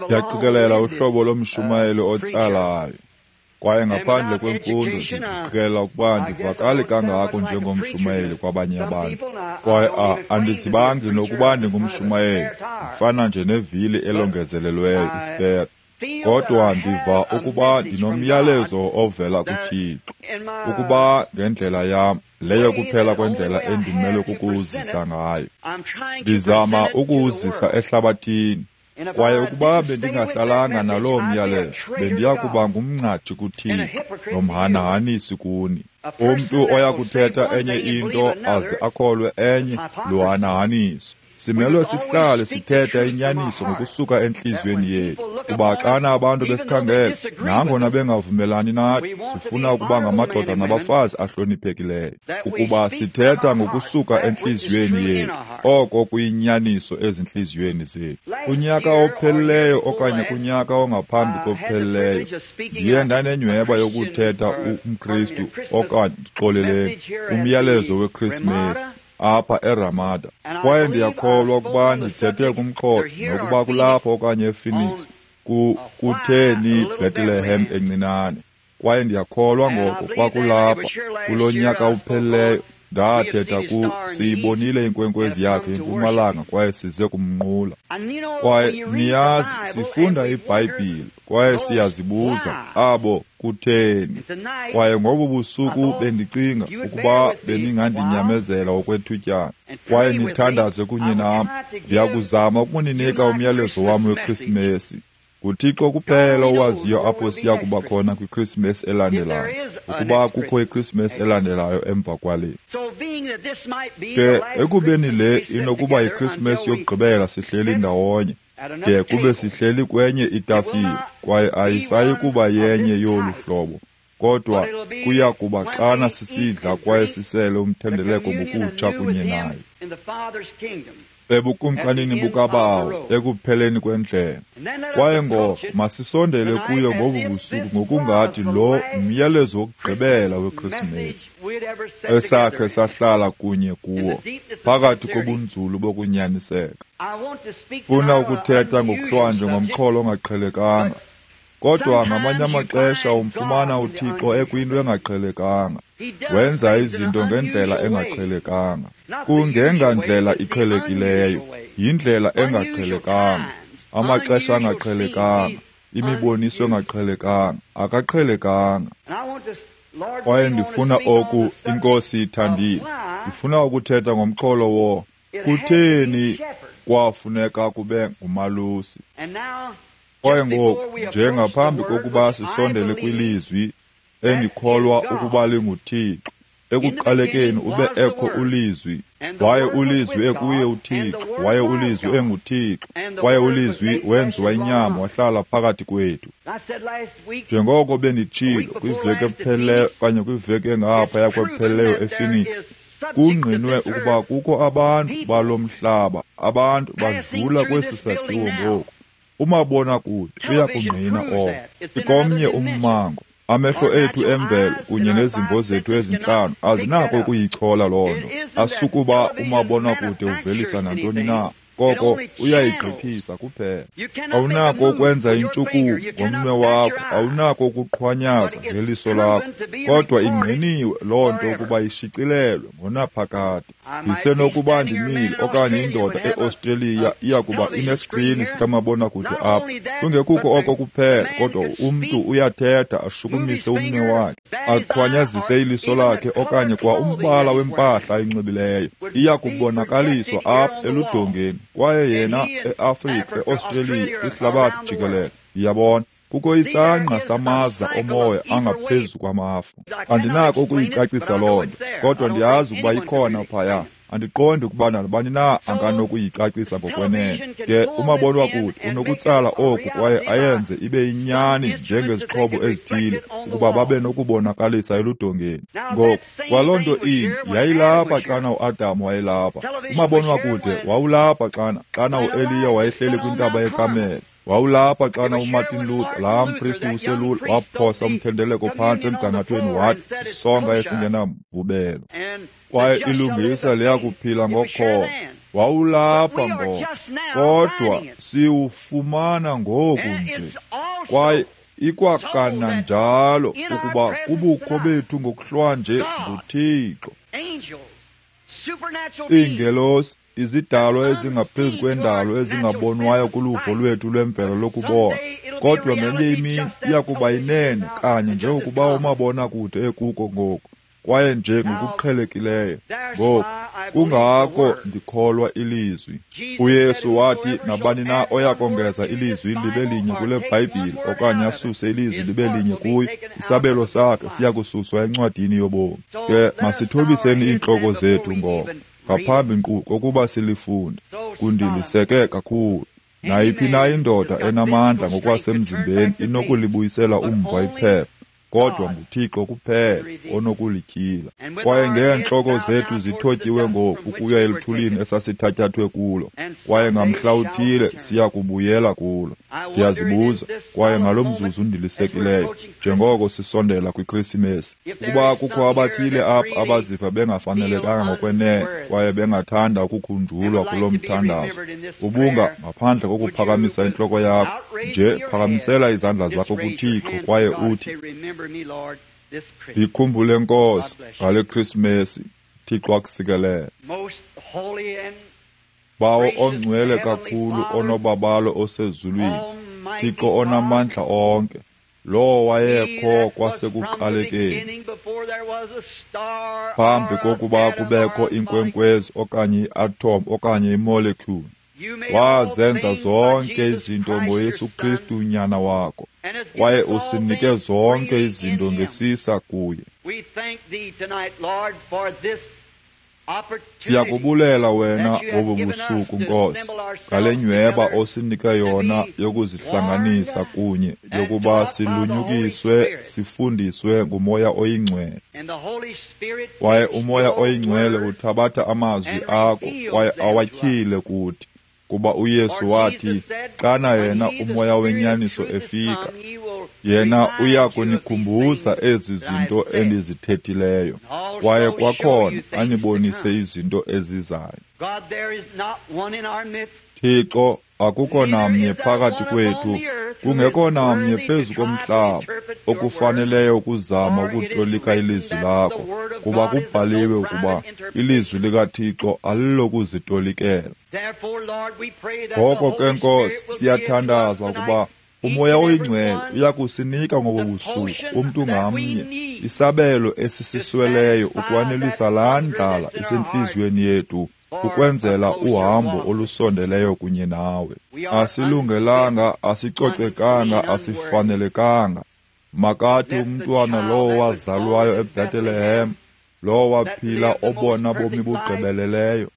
Ndiyaqikelela uhlobo lomshumayeli otsalayo. Kwaye ngaphandle kwemfundo ndiqikelela ukuba andivakali kangako njengomshumayeli kwabanye abantu. Kwaye andizibangi nokuba ndingumshumayeli, ndifana nje nevili elongezelelweyo, ispere. Kodwa ndiva ukuba ndinomyalezo ovela kuThixo, ukuba ngendlela yam, leyo kuphela kwendlela endimelwe kukuwuzisa ngayo. Ndizama ukuwuzisa ehlabathini. Kwaye ukuba bendingahlalanga naloo myalezo, bendiya kuba ngumngcatshi kuThixo nomhanahanisi kuni. Umntu oya kuthetha enye into aze akholwe enye, luhanahaniso. Simelwe sihlale sithetha inyaniso ngokusuka entliziyweni yethu, kuba xana abantu besikhangela, nangona bengavumelani nathi, sifuna ukuba ngamadoda nabafazi ahloniphekileyo, ukuba sithetha ngokusuka entliziyweni yethu, oko kuyinyaniso ezintliziyweni zethu. Kunyaka ophelileyo okanye kunyaka ongaphambi kophelileyo, ndiye ndanenyhweba yokuthetha umKristu okanye ndixoleleni, umyalezo weKrisimesi apha eRamada. Kwaye ndiyakholwa ukuba ndithethe kumxholo, nokuba kulapho okanye ePhoenix, kutheni iBethlehem encinane. Kwaye ndiyakholwa ngoko kwakulapha kulo nyaka uphelileyo ndathetha siyibonile inkwenkwezi yakhe empumalanga kwaye size kumnqula. Kwaye niyazi, sifunda iBhayibhile kwaye siyazibuza abo kutheni. Kwaye ngobu busuku bendicinga ukuba beningandinyamezela okwethutyana kwaye nithandaze kunye nam. Ndiyakuzama ukuninika umyalezo wam weKrisimesi. NguThixo kuphela owaziyo apho siya kuba khona kwiKrisimesi elandelayo, ukuba kukho iKrisimesi elandelayo emva kwale. Ke ekubeni le inokuba yiKrisimesi yokugqibela sihleli ndawonye, de kube sihleli kwenye itafile, kwaye ayisayi kuba yenye yolu hlobo, kodwa kuya kuba xana sisidla kwaye sisele umthendeleko ngokutsha kunye naye ebukumkanini bukaBawo ekupheleni kwendlela. Kwaye ngoko masisondele kuyo ngobu busuku ngokungathi lo myalezo wokugqibela weKrisimesi esakhe sahlala kunye kuwo phakathi kobunzulu bokunyaniseka. Funa ukuthetha ngokuhlwanje ngomxholo ongaqhelekanga, kodwa ngamanye amaxesha umfumana uThixo ekwinto engaqhelekanga. Wenza izinto ngendlela engaqhelekanga. Kungengandlela iqhelekileyo, yindlela engaqhelekanga, amaxesha angaqhelekanga, imiboniso engaqhelekanga, akaqhelekanga. Kwaye ndifuna oku, iNkosi ithandile, ndifuna ukuthetha ngomxholo wo kutheni kwafuneka kube ngumalusi. Kwaye ngoku, njengaphambi kokuba sisondele kwilizwi endikholwa ukuba linguThixo, ekuqalekeni ube ekho uLizwi, waye uLizwi ekuye uThixo, waye uLizwi enguThixo, kwaye uLizwi wenziwa inyama wahlala phakathi kwethu. Njengoko benditshilo kwiveki ephelileyo okanye kwiveki engaphaya kwephelileyo ePhoenix, kungqinwe ukuba kukho abantu balo mhlaba, abantu badlula kwesi sakhiwo ngoku. Umabonakude uyakungqina oko. Ikomnye ummango. Amehlo ethu emvelo kunye nezimvo zethu ezintlanu azinako ukuyichola loo nto. Asukuba umabonakude uvelisa nantoni na, koko uyayigqithisa kuphela. Awunako ukwenza intshukumo ngomnwe wakho, awunako ukuqhwanyaza ngeliso lakho, kodwa ingqiniwe loo nto ukuba ishicilelwe ngonaphakade. Ndisenokuba ndimile okanye indoda eAustralia iya kuba ineskrini sikamabonakude apha. Kungekuko oko kuphela, kodwa umntu uyathetha ashukumise umnwe wakhe, aqhwanyazise iliso lakhe okanye kwa umbala wempahla ayinxibileyo. Iya kubonakaliswa apha eludongeni, kwaye yena eAfrika, eAustralia, kwihlabathi jikelele. Ndiyabona kukho isangqa samaza omoya angaphezu kwamafu. Andinako ukuyicacisa loo nto, kodwa ndiyazi ukuba ikhona phaya. Andiqondi ukuba nabani na anganokuyicacisa ngokwenene. Ke umabonwakude unokutsala oku kwaye ayenze ibe yinyani njengezixhobo ezithile ukuba babe nokubonakalisa eludongeni. Ngoku, kwaloo nto inye yayilapha xana uAdam wayelapha. Umabonwakude wawulapha xana uEliya wayehleli kwintaba yeKamele. Wawulapha xana uMartin Luther, laa mpristi uselula, waphosa umthendeleko phantsi emgangathweni wathi sisonka esingenamvubelo. Kwaye ilungisa liyakuphila ngokholo. Wawulapha ngoko, kodwa siwufumana ngoku nje. Kwaye ikwakananjalo ukuba kubukho bethu ngokuhlwanje nguThixo. Iingelosi, izidalwa ezingaphezu kwendalo ezingabonwayo kuluvo lwethu lwemvelo lokubona, kodwa ngenye imini iya kuba yinene kanye njengokuba umabonakude ekuko ngoku, kwaye nje ngokuqhelekileyo. Ngoku kungako ndikholwa ilizwi. UYesu wathi nabani na oya kongeza ilizwi libe linye kule Bhayibhile okanye asuse ilizwi libe linye kuyo, isabelo sakhe siya kususwa encwadini yobomi. Ke masithobiseni iintloko zethu ngoko ngaphambi nkqu kokuba silifunde. Kundiliseke kakhulu. Nayiphi na indoda enamandla ngokwasemzimbeni inokulibuyisela umva iphepha, kodwa nguThixo kuphela onokulityhila. Kwaye ngeentloko zethu zithotyiwe ngoku ukuya eluthulini esasithatyathwe kulo, kwaye ngamhla uthile siya kubuyela kulo. Ndiyazibuza, kwaye ngalo mzuzu ndilisekileyo, njengoko sisondela kwiKrisimesi, ukuba kukho abathile apha abaziva bengafanelekanga ngokwenene kwaye bengathanda ukukhunjulwa kulo mthandazo, ubunga ngaphandle kokuphakamisa intloko yakho nje, phakamisela izandla zakho kuThixo kwaye uthi, Ndikhumbule Nkosi ngale Krisimesi. Thixo akusikelele. Bawo ongcwele kakhulu, onobabalo osezulwini, Thixo onamandla onke, lowo wayekho kwasekuqalekeni, phambi kokuba kubekho inkwenkwezi okanye i-atom okanye imolecule, wazenza zonke izinto ngoYesu Kristu unyana wakho, kwaye usinike zonke izinto ngesisa kuye. Siyakubulela wena ngobu busuku, Nkosi, ngale nyweba osinike yona yokuzihlanganisa kunye, yokuba silunyukiswe, sifundiswe nguMoya oyiNgcwele. Kwaye uMoya oyiNgcwele uthabatha amazwi akho kwaye awatyhile kuthi, kuba uYesu wathi, xana yena uMoya wenyaniso efika, yena uya kunikhumbuza ezi zinto endizithethileyo, kwaye kwakhona anibonise izinto ezizayo. Thixo, akukho namnye phakathi kwethu, kungekho namnye phezu komhlaba okufaneleyo ukuzama ukutolika ilizwi lakho, kuba kubhaliwe ukuba ilizwi likaThixo alilokuzitolikela. Ngoko ke, Nkosi, siyathandaza ukuba uMoya oyiNgcwele uya kusinika ngobo busuku umntu ngamnye isabelo esisisweleyo ukwanelisa laa ndlala isentliziyweni yethu, ukwenzela uhambo olusondeleyo kunye nawe. Asilungelanga, asicocekanga, asifanelekanga. Makathi umntwana lowo wazalwayo eBethlehem, lowo waphila obona bomi bugqibeleleyo,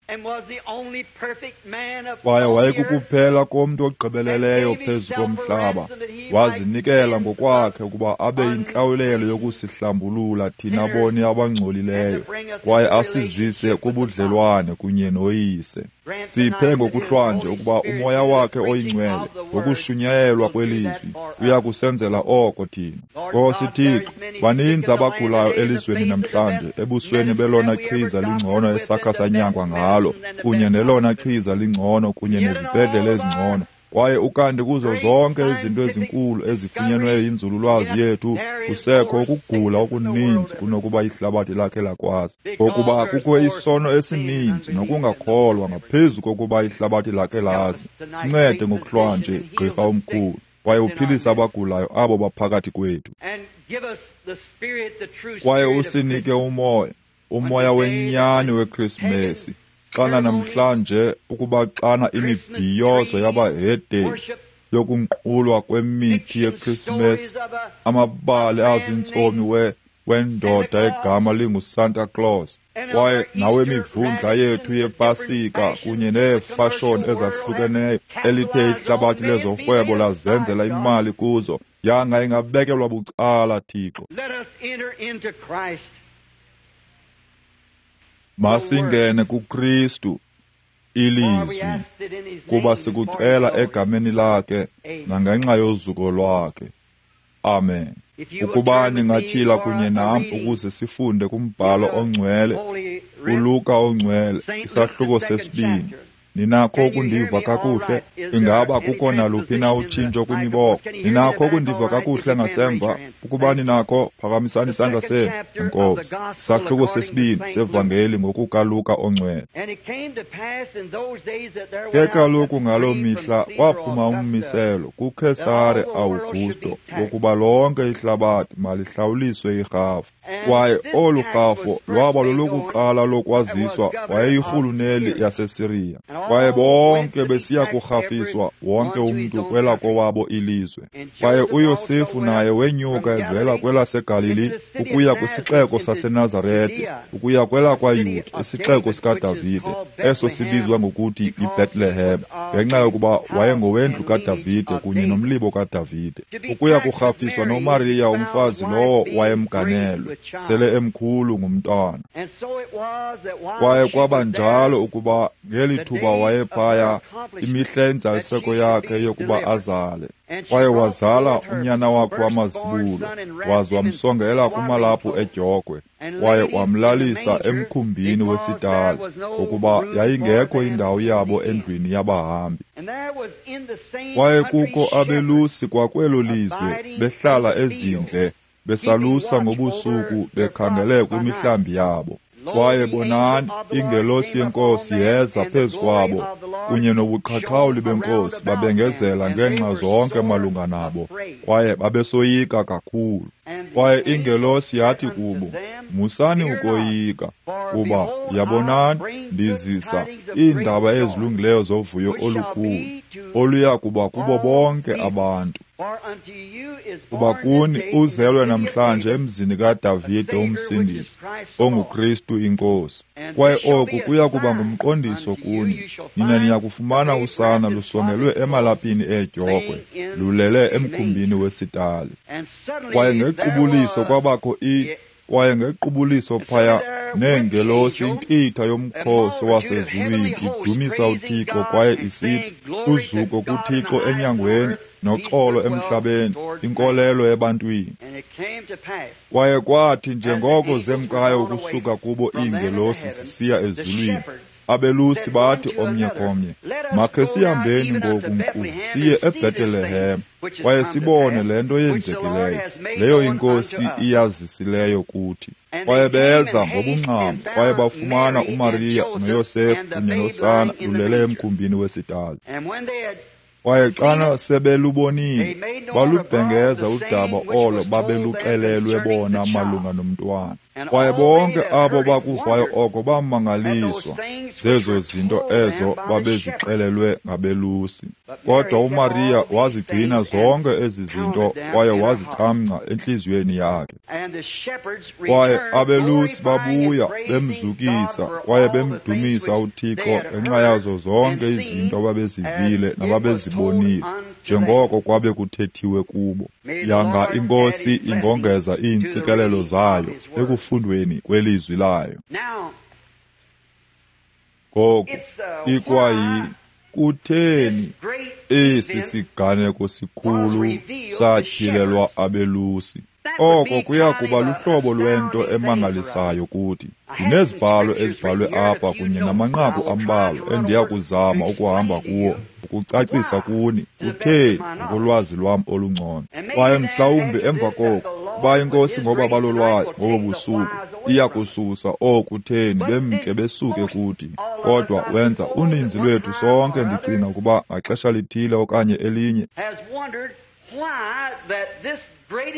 kwaye wayekukuphela komntu ogqibeleleyo phezu komhlaba, wazinikela ngokwakhe ukuba abe yintlawulelo yokusihlambulula thina boni abangcolileyo, kwaye asizise kubudlelwane kunye noYise. Siphe ngokuhlwanje ukuba uMoya wakhe oyiNgcwele ngokushunyayelwa kwelizwi uya kusenzela oko thina. Nkosi Thixo, baninzi abagulayo elizweni namhlanje, ebusweni belona chiza lingcono esakha sanyangwa ngalo, kunye nelona chiza lingcono kunye nezibhedlele ezingcono, kwaye ukanti kuzo zonke izinto ezinkulu ezifunyenweyo yinzululwazi yethu, kusekho ukugula okuninzi kunokuba ihlabathi lakhe lakwazi, ngokuba kukho isono esininzi nokungakholwa ngaphezu kokuba ihlabathi lakhe lazi. Sincede ngokuhlwanje, Gqirha omkhulu, kwaye uphilise abagulayo abo baphakathi kwethu, kwaye usinike umoya, umoya wenyani weKrisimesi, xana namhlanje ukuba xana imibhiyozo yabahedeni yokunqulwa kwemithi yeKrisimesi, amabali azintsomi wendoda egama linguSanta Claus, kwaye nawemivundla yethu yepasika kunye neefashoni ezahlukeneyo elithe ihlabathi lezorhwebo lazenzela imali kuzo, yanga ingabekelwa bucala, Thixo. Masingene kuKristu, ilizwi, kuba sikucela egameni lakhe nangenxa yozuko lwakhe. Amen. Ukuba ningatyhila kunye nam ukuze sifunde kumbhalo ongcwele uLuka ongcwele, isahluko sesibini. Ninakho ukundiva kakuhle? Ingaba kukho naluphi na utshintsho kwimiboko? Ninakho ukundiva kakuhle ngasemva? Ukuba ninakho, phakamisani isandla senu. Enkosi. Isahluko sesibini sevangeli ngokukaLuka ongcwele. Ke kaloku ngaloo mihla kwaphuma ummiselo kuKhesare Augusto wokuba lonke ihlabathi malihlawuliswe irhafu. Kwaye olu rhafu lwaba lolokuqala lokwaziswa wayeyirhuluneli yaseSiriya. Kwaye bonke besiya kurhafiswa, wonke umntu kwelakowabo ilizwe. Kwaye uYosefu naye wenyuka evela kwelaseGalili ukuya kwisixeko saseNazarete, ukuya kwelakwaYuda, isixeko sikaDavide, eso sibizwa ngokuthi yiBethlehem, ngenxa yokuba wayengowendlu kaDavide kunye nomlibo kaDavide, ukuya kurhafiswa noMariya umfazi lowo wayemganelwe, sele emkhulu ngumntwana. Kwaye kwaba njalo ukuba ngeli thuba wayephaya, imihla yenzaliseko yakhe yokuba azale. Kwaye wazala unyana wakhe wamazibulo, waza wamsongela kumalaphu edyokhwe, kwaye wamlalisa emkhumbini wesitali, ngokuba yayingekho indawo yabo endlwini yabahambi. Kwaye kukho abelusi kwakwelo lizwe, behlala ezindle, besalusa ngobusuku, bekhangele kwimihlambi yabo. Kwaye bonani, ingelosi yeNkosi yeza phezu kwabo, kunye nobuqhaqhawuli beNkosi babengezela ngeenxa zonke malunga nabo, kwaye babesoyika kakhulu. Kwaye ingelosi yathi kubo, musani ukoyika, kuba yabonani, ndizisa iindaba ezilungileyo zovuyo olukhulu, oluya kuba kubo bonke abantu. Kuba kuni uzelwe namhlanje emzini kaDavide uMsindisi, onguKristu iNkosi. Kwaye oku kuya kuba ngumqondiso kuni, nina niya kufumana usana lusongelwe emalaphini eedyokhwe, lulele emkhumbini wesitali. Kwaye ngequbuliso kwabakho kwaye ngequbuliso phaya neengelosi inkitha yomkhosi wasezulwini idumisa uThixo kwaye isithi, uzuko kuThixo enyangweni, noxolo emhlabeni, inkolelo ebantwini. Kwaye kwathi njengoko zemkayo ukusuka kubo iingelosi zisiya ezulwini, abelusi bathi omnye komnye, makhe sihambeni ngoku nkqu siye eBhetelehem, kwaye sibone le nto yenzekileyo, leyo iNkosi iyazisileyo kuthi. Kwaye beza ngobungxamo, kwaye bafumana uMariya noYosefu kunye nosana lulele emkhumbini wesitali. Kwaye xana sebelubonile, balubhengeza udaba olo babeluxelelwe bona malunga nomntwana. Kwaye bonke abo bakuvayo oko bamangaliswa zezo zinto ezo babezixelelwe ngabelusi. Kodwa uMariya wazigcina zonke ezi zinto kwaye wazicamngca entliziyweni yakhe. Kwaye abelusi babuya bemzukisa kwaye bemdumisa uThixo ngenxa yazo zonke izinto ababezivile nababezibonile, njengoko kwabe kuthethiwe kubo. Yanga iNkosi ingongeza iintsikelelo zayo ekufundweni kwelizwi layo. Ngoku ikwayi kutheni esi siganeko sikhulu satyhilelwa abelusi? Oko kuya kuba luhlobo lwento emangalisayo kuthi. Ndinezibhalo ezibhalwe apha kunye namanqaku ambalwa endiya kuzama ukuhamba kuwo ukucacisa kuni kutheni ngokolwazi lwam olungcono. Kwaye mhlawumbi emva koko, kuba iNkosi ngobabalo lwayo ngobo busuku iya kususa okutheni bemke besuke kuthi. Kodwa wenza uninzi lwethu sonke, ndicinga ukuba ngaxesha lithile okanye elinye,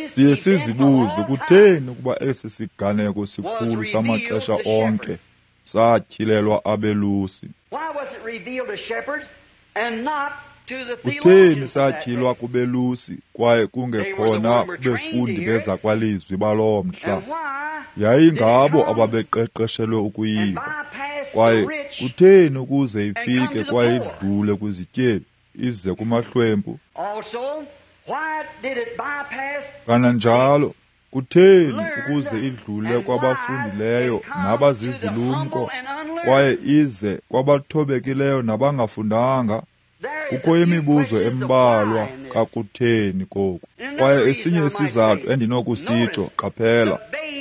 siye sizibuze kutheni ukuba esi siganeko sikhulu samaxesha onke satyhilelwa abelusi. Kutheni satyhilwa kubelusi kwaye kungekhona kubefundi bezakwalizwi baloo mhla? Yayingabo ababeqeqeshelwe ukuyiva. Kwaye kutheni ukuze ifike kwaye idlule kwizityebi ize kumahlwempu? Kananjalo kutheni ukuze idlule kwabafundileyo nabazizilumko kwaye ize kwabathobekileyo nabangafundanga? Kukho imibuzo embalwa kakutheni koku. Kwaye esinye isizathu endinokusitsho, qaphela,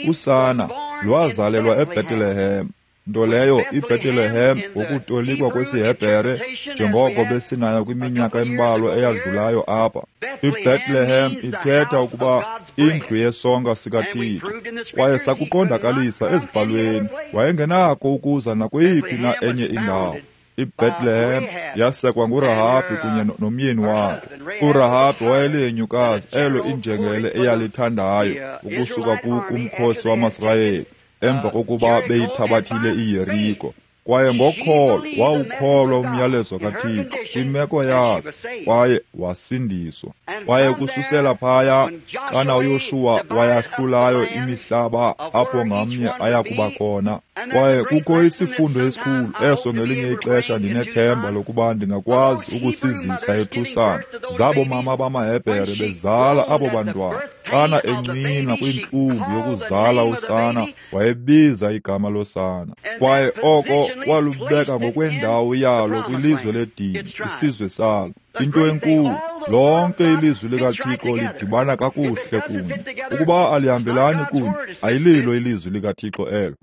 usana lwazalelwa eBethlehem. Nto leyo iBethlehem ngokutolikwa kwesiHebhere, njengoko besinayo kwiminyaka embalwa eyadlulayo apha. IBethlehem ithetha ukuba indlu yesonka sikaThixo, kwaye sakuqondakalisa ezibhalweni wayengenako ukuza nakweyiphi na enye indawo. IBethlehem yasekwa nguRahabhi kunye nomyeni wakhe. URahabhi wayelihenyukazi elo injengele eyalithandayo ukusuka kumkhosi wamaSirayeli emva kokuba beyithabathile iYeriko. Kwaye ngokholo wawukholwa umyalezo kaThixo kwimeko yakhe, kwaye wasindiswa. Kwaye kususela phaya, xana uYoshuwa wayahlulayo imihlaba apho ngamnye aya kuba khona. Kwaye kukho isifundo esikhulu eso ngelinye ixesha ndinethemba lokuba ndingakwazi ukusizisa eThusana. Zabo mama bamaHebhere bezala abo bantwana, xana encwina kwintlungu yokuzala usana, wayebiza igama losana. Kwaye oko walubeka ngokwendawo yalo kwilizwe ledini, isizwe salo. Into enkulu, lonke ilizwi likaThixo lidibana kakuhle kunye. Ukuba alihambelani kunye, ayililo ilizwi likaThixo elo.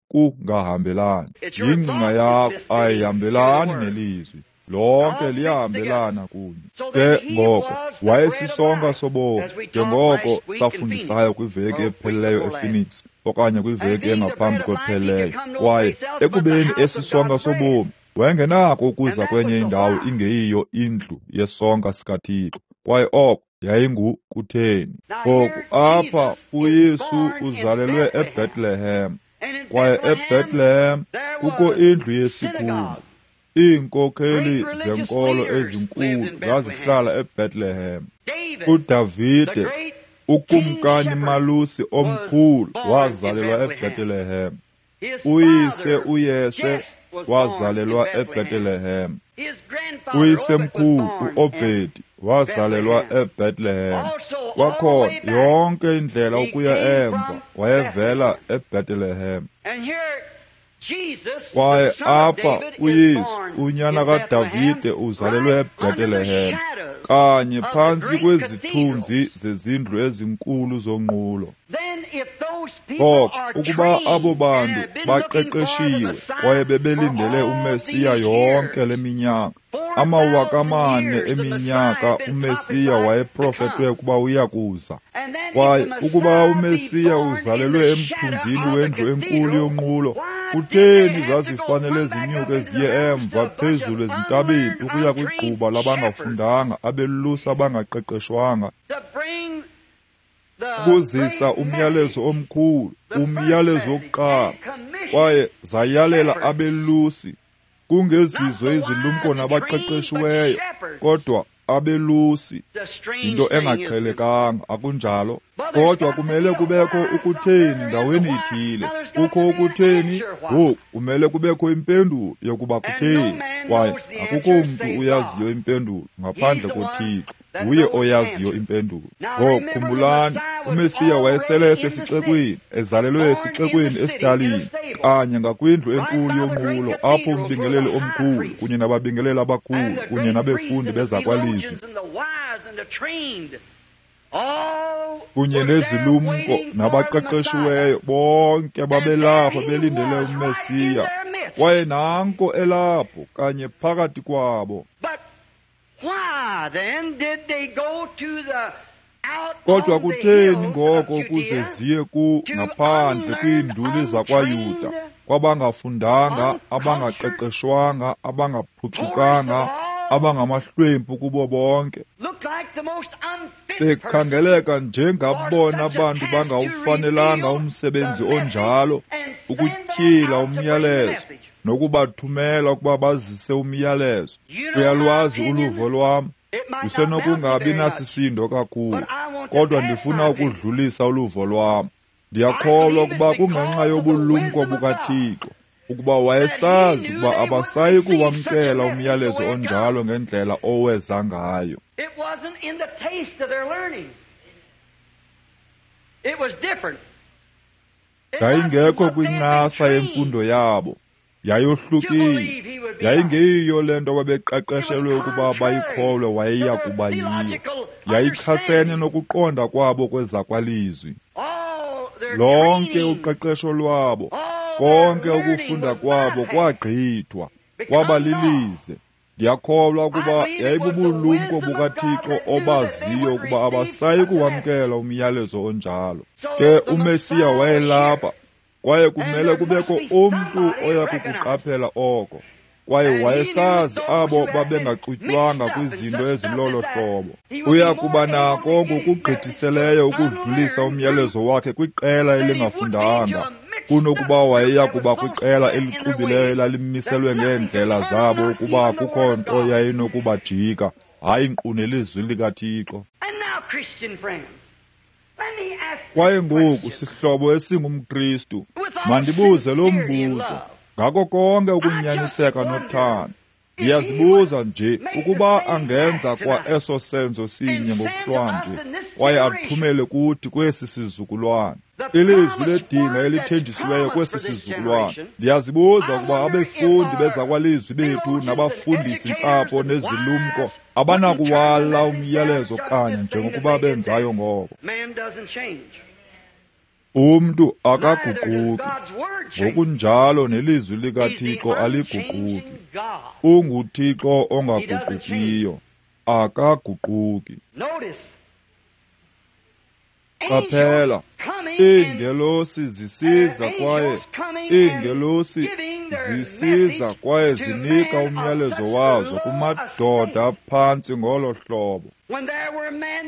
Kungahambelani. Yingcinga yakho ayihambelani nelizwi. Lonke liyahambelana kunye. Ke ngoko wayesisonka sobomi, njengoko safundisayo kwiveki ephelileyo ePhoenix, okanye kwiveki engaphambi kwephelileyo. Kwaye ekubeni esisonka sobomi, wayengenako ukuza kwenye indawo ingeyiyo indlu yesonka sikaThixo. Kwaye oko yayingukutheni. Ngoku apha uYesu uzalelwe eBethlehem, kwaye eBethlehem kukho indlu yesikhungu. Iinkokheli zenkolo ezinkulu zazihlala eBethlehem. uDavide, ukumkani malusi omkhulu, wazalelwa eBethlehem. Uyise uYese wazalelwa eBethlehem. Uyisemkhulu uObedi wazalelwa eBethlehem. Kwakhona yonke indlela ukuya emva wayevela eBethlehem. Kwaye apha uYesu, unyana kaDavide, uzalelwe eBethlehem, kanye phantsi kwezithunzi zezindlu ezinkulu zonqulo. Ngoko ukuba abo bantu baqeqeshiwe kwaye bebelindele uMesiya yonke le minyaka, 4,000 eminyaka uMesiya wayeprofetwe ukuba uya kuza. Kwaye ukuba uMesiya uzalelwe emthunzini wendlu enkulu yonqulo, kutheni zazifanele zinyuke ziye emva phezulu ezintabeni ukuya kwigquba labangafundanga, abelusi abangaqeqeshwanga, ukuzisa umyalezo omkhulu, umyalezo wokuqala? Kwaye zayalela abelusi, kungezizo izilumko nabaqeqeshiweyo, kodwa abelusi. Into engaqhelekanga, akunjalo? Kodwa kumele kubekho ukutheni ndaweni ithile. Kukho ukutheni, ngoku kumele kubekho impendulo yokuba kutheni. Kwaye akukho mntu uyaziyo impendulo ngaphandle koThixo. Nguye oyaziyo impendulo. Ngoku khumbulani, uMesiya wayesele esesixekweni, ezalelwe esixekweni esitalini, kanye ngakwindlu enkulu yonqulo, apho umbingeleli omkhulu kunye nababingeleli abakhulu kunye nabefundi bezakwalizwi kunye nezilumko nabaqeqeshiweyo bonke babelapha belindele uMesiya. Kwaye nanko elapho kanye phakathi kwabo. Kodwa kutheni ngoko ukuze ziye ngaphandle kwiinduli zakwaYuda, kwabangafundanga, abangaqeqeshwanga, abangaphucukanga, abangamahlwempu kubo bonke, bekhangeleka njengabona bantu bangawufanelanga umsebenzi onjalo, ukutyhila umyalezo nokubathumela ukuba bazise umyalezo? Uyalwazi uluvo lwam, lusenokungabi nasisindo kakhulu, kodwa ndifuna ukudlulisa uluvo lwam. Ndiyakholwa ukuba kungenxa yobulumko bukaThixo ukuba wayesazi ukuba abasayi kuwamkela umyalezo onjalo ngendlela oweza ngayo. Yayingekho kwincasa yemfundo yabo, yayohlukile. Yayingeyiyo le nto babeqeqeshelwe ukuba bayikholwe wayeya kuba yiyo. Yayichasene nokuqonda kwabo kwezakwalizwi. Lonke uqeqesho lwabo, Konke ukufunda kwabo kwagqithwa, kwaba lilize. Ndiyakholwa ukuba yayibubulumko bukaThixo obaziyo ukuba abasayi kuwamkela umyalezo onjalo. Ke uMesiya wayelapha, kwaye kumele kubekho umntu oya kukuqaphela oko. Kwaye wayesazi abo babengaxutywanga kwizinto ezilolo hlobo. Uya kuba nako ngokugqithiseleyo ukudlulisa umyalezo wakhe kwiqela elingafundanga kunokuba wayeya kuba kwiqela elixubileyo elalimiselwe ngeendlela zabo ukuba kukho nto yayinokubajika, hayi nkqu nelizwi likaThixo. Kwaye ngoku, sihlobo esingumKristu, mandibuze lo mbuzo ngako konke ukunyaniseka nothando. Ndiyazibuza nje ukuba angenza kwa eso senzo sinye ngokuhlwanje kwaye athumele kuthi kwesi sizukulwana ilizwi ledinga elithenjisiweyo kwesi sizukulwana. Ndiyazibuza ukuba abefundi bezakwalizwi bethu nabafundisi ntsapho nezilumko abanakuwala umyalezo kanye njengokuba benzayo ngoko. Umntu akaguquki, ngokunjalo nelizwi likaThixo aliguquki. UnguThixo ongaguqukiyo, akaguquki. Qaphela, iingelosi zisiza kwaye iingelosi zisiza kwaye zinika umyalezo wazo kumadoda phantsi ngolo hlobo.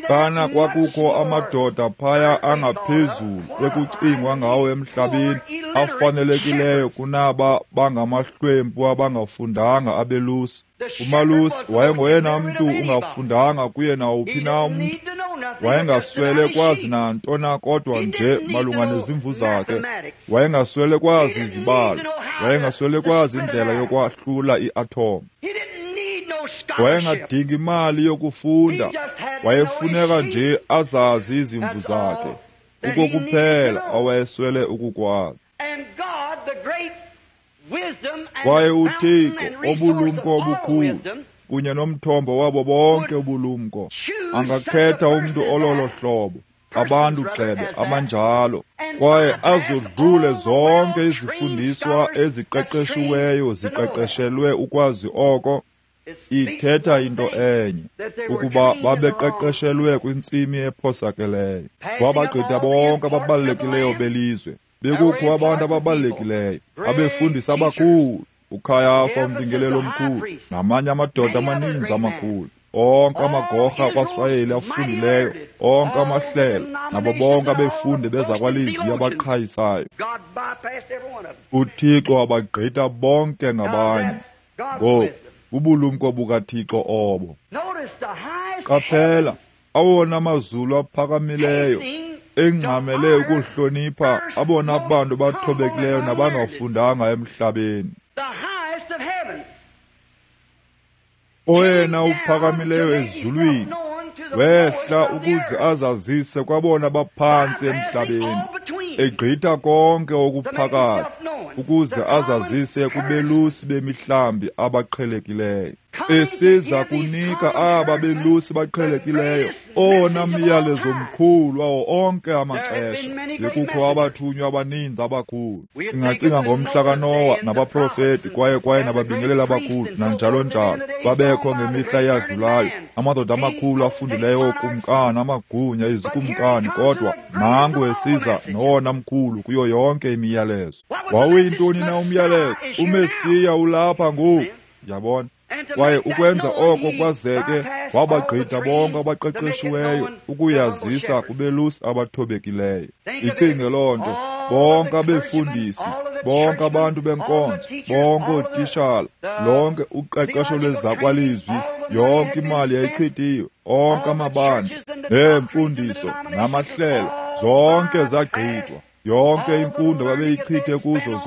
Kana kwakukho amadoda phaya angaphezulu ekucingwa ngawo emhlabeni afanelekileyo kunaba bangamahlwempu abangafundanga abelusi. Umalusi wayengoyena mntu ungafundanga kuye nawuphi na umntu. Wayengaswele kwazi nanto na kodwa nje malunga nezimvu zakhe. Wayengaswele kwazi izibalo. Wayengaswele kwazi indlela yokwahlula i-atom. Wayengadingi imali yokufunda. Wayefuneka nje azazi izimvu zakhe. Kukokuphela awayeswele ukukwazi. Kwaye uThixo obulumko obukhulu kunye nomthombo wabo bonke ubulumko angakhetha umntu ololo hlobo, abantu gxebe abanjalo, kwaye azodlule zonke izifundiswa eziqeqeshiweyo ziqeqeshelwe ukwazi oko. Ithetha into enye, ukuba babeqeqeshelwe kwintsimi ephosakeleyo. Wabagqitha bonke ababalulekileyo belizwe. Bekukho abantu ababalulekileyo, abefundisi abakhulu, uKhayafa umbingeleli omkhulu, namanye amadoda amaninzi amakhulu, onke amagorha akwaSirayeli afundileyo, onke amahlelo, nabo bonke abefundi bezakwalizwi abaqhayisayo. UThixo wabagqitha bonke ngabanye. Ngoku bubulumko bukaThixo obo. Qaphela, awona mazulu aphakamileyo engxamele ukuhlonipha abona bantu bathobekileyo nabangafundanga emhlabeni. Oyena uphakamileyo ezulwini wehla ukuze azazise kwabona baphantsi emhlabeni, egqitha konke okuphakathi ukuze azazise kubelusi bemihlambi abaqhelekileyo. Esiza kunika aba belusi baqhelekileyo owona myalezo mkhulu wawo onke amaxesha. Bekukho abathunywa abaninzi abakhulu. Singacinga ngomhla kaNowa nabaprofeti kwaye nababingeleli abakhulu nanjalo njalo. Babekho ngemihla eyadlulayo amadoda amakhulu afundileyo ookumkani, amagunya, izikumkani, kodwa nangu esiza nowona mkhulu kuyo yonke imiyalezo. Wawuyintoni na umyalezo? uMesiya ulapha ngoku. Yabona? Kwaye ukwenza oko kwazeke wabagqitha bonke abaqeqeshiweyo ukuyazisa kubelusi abathobekileyo. Icinge loo nto, bonke abefundisi, bonke abantu benkonzo, bonke ootishala, lonke uqeqesho lwezakwalizwi, yonke imali yayichithiwe, onke amabandla neemfundiso namahlelo, zonke zagqithwa. Yonke imfundo babeyichithe kuzo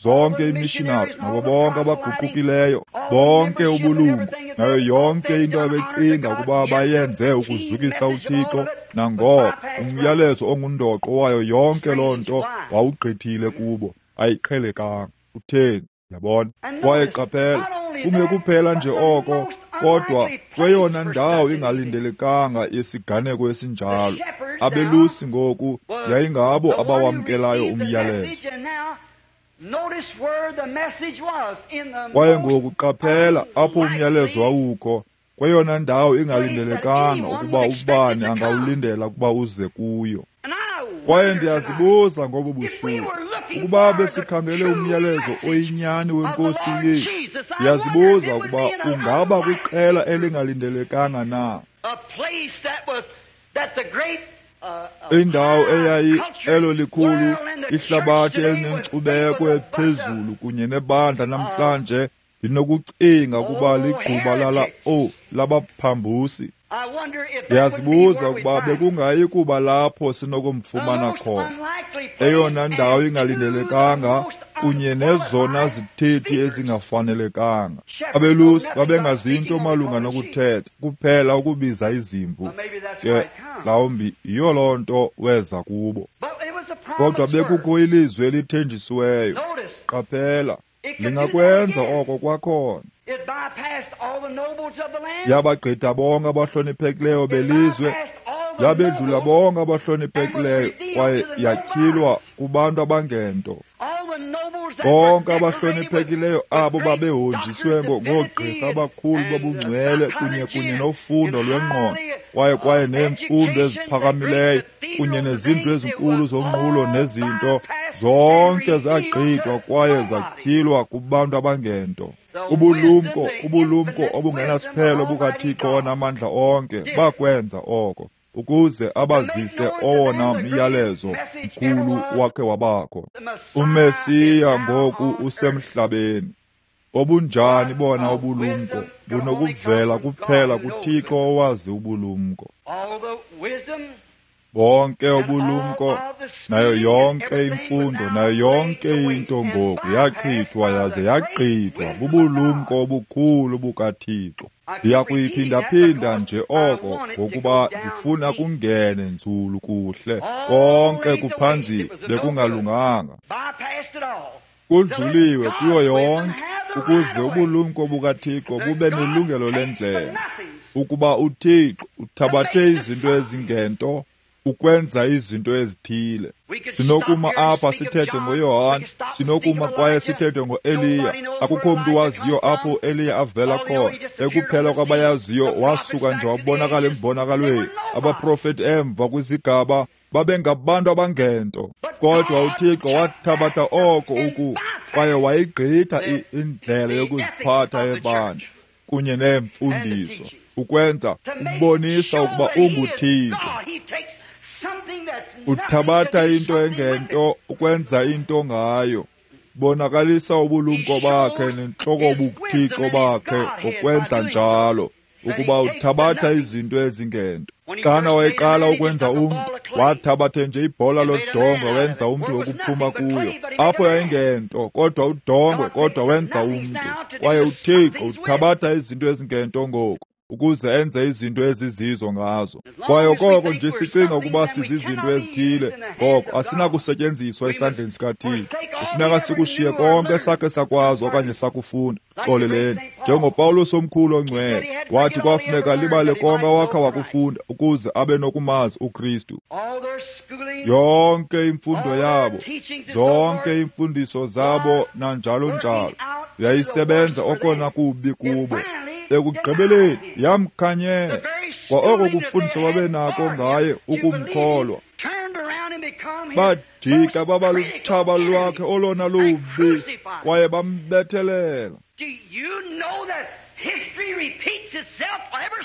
zonke imishinari nabo bonke abaguqukileyo, bonke ubulungu nayo yonke into abecinga ukuba bayenze ukuzukisa uThixo. Nangoko umyalezo ongundoqo wayo yonke loo nto wawugqithile kubo, ayiqhelekanga. Utheni? Yabona? Kwaye qaphela, kungekuphela nje oko, kodwa kweyona ndawo ingalindelekanga yesiganeko esinjalo, abelusi ngoku yayingabo abawamkelayo umyalezo. Kwaye ngoku qaphela apho umyalezo wawukho, kweyona ndawo ingalindelekanga ukuba ubani angawulindela ukuba uze kuyo. Kwaye ndiyazibuza ngobu busuku, ukuba besikhangele umyalezo oyinyani weNkosi uYesu, ndiyazibuza ukuba ungaba kwiqela elingalindelekanga na. Indawo eyayi elo likhulu ihlabathi elinenkcubeko ephezulu kunye nebandla namhlanje linokucinga ukuba ligquba lala labaphambusi. Ndiyazibuza ukuba bekungayi kuba lapho sinokumfumana khona, eyona ndawo ingalindelekanga kunye nezona zithethi ezingafanelekanga. Abelusi babengazinto malunga nokuthetha, kuphela ukubiza izimvu. Ke mhlawumbi yiyo loo nto weza kubo. Kodwa bekukho ilizwi elithenjisiweyo. Qaphela, lingakwenza oko kwakhona. Yabagqitha bonke abahloniphekileyo belizwe, yabedlula bonke abahloniphekileyo, kwaye yatyhilwa kubantu abangento. Bonke abahloniphekileyo abo babehonjiswe ngoogqirha abakhulu bobungcwele kunye nofundo lwengqondo, kwaye neemfundo eziphakamileyo kunye nezinto ezinkulu zonqulo nezinto, zonke zagqithwa kwaye zatyhilwa kubantu abangento. Ubulumko obungenasiphelo bukaThixo onamandla onke bakwenza oko, ukuze abazise owona myalezo mkhulu wakhe wabakho. UMesiya ngoku usemhlabeni. Obunjani bona ubulumko bunokuvela kuphela kuThixo owazi ubulumko. Bonke ubulumko nayo yonke imfundo nayo yonke into ngoku yachithwa yaze yagqithwa bubulumko obukhulu bukaThixo. Ndiyakuyiphindaphinda nje oko ngokuba ndifuna kungene nzulu kuhle. Konke kuphanzile, bekungalunganga. Kudluliwe kuyo yonke ukuze ubulumko bukaThixo bube nelungelo lendlela, ukuba uThixo uthabathe izinto ezingento ukwenza izinto ezithile. Sinokuma apha sithethe ngoYohane, sinokuma kwaye sithethe ngoEliya. Akukho mntu waziyo apho uEliya avela khona. Ekuphela kwabayaziyo wasuka nje wabonakala embonakalweni. Abaprofeti emva kwizigaba babengabantu abangento, kodwa uThixo wathabatha oko kwaye wayigqitha indlela yokuziphatha yebandla kunye neemfundiso ukwenza ukubonisa ukuba unguThixo. Uthabatha into engento ukwenza into ngayo, bonakalisa ubulumko bakhe nentloko buThixo bakhe ngokwenza njalo, ukuba uthabatha izinto ezingento. Xana wayeqala ukwenza umntu, wathabathe nje ibhola lodongwe wenza umntu wokuphuma kuyo. Apho yayingento, kodwa udongwe, kodwa wenza umntu. Kwaye uThixo uthabatha izinto ezingento ngoku ukuze enze izinto ezizizo ngazo. Kwaye okoko nje sicinga ukuba sizizinto ezithile, ngoko asinakusetyenziswa esandleni sikaThixo. Kufuneka sikushiye konke sakhe sakwazi okanye sakufunda. Xoleleni, njengoPawulos omkhulu ongcwele wathi kwafuneka libale konke awakha wakufunda ukuze abe nokumazi uKristu. Yonke imfundo yabo, zonke iimfundiso zabo nanjalo njalo, yayisebenza okona kubi kubo. Ekugqibeleni yamkhanyela kwa oko kufundiswa babenako ngaye ukumkholwa. Bajika baba lutshaba lwakhe olona lubi kwaye bambethelela.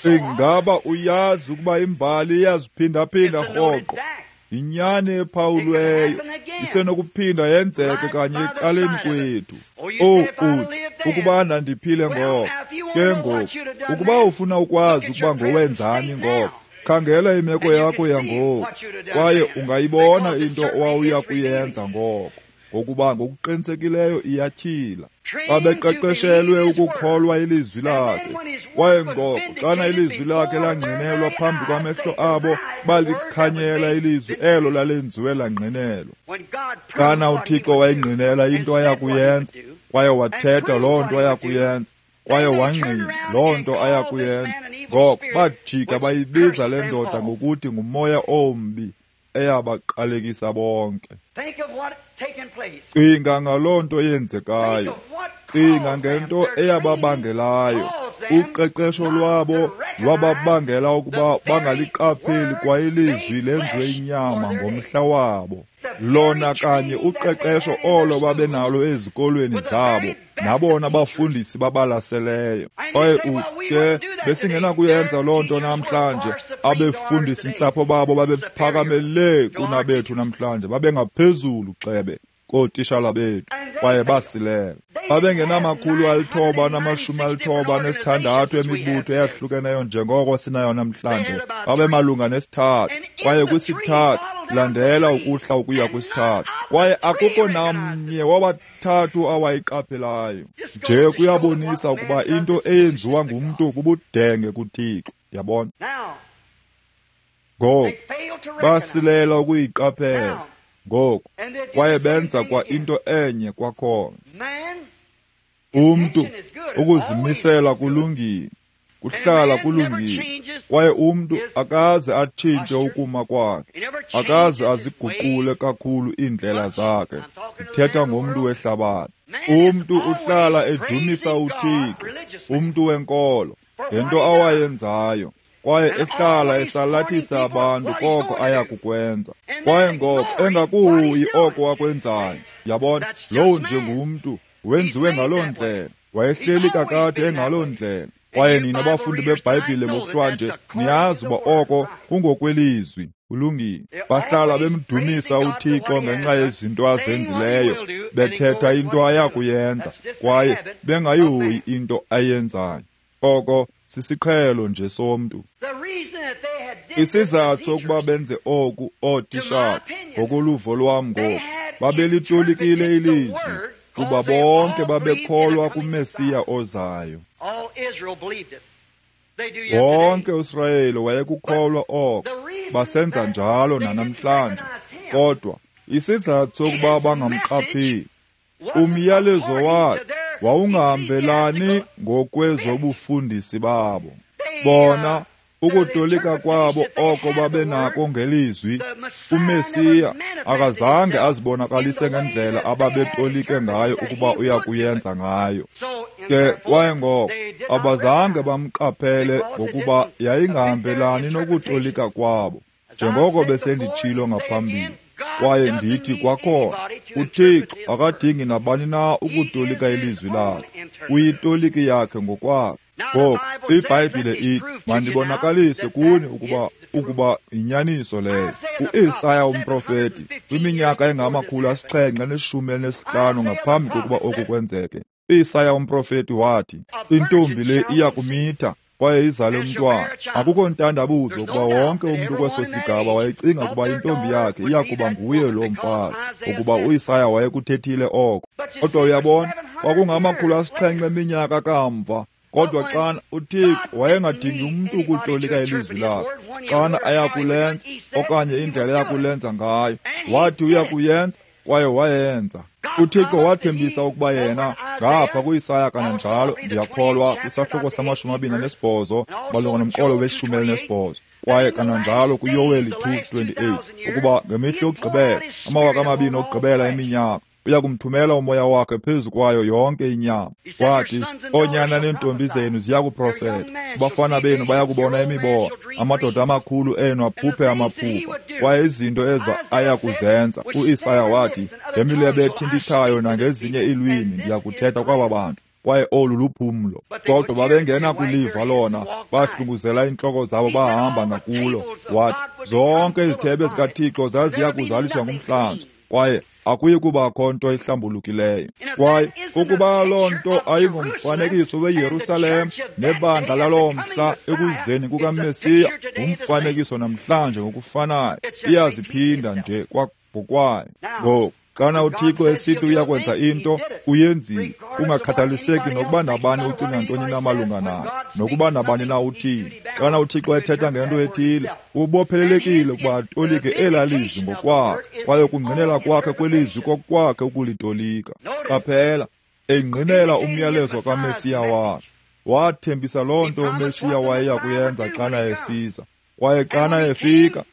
Ingaba uyazi ukuba imbali iyaziphindaphinda rhoqo? Yinyani ephawulweyo, isenokuphinda yenzeke kanye ecaleni kwethu. Uthi ukuba ndandiphile ngoko. Ke ngoku, ukuba ufuna ukwazi ukuba ngowenzani ngoko, khangela imeko yakho yangoku, kwaye ungayibona into owawuya kuyenza ngoko, ngokuba ngokuqinisekileyo iyatyhila. Babeqeqeshelwe ukukholwa ilizwi lakhe, kwaye ngoko xana ilizwi lakhe langqinelwa phambi kwamehlo abo, balikhanyela ilizwi elo lalenziwe langqinelwa. Xana uThixo wayingqinela into ayakuyenza, kwaye wathetha loo nto ayakuyenza, kwaye wangqina loo nto ayakuyenza, ngoko bajika bayibiza le ndoda ngokuthi ngumoya ombi, eyabaqalekisa bonke. Cinga ngaloo nto yenzekayo. Cinga ngento eyababangelayo. Uqeqesho lwabo lwababangela ukuba bangaliqapheli kwa ilizwi lenziwe inyama ngomhla wabo. Lona kanye uqeqesho olo babenalo ezikolweni zabo nabona bafundisi babalaseleyo. Kwaye ke besingenakuyenza loo nto namhlanje. Abefundisi ntsapho babo babephakamele kunabethu namhlanje, babengaphezulu xebe kootishala bethu, kwaye basilela. Babengenama-996 emibutho eyahlukeneyo njengoko sinayo namhlanje. Babemalunga nesithathu, kwaye kwisithathu landela ukuhla ukuya kwisithathu, kwaye akukho namnye wabathathu awayiqaphelayo. Nje kuyabonisa ukuba into eyenziwa ngumntu bubudenge kuThixo. Yabona? Ngoku basilela ukuyiqaphela. Ngoku kwaye benza kwa into enye kwakhona. Umntu ukuzimisela kulungile, kuhlala kulungile, kwaye umntu akaze atshintshe ukuma kwakhe, akaze aziguqule kakhulu iindlela zakhe. Ndithetha ngomntu wehlabathi. Umntu uhlala edumisa uThixo, umntu wenkolo, ngento awayenzayo, kwaye ehlala esalathisa abantu koko ayakukwenza, kwaye ngoko engakuhoyi oko akwenzayo. Yabona, lowo nje ngumntu wenziwe ngaloo ndlela, wayehleli kakade engaloo ndlela. Kwaye nina bafundi beBhayibhile ngokuhlwanje niyazi uba oko kungokwelizwi. Kulungile. Bahlala bemdumisa uThixo ngenxa yezinto azenzileyo, bethetha into ayakuyenza, kwaye bengayihoyi into ayenzayo. Oko sisiqhelo nje somntu. Isizathu sokuba benze oku ootishala, ngokoluvo lwam ngoku, babelitolikile ilizwi, kuba bonke babekholwa kuMesiya ozayo. Wonke uSirayeli wayekukholwa oko, basenza njalo nanamhlanje. Kodwa isizathu sokuba bangamqapheli, umyalezo wakhe wawungahambelani ngokwezobufundisi babo. Bona ukutolika kwabo oko babenako ngelizwi, uMesiya akazange azibonakalise ngendlela ababetolike ngayo ukuba uya kuyenza ngayo. Ke kwaye ngoko abazange bamqaphele ngokuba yayingahambelani nokutolika kwabo, njengoko besenditshilo ngaphambili. Kwaye ndithi kwakhona, uThixo akadingi nabani na ukutolika ilizwi lakhe, uyitoliki yakhe ngokwakhe. Ngoku iBhayibhile ithi, mandibonakalise kuni ukuba yinyaniso leyo. UIsaya umprofeti kwiminyaka engama-715 ngaphambi kokuba oku kwenzeke, uIsaya umprofeti wathi, intombi le iya kumitha kwaye izale umntwana. Akukho ntandabuzo ukuba wonke umntu kweso sigaba wayecinga ukuba intombi yakhe iya kuba nguye loo mfazi, ukuba uIsaya wayekuthethile oko. Kodwa uyabona, kwakungama-700 eminyaka kamva. Kodwa xana uThixo wayengadingi umntu ukutolika ilizwi lakhe, xana ayakulenza okanye indlela ayakulenza ngayo, wathi uyakuyenza kwaye wayenza. uThixo wathembisa ukuba yena ngapha kuIsaya kananjalo, ndiyakholwa kwisahluko sama-28 malunga nomqolo we-18, kwaye kananjalo kuYoweli 2:28, ukuba ngemihla yokugqibela, 2000 okugqibela eminyaka, uya kumthumela umoya wakhe phezu kwayo yonke inyama. Wathi, oonyana neentombi zenu ziya kuprofeta, abafana benu baya kubona imibono, amadoda amakhulu enu aphuphe amaphupha, kwaye izinto eza aya kuzenza. UIsaya wathi, ngemilebe ethintithayo nangezinye iilwimi ndiya kuthetha kwaba bantu, kwaye olu luphumlo. Kodwa babengena kuliva lona, bahlunguzela iintloko zabo bahamba ngakulo. Wathi, zonke izithebe zikaThixo zaziya kuzaliswa ngumhlanzo, kwaye akuyi kubakho nto ihlambulukileyo. Kwaye ukuba loo nto ayingumfanekiso weYerusalem nebandla laloo mhla ekuzeni kukaMesiya, ngumfanekiso namhlanje ngokufanayo, iyaziphinda nje ngokwayo. Ngoku xana uThixo esithi uyakwenza into, uyenzile, kungakhathaliseki nokuba nabani ucinga ntoni na malunga nayo, nokuba nabani na uthini. Xana uThixo ethetha ngento ethile, ubophelelekile ukuba atolike elaa lizwi ngokwakhe, kwaye ukungqinela kwakhe kwelizwi kokwakhe ukulitolika. Qaphela, engqinela umyalezo kaMesiya wakhe. Wathembisa loo nto uMesiya wayeya kuyenza xana esiza. Kwaye xana efika,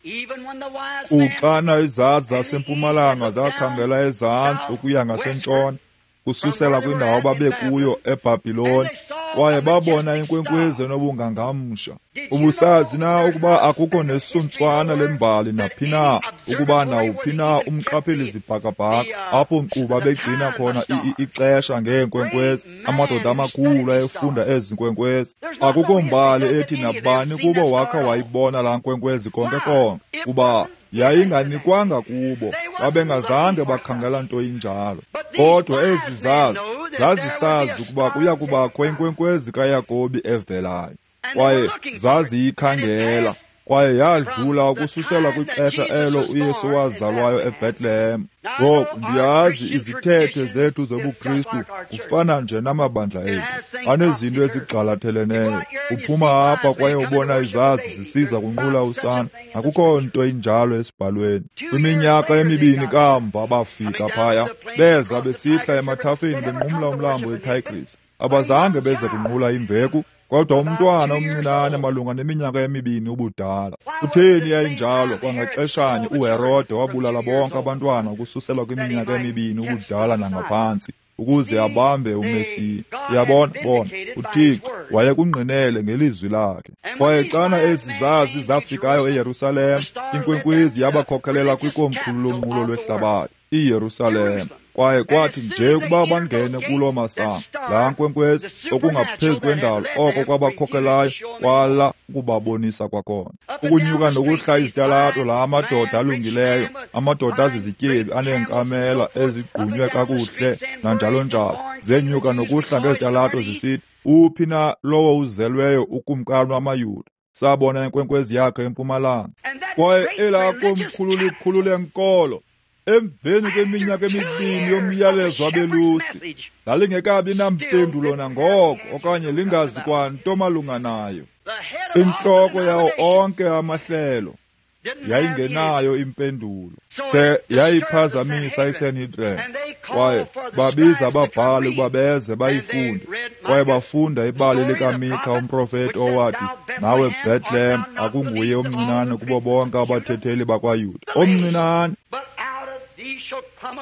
kuxana izazi zasempumalanga zakhangela ezantsi ukuya ngasentshona, kususela kwindawo ababekuyo eBhabhiloni, kwaye babona inkwenkwezi enobungangamsha. Ubusazi na ukuba akukho nesuntswana lembali naphi na, ukuba nawuphi na umqapheli zibhakabhaka apho nkqubo begcina khona ixesha ngeenkwenkwezi, amadoda amakhulu ayefunda ezi nkwenkwezi. Akukho mbali ethi nabani kubo wakha wayibona laa nkwenkwezi konke konke, kuba yayinganikwanga kubo, babengazange bakhangela nto injalo. Kodwa ezi zazi zazisazi ukuba kuya kubakho inkwenkwezi kaYakobi evelayo, kwaye zaziyikhangela, kwaye yadlula ukususela kwixesha elo uYesu wazalwayo eBethlehem. Ngoku ndiyazi izithethe zethu zobuKristu kufana nje namabandla ethu, anezinto ezigqalatheleneyo. Uphuma apha kwaye ubona izazi zisiza kunqula usana, akukho nto injalo esibhalweni. Kwiminyaka emibini kamva bafika phaya, beza besihla emathafeni benqumla umlambo iTigris. Abazange beze kunqula imveku, kodwa umntwana omncinane malunga neminyaka emibini ubudala. Kutheni yayinjalo? Kwangaxeshanye uHerode wabulala bonke abantwana ukususela kwiminyaka emibini ubudala nangaphantsi, ukuze abambe uMesiya. Uyabona, bona uThixo wayekungqinele ngelizwi lakhe. Kwaye xana ezi zazi zafikayo eYerusalem, inkwenkwezi yabakhokelela kwikomkhulu lonqulo lwehlabathi, iYerusalem. Kwaye kwathi nje ukuba bangene kuloo masango, laa nkwenkwezi okungaphezu kwendalo oko kwabakhokelayo kwala ukubabonisa kwakhona. Ukunyuka nokuhla izitalato, laa madoda alungileyo, amadoda azizityebi aneenkamela ezigqunywe kakuhle nanjalo njalo, zenyuka nokuhla ngezitalato zisithi, uphi na lowo uzelweyo ukumkani wamaYuda? Sabona inkwenkwezi yakhe empumalanga. Kwaye elaa komkhulu likhulu lenkolo, emveni kweminyaka emibini yomyalezo wabelusi, lalingekabi nampendulo nangoko okanye lingazi kwanto malunga nayo. Intloko yawo onke amahlelo yayingenayo impendulo, de yayiphazamisa iSanhedrin. Kwaye babiza ababhali ukuba beze bayifunde, kwaye bafunda ibali likaMika umprofeti owathi, nawe Bethlehem akunguye omncinane kubo bonke abathetheli bakwaYuda, omncinane,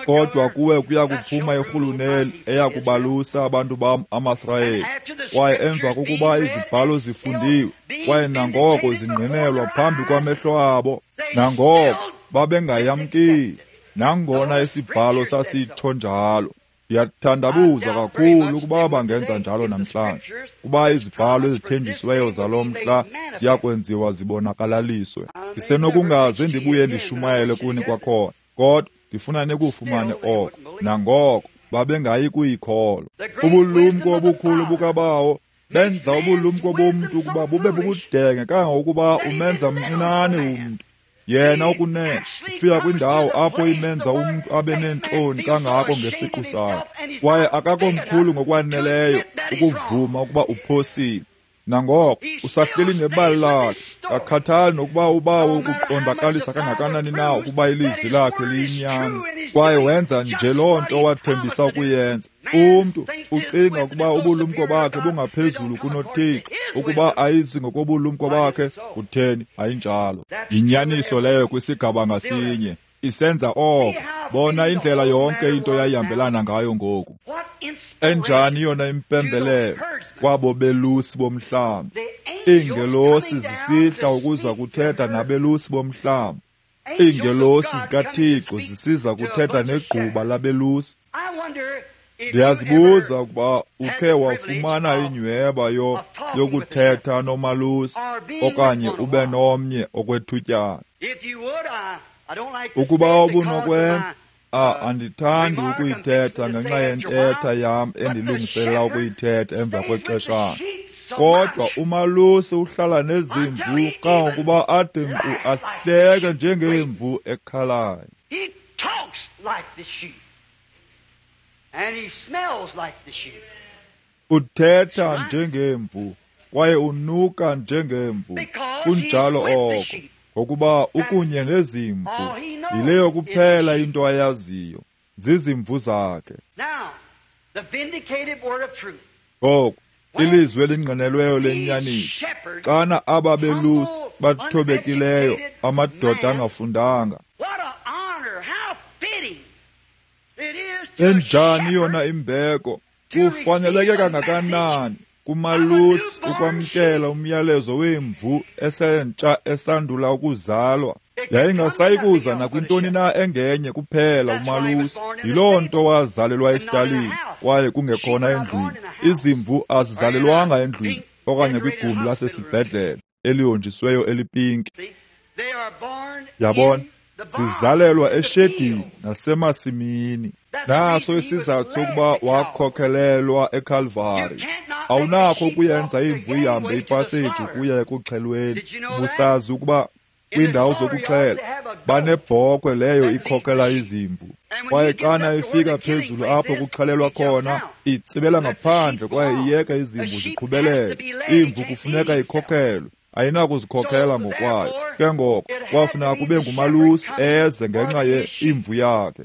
kodwa kuwe kuya kuphuma irhuluneli eya kubalusa abantu bam amaSirayeli. Kwaye emva kokuba izibhalo zifundiwe kwaye nangoko zingqinelwa phambi kwamehlo abo, nangoko babengayamkeli, nangona isibhalo sasitsho njalo. Ndiyathandabuza kakhulu ukuba bangenza njalo namhlanje, kuba izibhalo ezithenjisiweyo zalo mhla ziya kwenziwa zibonakalaliswe. Ndisenokungaze ndibuye ndishumayele kuni kwakhona, kodwa ndifuna nikufumane oko. Nangoko babengayi kuyikholwa. Ubulumko obukhulu bukabawo benza ubulumko bomntu ukuba bube bubudenge kangangokuba umenza mncinane umntu. Yena ukunene ufika kwindawo apho imenza umntu abe neentloni kangako ngesiqu sakhe, kwaye akakomkhulu ngokwaneleyo ukuvuma ukuba uphosile. Nangoko usahleli nebali lakhe, akakhathali nokuba ubawo ukuqondakalisa kangakanani na ukuba ilizwi lakhe liyinyani, kwaye wenza nje loo nto wathembisa ukuyenza. Umntu ucinga ukuba ubulumko bakhe bungaphezulu kunoThixo, ukuba ayizi ngokobulumko bakhe, kutheni ayinjalo. Yinyaniso leyo kwisigaba ngasinye, isenza oko. Bona indlela yonke into yayihambelana ngayo ngoku. Enjani yona impembelelo kwabo belusi bomhlambi! Iingelosi zisihla ukuza kuthetha nabelusi bomhlambi, iingelosi zikaThixo zisiza kuthetha negquba labelusi. Ndiyazibuza ukuba ukhe wafumana inyweba yokuthetha nomalusi okanye ube nomnye okwethutyana. Ukuba ubunokwenza, andithandi ukuyithetha ngenxa yentetha yam endilungiselela ukuyithetha emva kwexeshana. Kodwa umalusi uhlala nezimvu kangangokuba ade nkqu ahleke njengemvu ekhalayo. Uthetha njengemvu kwaye unuka njengemvu. Kunjalo oko, ngokuba ukunye nezimvu. Yileyo kuphela into ayaziyo, zizimvu zakhe. Ngoku, Ilizwi elingqinelweyo lenyaniso. Xana aba belusi bathobekileyo, amadoda angafundanga, enjani yona imbeko, kufaneleke kangakanani kumalusi ukwamkela umyalezo wemvu esentsha esandula ukuzalwa. Yayingasayi kuza nakwintoni na engenye kuphela umalusi. Yiloo nto wazalelwa esitalini kwaye kungekhona endlwini. Izimvu azizalelwanga endlwini okanye kwigumbi lasesibhedlele elihonjisweyo elipinki. Yabona, zizalelwa eshedini nasemasimini. Naso isizathu sokuba wakhokhelelwa eKalvari. Awunakho ukuyenza imvu ihambe ipaseji ukuya ekuxhelweni. Ubusazi ukuba kwiindawo zokuxhela banebhokhwe leyo ikhokela izimvu, kwaye xana ifika phezulu apho kuxhelelwa khona itsibela ngaphandle kwaye iyeka izimvu ziqhubelele. Imvu kufuneka ikhokhelwe, ayinakuzikhokhela ngokwayo. Ke ngoko kwafuneka kube ngumalusi eze ngenxa yeimvu yakhe.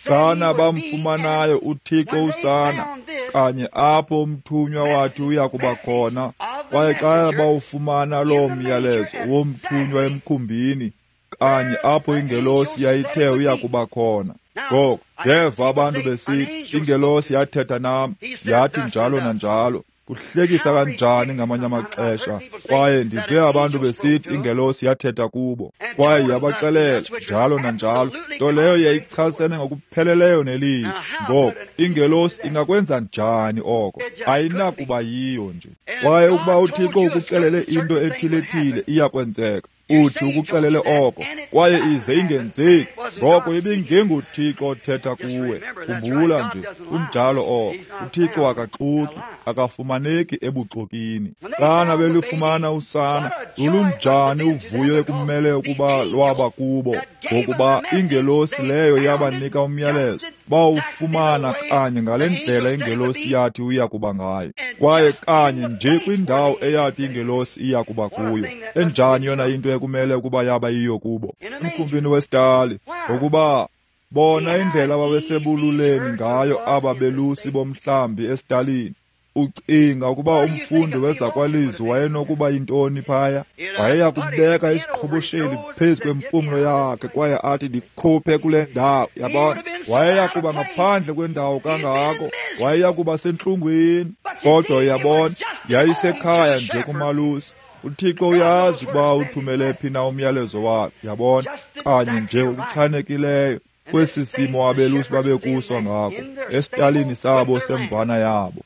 Xana bamfumanayo uThixo usana kanye apho umthunywa wathi uya kuba khona, kwaye xa bawufumana loo myalezo womthunywa emkhumbini kanye apho ingelosi yayithe uya kuba khona. Ngoko ndeva abantu besithi, ingelosi yathetha nam, yathi njalo nanjalo. Kuhlekisa kanjani ngamanye amaxesha. Kwaye ndive abantu besithi ingelosi yathetha kubo kwaye yabaxelela njalo nanjalo, nto leyo yayichasene ngokupheleleyo nelizwi. Ngoko ingelosi ingakwenza njani oko? Ayinakuba yiyo nje. Kwaye ukuba uThixo ukuxelele into ethile-thile iyakwenzeka, uthi ukuxelele oko kwaye ize ingenzeki, ngoko ibingenguThixo othetha kuwe. Khumbula nje, kunjalo oko. UThixo akaxoki, akafumaneki ebuxokini. Xana belufumana usana, lulunjani uvuyo ekumele ukuba lwaba kubo, ngokuba ingelosi leyo yabanika umyalezo. Bawufumana kanye ngale ndlela ingelosi yathi uya kuba ngayo, kwaye kanye nje kwindawo eyathi ingelosi iya kuba kuyo. Enjani yona into ekumele ukuba yaba yiyo kubo emkhumbini wesitali, ngokuba bona indlela ababesebululeni ngayo aba belusi bomhlambi esitalini. Ucinga ukuba umfundi wezakwalizwi wayenokuba yintoni phaya? Wayeya kubeka isiqhobosheli phezu kwempumlo yakhe kwaye athi, ndikhuphe kule ndawo. Yabona, wayeya kuba ngaphandle kwendawo kangako, wayeya kuba sentlungwini. Kodwa uyabona, yayisekhaya nje kumalusi. uThixo uyazi ukuba uthumele phi na umyalezo wakhe. Yabona, kanye nje ngokuchanekileyo kwesi simo abelusi babekuso ngako esitalini sabo semvana yabo.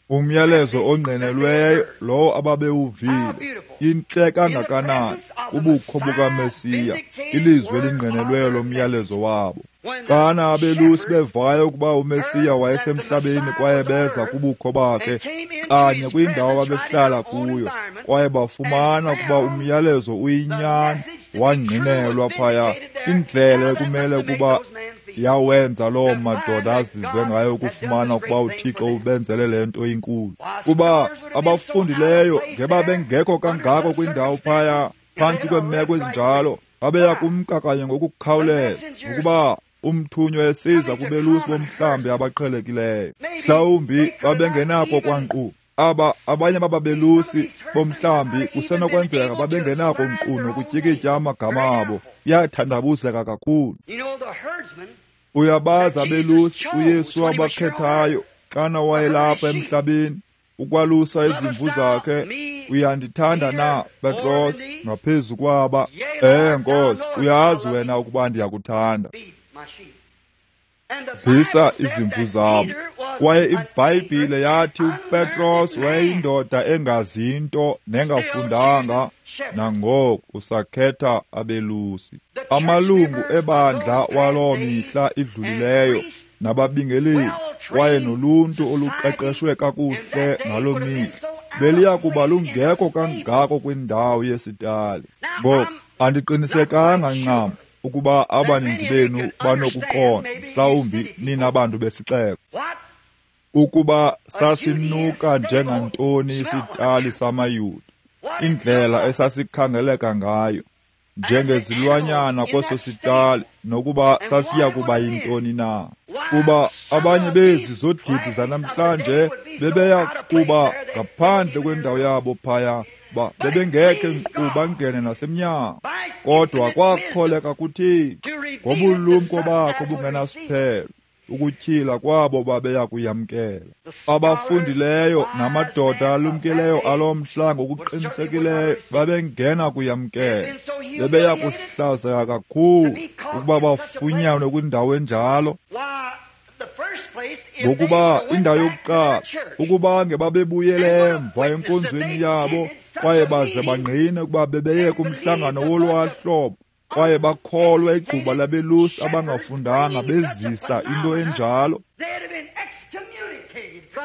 Umyalezo ongqinelweyo lowo ababewuvile, intle kangakanani ubukho bukaMesiya, ilizwi elingqinelweyo lomyalezo wabo. Xana abelusi bevayo ukuba uMesiya wayesemhlabeni kwaye beza kubukho bakhe kanye kwindawo ababehlala kuyo, kwaye bafumana ukuba umyalezo uyinyani wangqinelwa phaya, indlela ekumele ukuba yawenza loo madoda azizwe ngayo ukufumana ukuba uThixo ubenzele le nto inkulu. Kuba abafundileyo ngebabengekho kangako kwindawo phaya phantsi kweemeko ezinjalo, babeya kumka kanye ngokukhawuleza ukuba umthunywa esiza kubelusi bomhlambi abaqhelekileyo. Mhlawumbi babengenako kwankqu aba abanye bababelusi bomhlambi kusenokwenzeka babengenako nkqu nokutyikitya amagama abo. Iyathandabuzeka kakhulu. Uyabazi abelusi uYesu abakhethayo xana wayelapha emhlabeni ukwalusa izimvu zakhe. Uyandithanda na, Petros, ngaphezu kwaba? Nkosi, uyazi wena ukuba ndiyakuthanda. Dlisa izimvu zabo. Kwaye iBhayibhile yathi uPetros wayeyindoda engazinto nengafundanga, nangoku usakhetha abelusi. Amalungu ebandla waloo mihla idlulileyo nababingeleli kwaye noluntu oluqeqeshwe kakuhle ngaloo mihla beliya kuba lungekho kangako kwindawo yesitali. Ngoku andiqinisekanga ncam ukuba abaninzi benu banokuqonda, mhlawumbi nina bantu besixeko, ukuba sasinuka njengantoni isitali samaYuda, indlela esasikhangeleka ngayo. njengezilwanyana kweso sitali, nokuba sasiya kuba yintoni na. Kuba abanye bezi zodidi zanamhlanje bebeya kuba ngaphandle kwendawo yabo phaya, bebengekhe nkqu bangene nasemnyango. Kodwa kwakholeka kuThixo ngobulumko bakhe obungenasiphelo ukutyhila kwabo babeya kuyamkela. Abafundileyo namadoda alumkileyo alomhla ngokuqinisekileyo babengena kuyamkela. Bebeya kuhlazeka kakhulu ukuba bafunyanwe kwindawo enjalo. Ngokuba indawo yokuqala, ukuba ngebabebuyele emva enkonzweni yabo kwaye baze bangqine ukuba bebeye kumhlangano wolwahlobo, kwaye bakholwa igquba labelusi abangafundanga bezisa into enjalo,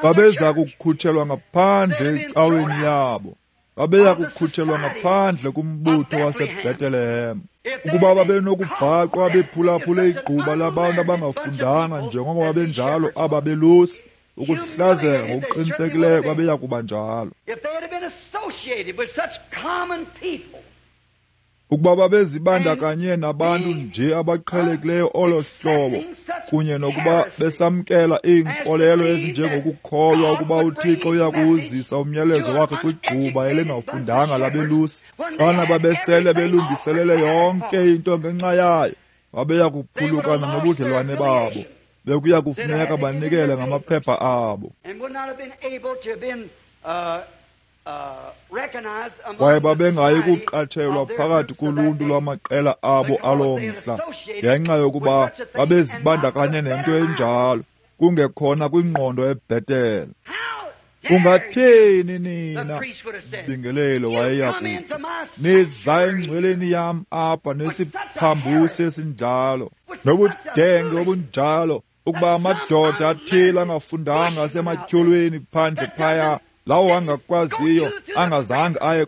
babeza kukhutshelwa ngaphandle ecaweni yabo, babeya kukhutshelwa ngaphandle kumbutho waseBethlehem. Ukuba babenokubhaqwa bephulaphule igquba labantu abangafundanga njengoko babenjalo aba belusi, ukuhlazeka ngokuqinisekileyo babeya kuba njalo. Ukuba babezibandakanye nabantu nje abaqhelekileyo olo hlobo, kunye nokuba besamkela iinkolelo ezinjengokukholwa ukuba uThixo uya kuwuzisa umyalezo wakhe kwigquba elingafundanga labelusi, xana babesele belungiselele yonke into ngenxa yayo, babeya kuphulukana nobudlelwane babo. Bekuya kufuneka banikele ngamaphepha abo. Kwaye babengayi kuqatshelwa phakathi koluntu lwamaqela abo aloo mhla, ngenxa yokuba babezibandakanye nento enjalo, kungekhona kwingqondo ebhetele. Ungathini nina, mbingelelo wayeya kuthi, niza engcweleni yam apha nesiphambusi esinjalo, nobudenge obunjalo, ukuba amadoda athile angafundanga asematyholweni phandle phaya, lawo angakwaziyo, angazange aye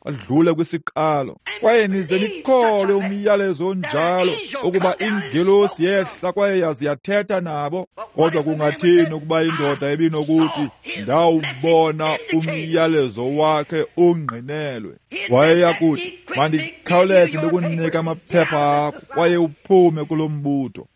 adlule kwisiqalo, kwaye nize nikholwe umyalezo onjalo ukuba ingelosi yehla kwaye yazi yathetha nabo. Kodwa kungathini ukuba indoda ebinokuthi, ndawubona umyalezo wakhe ungqinelwe? Wayeya kuthi, mandikhawuleze ndikunika amaphepha akho kwaye uphume kulo mbutho.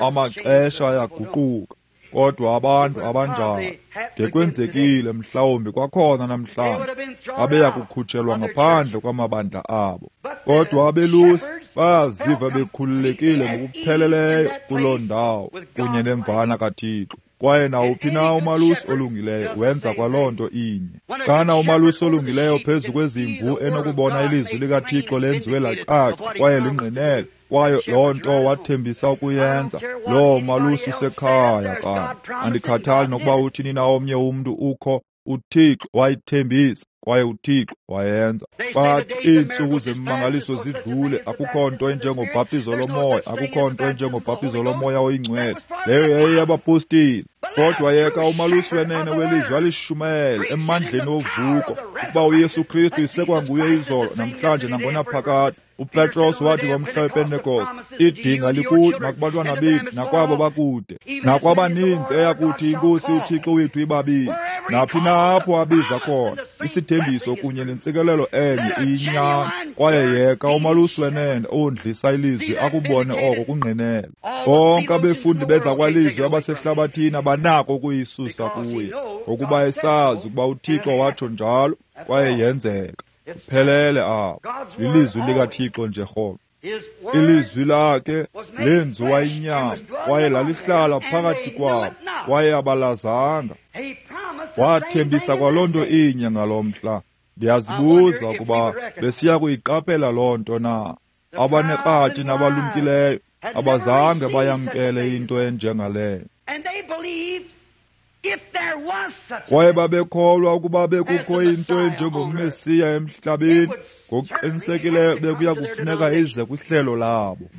Amaxesha ayaguquka, kodwa abantu abanjalo ngekwenzekile mhlawumbi kwakhona namhlanje babeya kukhutshelwa ngaphandle kwamabandla abo. Kodwa abelusi bayaziva bekhululekile ngokupheleleyo kuloo ndawo kunye nemvana kaThixo. Kwaye nawuphi na umalusi olungileyo wenza kwaloo nto inye. Xana umalusi olungileyo phezu kwezimvu enokubona ilizwi likaThixo lenziwe lacaca kwaye lingqinele, kwaye loo nto wathembisa ukuyenza, loo malusi usekhaya kanye. Andikhathali nokuba uthini na omnye umntu ukho, uThixo wayithembisa kwaye uThixo wayenza. Bathi iintsuku zemimangaliso zidlule, akukho nto enjengobhaptizo lomoya, akukho nto enjengobhaptizo lomoya oyingcwele. Leyo yayiyabapostile. Kodwa yeka umalusi wenene welizwi alishumayele emandleni wovuko, ukuba uYesu Kristu isekwanguye izolo, namhlanje nangonaphakade. uPetros wathi ngomhla wePentekoste, idinga likude nakubantwana bethu nakwabo bakude, nakwabaninzi eya kuthi iNkosi uThixo wethu ibabize. Naphi na apho abiza khona, isithembiso kunye nentsikelelo enye iyinyani. Kwaye yeka umalusi wenene ondlisa ilizwi akubone oko kungqinela. Bonke abefundi bezakwalizwi abasehlabathini abanako ukuyisusa kuye, ngokuba esazi ukuba uThixo watsho njalo kwaye yenzeka. Kuphelele apho. Lilizwi likaThixo nje rhoqo. Ilizwi lakhe lenziwa inyama kwaye lalihlala phakathi kwabo, kwaye abalazanga. Wathembisa kwaloo nto inye ngalo mhla. Ndiyazibuza ukuba besiya kuyiqaphela loo nto na. Abanekratshi nabalumkileyo abazange bayamkele into enjengaleyo. Kwaye babekholwa ukuba bekukho into enjengoMesiya emhlabeni, ngokuqinisekileyo bekuya kufuneka ize kwihlelo labo.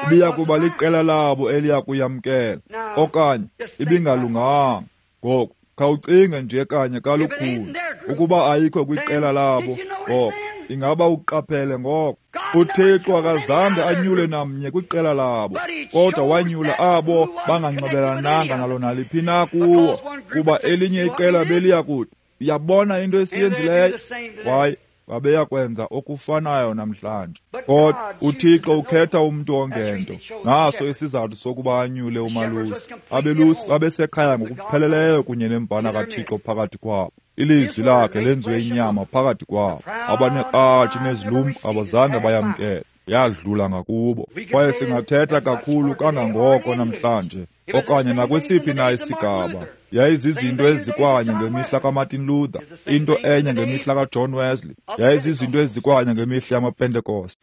Ibiya kuba liqela labo eliya kuyamkela, okanye ibingalunganga. Ngoku khawucinge nje kanye kalukhuni, ukuba ayikho kwiqela labo, ngoko ingaba uqaphele ngoko. uThixo akazange anyule namnye kwiqela labo, kodwa wanyula abo banganxibelananga nalo naliphi na kuwo, kuba elinye iqela beliya kuthi, uyabona into esiyenzileyo? Kwaye babeya kwenza okufanayo namhlanje. Kodwa uThixo ukhetha umntu ongento. Naso isizathu sokuba anyule umalusi. Abelusi babesekhaya ngokupheleleyo kunye nemvana kaThixo phakathi kwabo. Ilizwi lakhe lenziwe inyama phakathi kwabo. Abanekratshi nezilumko abazange bayamkele. Yadlula ngakubo. Kwaye singathetha kakhulu kangangoko namhlanje okanye nakwesiphi na isigaba. Yayizizinto ezikwanye ngemihla kaMartin Luther, into enye ngemihla kaJohn Wesley, yayizizinto ezikwanye ngemihla yamaPentecost.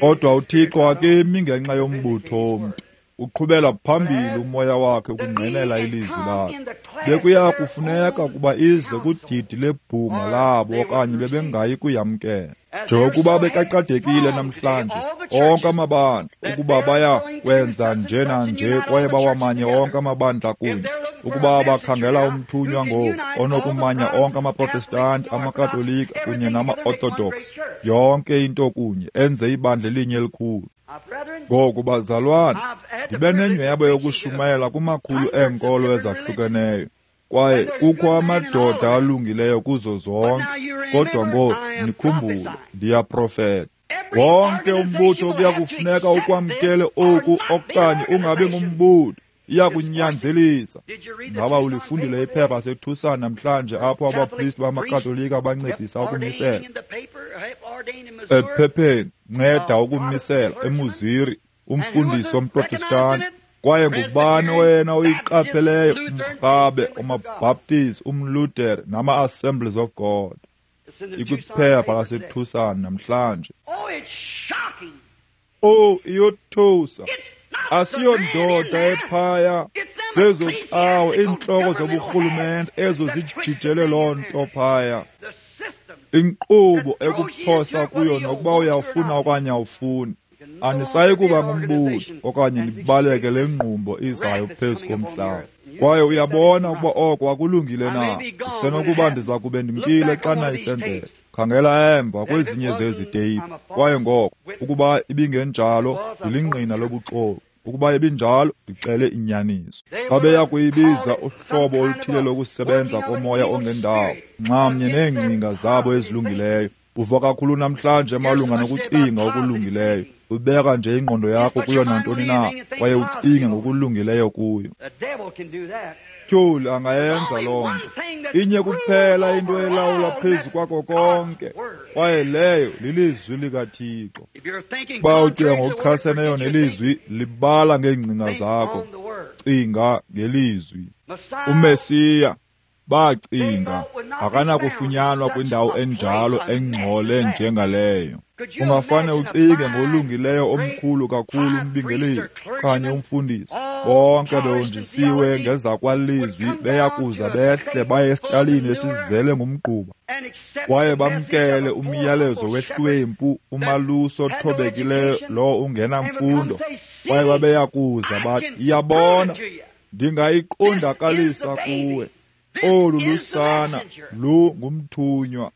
Kodwa uThixo akemi ngenxa yombutho womntu. Uqhubela phambili umoya wakhe ukungqinela ilizwi lakhe. Bekuya kufuneka ukuba ize kudidi lebhunga labo okanye bebengayi kuyamkela. Njengokuba bekaqadekile namhlanje onke amabandla ukuba baya kwenza nje nanje kwaye bawamanye onke amabandla kunye. Ukuba bakhangela umthunywa ngoku onokumanya onke amaProtestanti, amaKatolika kunye nama-Orthodox, yonke into kunye, enze ibandla elinye elikhulu. Ngoku bazalwana, ndibe nenyhweba yokushumayela kumakhulu eenkolo ezahlukeneyo, kwaye kukho amadoda alungileyo kuzo zonke. Kodwa ngoku nikhumbule, ndiyaprofeta. Wonke umbutho kuya kufuneka ukwamkele oku okanye ungabi ngumbutho. Iyakunyanzelisa. Ngaba ulifundile iphepha laseTucson namhlanje apho abapristi bamaKatolika bancedisa ukumisela? Ephepheni, nceda ukumisela eMusiri, umfundisi womProtestanti. Kwaye ngubani wena oyiqapheleyo? Umrhabe, umaBaptist, umLuther nama-Assemblies of God. Ikwiphepha laseTucson namhlanje. Oh, iyothusa. Asiyondoda ephaya zezocawa iintloko zoburhulumente ezo zijijele loo nto phaya. Inkqubo ekuphosa kuyo nokuba uyawufuna okanye awufuni. Anisayi kuba ngumbutho okanye nibaleke le ngqumbo izayo phezu komhlaba. Kwaye uyabona ukuba oko akulungile na. Isenokuba ndiza kube ndimkile xana isenzeka. Khangela emva kwezinye zezi teyiphu. Kwaye ngoko ukuba ibingenjalo, ndilingqina lobuxoki. Ukuba ibinjalo, ndixele inyaniso. Babeya kuyibiza uhlobo oluthile lokusebenza komoya ongendawo, nxamnye neengcinga zabo ezilungileyo. Uva kakhulu namhlanje malunga nokucinga okulungileyo. Ubeka nje ingqondo yakho kuyo nantoni na, kwaye ucinge ngokulungileyo kuyo. Tyholi angayenza loo nto. Inye kuphela into elawula phezu kwako konke, kwaye leyo lilizwi likaThixo. Uba ucinga ngokuchaseneyo nelizwi, libala ngeengcinga zakho. Cinga ngelizwi. UMesiya, bacinga, akanakufunyanwa kwindawo enjalo engcole njengaleyo. Ungafane ucinge ngolungileyo omkhulu kakhulu umbingeleli okanye umfundisi, bonke behonjisiwe ngezakwalizwi, beya kuza behle baye esitalini esizele ngumgquba kwaye bamkele umyalezo wehlwempu, umalusi othobekileyo lowo ungenamfundo. Kwaye babeya kuza bathi, iyabona, ndingayiqondakalisa kuwe. Olu lusana lungumthunywa.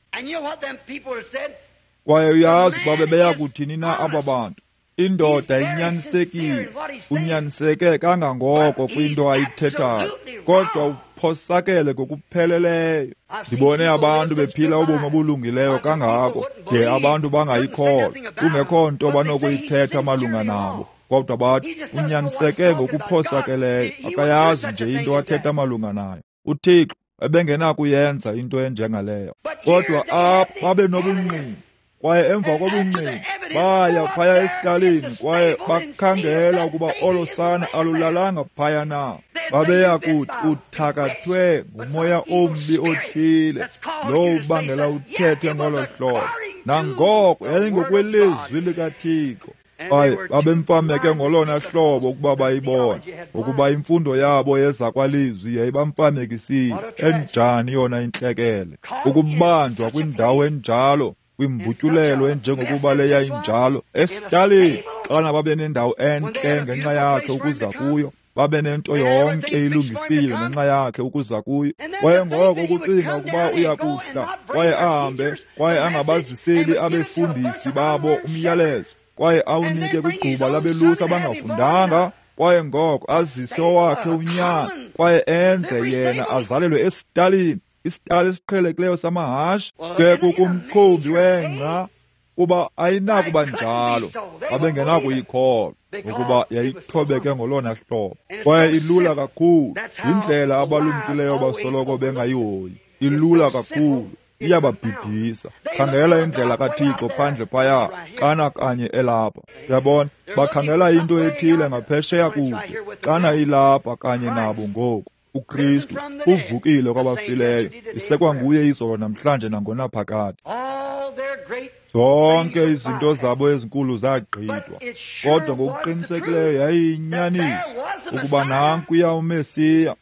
Kwaye uyazi ukuba bebeya kuthini na aba bantu. Indoda inyanisekile, unyaniseke kangangoko kwinto ayithethayo, kodwa uphosakele ngokupheleleyo. Ndibone abantu bephila ubomi obulungileyo kangako de abantu bangayikholwa, kungekho nto banokuyithetha malunga nabo. Kodwa bathi unyaniseke ngokuphosakeleyo, akayazi nje into athetha malunga nayo. UThixo ebengenakuyenza into enjengaleyo. Kodwa apha babe nobungqina, kwaye emva kobungqina baya phaya esitalini kwaye bakhangela ukuba olo sana alulalanga phaya na. Babeya kuthi uthakathwe ngumoya ombi othile lowo ubangela uthethe ngolo hlobo. Nangoko yayingokwelizwi likaThixo. Kwaye babemfameke ngolona hlobo ukuba bayibone, ukuba imfundo yabo yezakwalizwi yayibamfamekisile. Enjani yona intlekele ukubanjwa kwindawo enjalo, kwimbutyulelo enjengokuba le yayinjalo esitalini, xana babe nendawo entle ngenxa yakhe ukuza kuyo, babe nento yonke ilungisiwe ngenxa yakhe ukuza kuyo. Kwaye ngoko ukucinga ukuba uya kuhla kwaye ahambe kwaye angabaziseli abefundisi babo umyalezo, kwaye awunike kwigquba labelusi abangafundanga, kwaye ngoko azise owakhe unyana kwaye enze yena azalelwe esitalini. Isitali esiqhelekileyo samahashe? Ke kukumkhumbi wengca, kuba ayinakuba njalo. Babengenakuyikholwa, ngokuba yayithobeke ngolona hlobo. Kwaye ilula kakhulu. Yindlela abalumkileyo basoloko bengayihoyi. Ilula kakhulu, iyababhidisa. Khangela indlela kaThixo phandle phaya, xana kanye elapha. Uyabona, bakhangela into ethile ngaphesheya kude, xana ilapha kanye nabo ngoku. uKristu uvukile kwabafileyo, isekwanguye izolo namhlanje nangonaphakade. Zonke izinto zabo ezinkulu zagqithwa, kodwa ngokuqinisekileyo yayiyinyaniso ukuba nankuya uMesiya.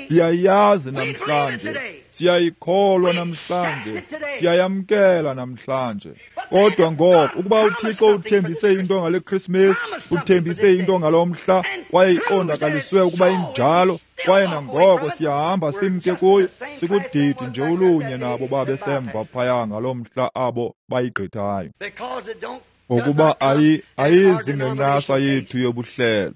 Siyayazi namhlanje, siyayikholwa namhlanje, siyayamkela namhlanje. Kodwa ngoko ukuba uThixo uthembise into ngale Christmas, uthembise into ngalo mhla, kwaye iqondakaliswe ukuba injalo, kwaye nangoko siyahamba simke kuyo, sikudidi nje olunye nabo babesemva phaya ngalo mhla abo bayigqithayo. Ngokuba ayizi ngencasa yethu yobuhlelo.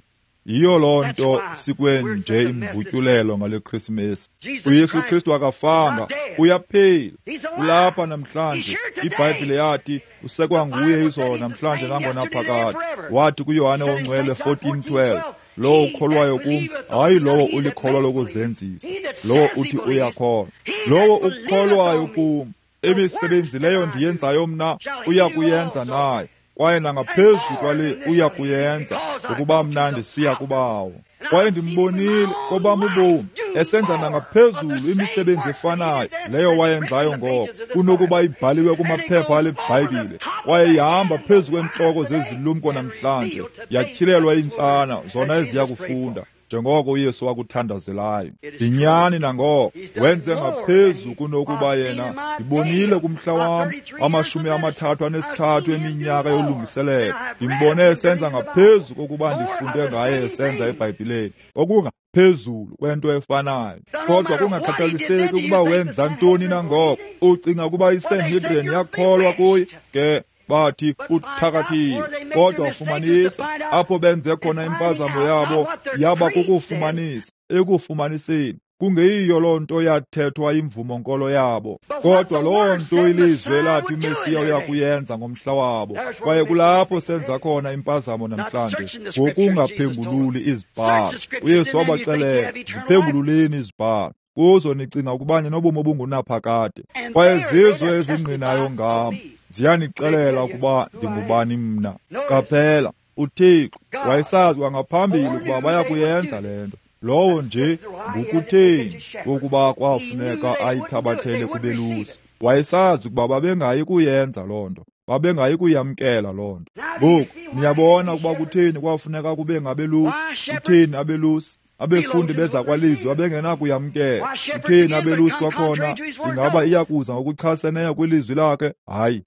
Yiyo loo nto sikwenje imbutyulelo ngale Christmas. uYesu Kristu akafanga, uyaphila, ulapha namhlanje. IBhayibhile yathi usekwanguye izolo namhlanje nangonaphakade. Wathi kuYohane oNgcwele 14:12, lowo ukholwayo kum, hayi lowo ulikholwa lokuzenzisa, lowo uthi uyakholwa, lowo ukholwayo kum, imisebenzi leyo ndiyenzayo mna uya kuyenza naye, kwaye nangaphezu kwale uya kuyenza, ngokuba mna ndisiya kubawo. Kwaye ndimbonile kobam ubomi esenza nangaphezulu imisebenzi efanayo leyo wayenzayo ngoko, kunokuba ibhaliwe kumaphepha ale Bhayibhile. Kwaye ihamba phezu kweentloko zezilumko namhlanje, yatyhilelwa iintsana zona eziya kufunda, njengoko uYesu wakuthandazelayo. Yinyani nangoko, wenze ngaphezu kunokuba yena. Ndibonile kumhla wam 33 eminyaka yolungiselelo, ndimbone esenza ngaphezu kokuba ndifunde ngaye esenza eBhayibhileni, okungaphezulu kwento efanayo. Kodwa kungakhathaliseki ukuba wenza ntoni nangoko, ucinga ukuba iSanhedrin yakholwa kuye? Ke bathi uthakathiwe. Kodwa fumanisa apho benze khona impazamo yabo, yaba kukufumanisa ekufumaniseni kungeyiyo loo nto yathethwa imvumo-nkolo yabo, kodwa loo nto ilizwi lathi uMesiya uya kuyenza ngomhla wabo. Kwaye kulapho senza khona impazamo namhlanje, ngokungaphengululi izibhalo. uYesu wabaxelela, ziphengululeni izibhalo, kuzo nicinga ukuba ninobomi obungunaphakade, kwaye zizo ezingqinayo ngam, ziyanixelela ukuba ndingubani mna. Qaphela, uThixo wayesazi kwangaphambili ukuba baya kuyenza le nto. Lowo nje ngukutheni wokuba kwafuneka ayithabathele kubelusi. Wayesazi ukuba babengayi kuyenza loo nto, babengayi kuyamkela loo nto. Ngoku niyabona ukuba kutheni kwafuneka kube ngabelusi, kutheni abelusi abefundi bezakwalizwi babengenakuyamkela. Kutheni abelusi kwakhona ingaba iyakuza ngokuchaseneyo kwilizwi lakhe? Hayi,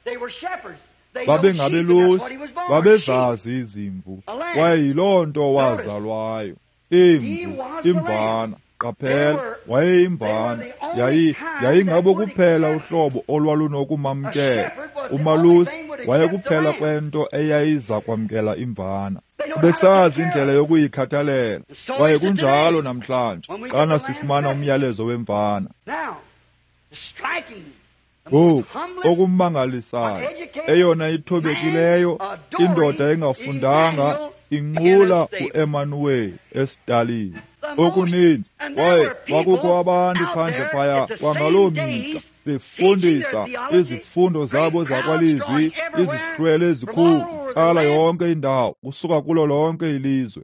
babengabelusi, babezazi izimvu, kwaye yiloo nto wazalwayo. Imvu, imvana. Qaphela, wayeyimbana. Yayingabo kuphela uhlobo olwalunokumamkela. Umalusi wayekuphela kwento eyayiza kwamkela imvana. Besazi indlela yokuyikhathalela. Kwaye kunjalo namhlanje xana sifumana umyalezo wemvana. Ngoku okumangalisayo, eyona ithobekileyo indoda engafundanga inqula uEmanuweli esitalini. Okuninzi, kwaye kwakukho abantu phandle phaya kwangaloo mihla befundisa izifundo zabo zakwalizwi, izihlwele ezikhulu tsala yonke indawo kusuka kulo lonke ilizwe,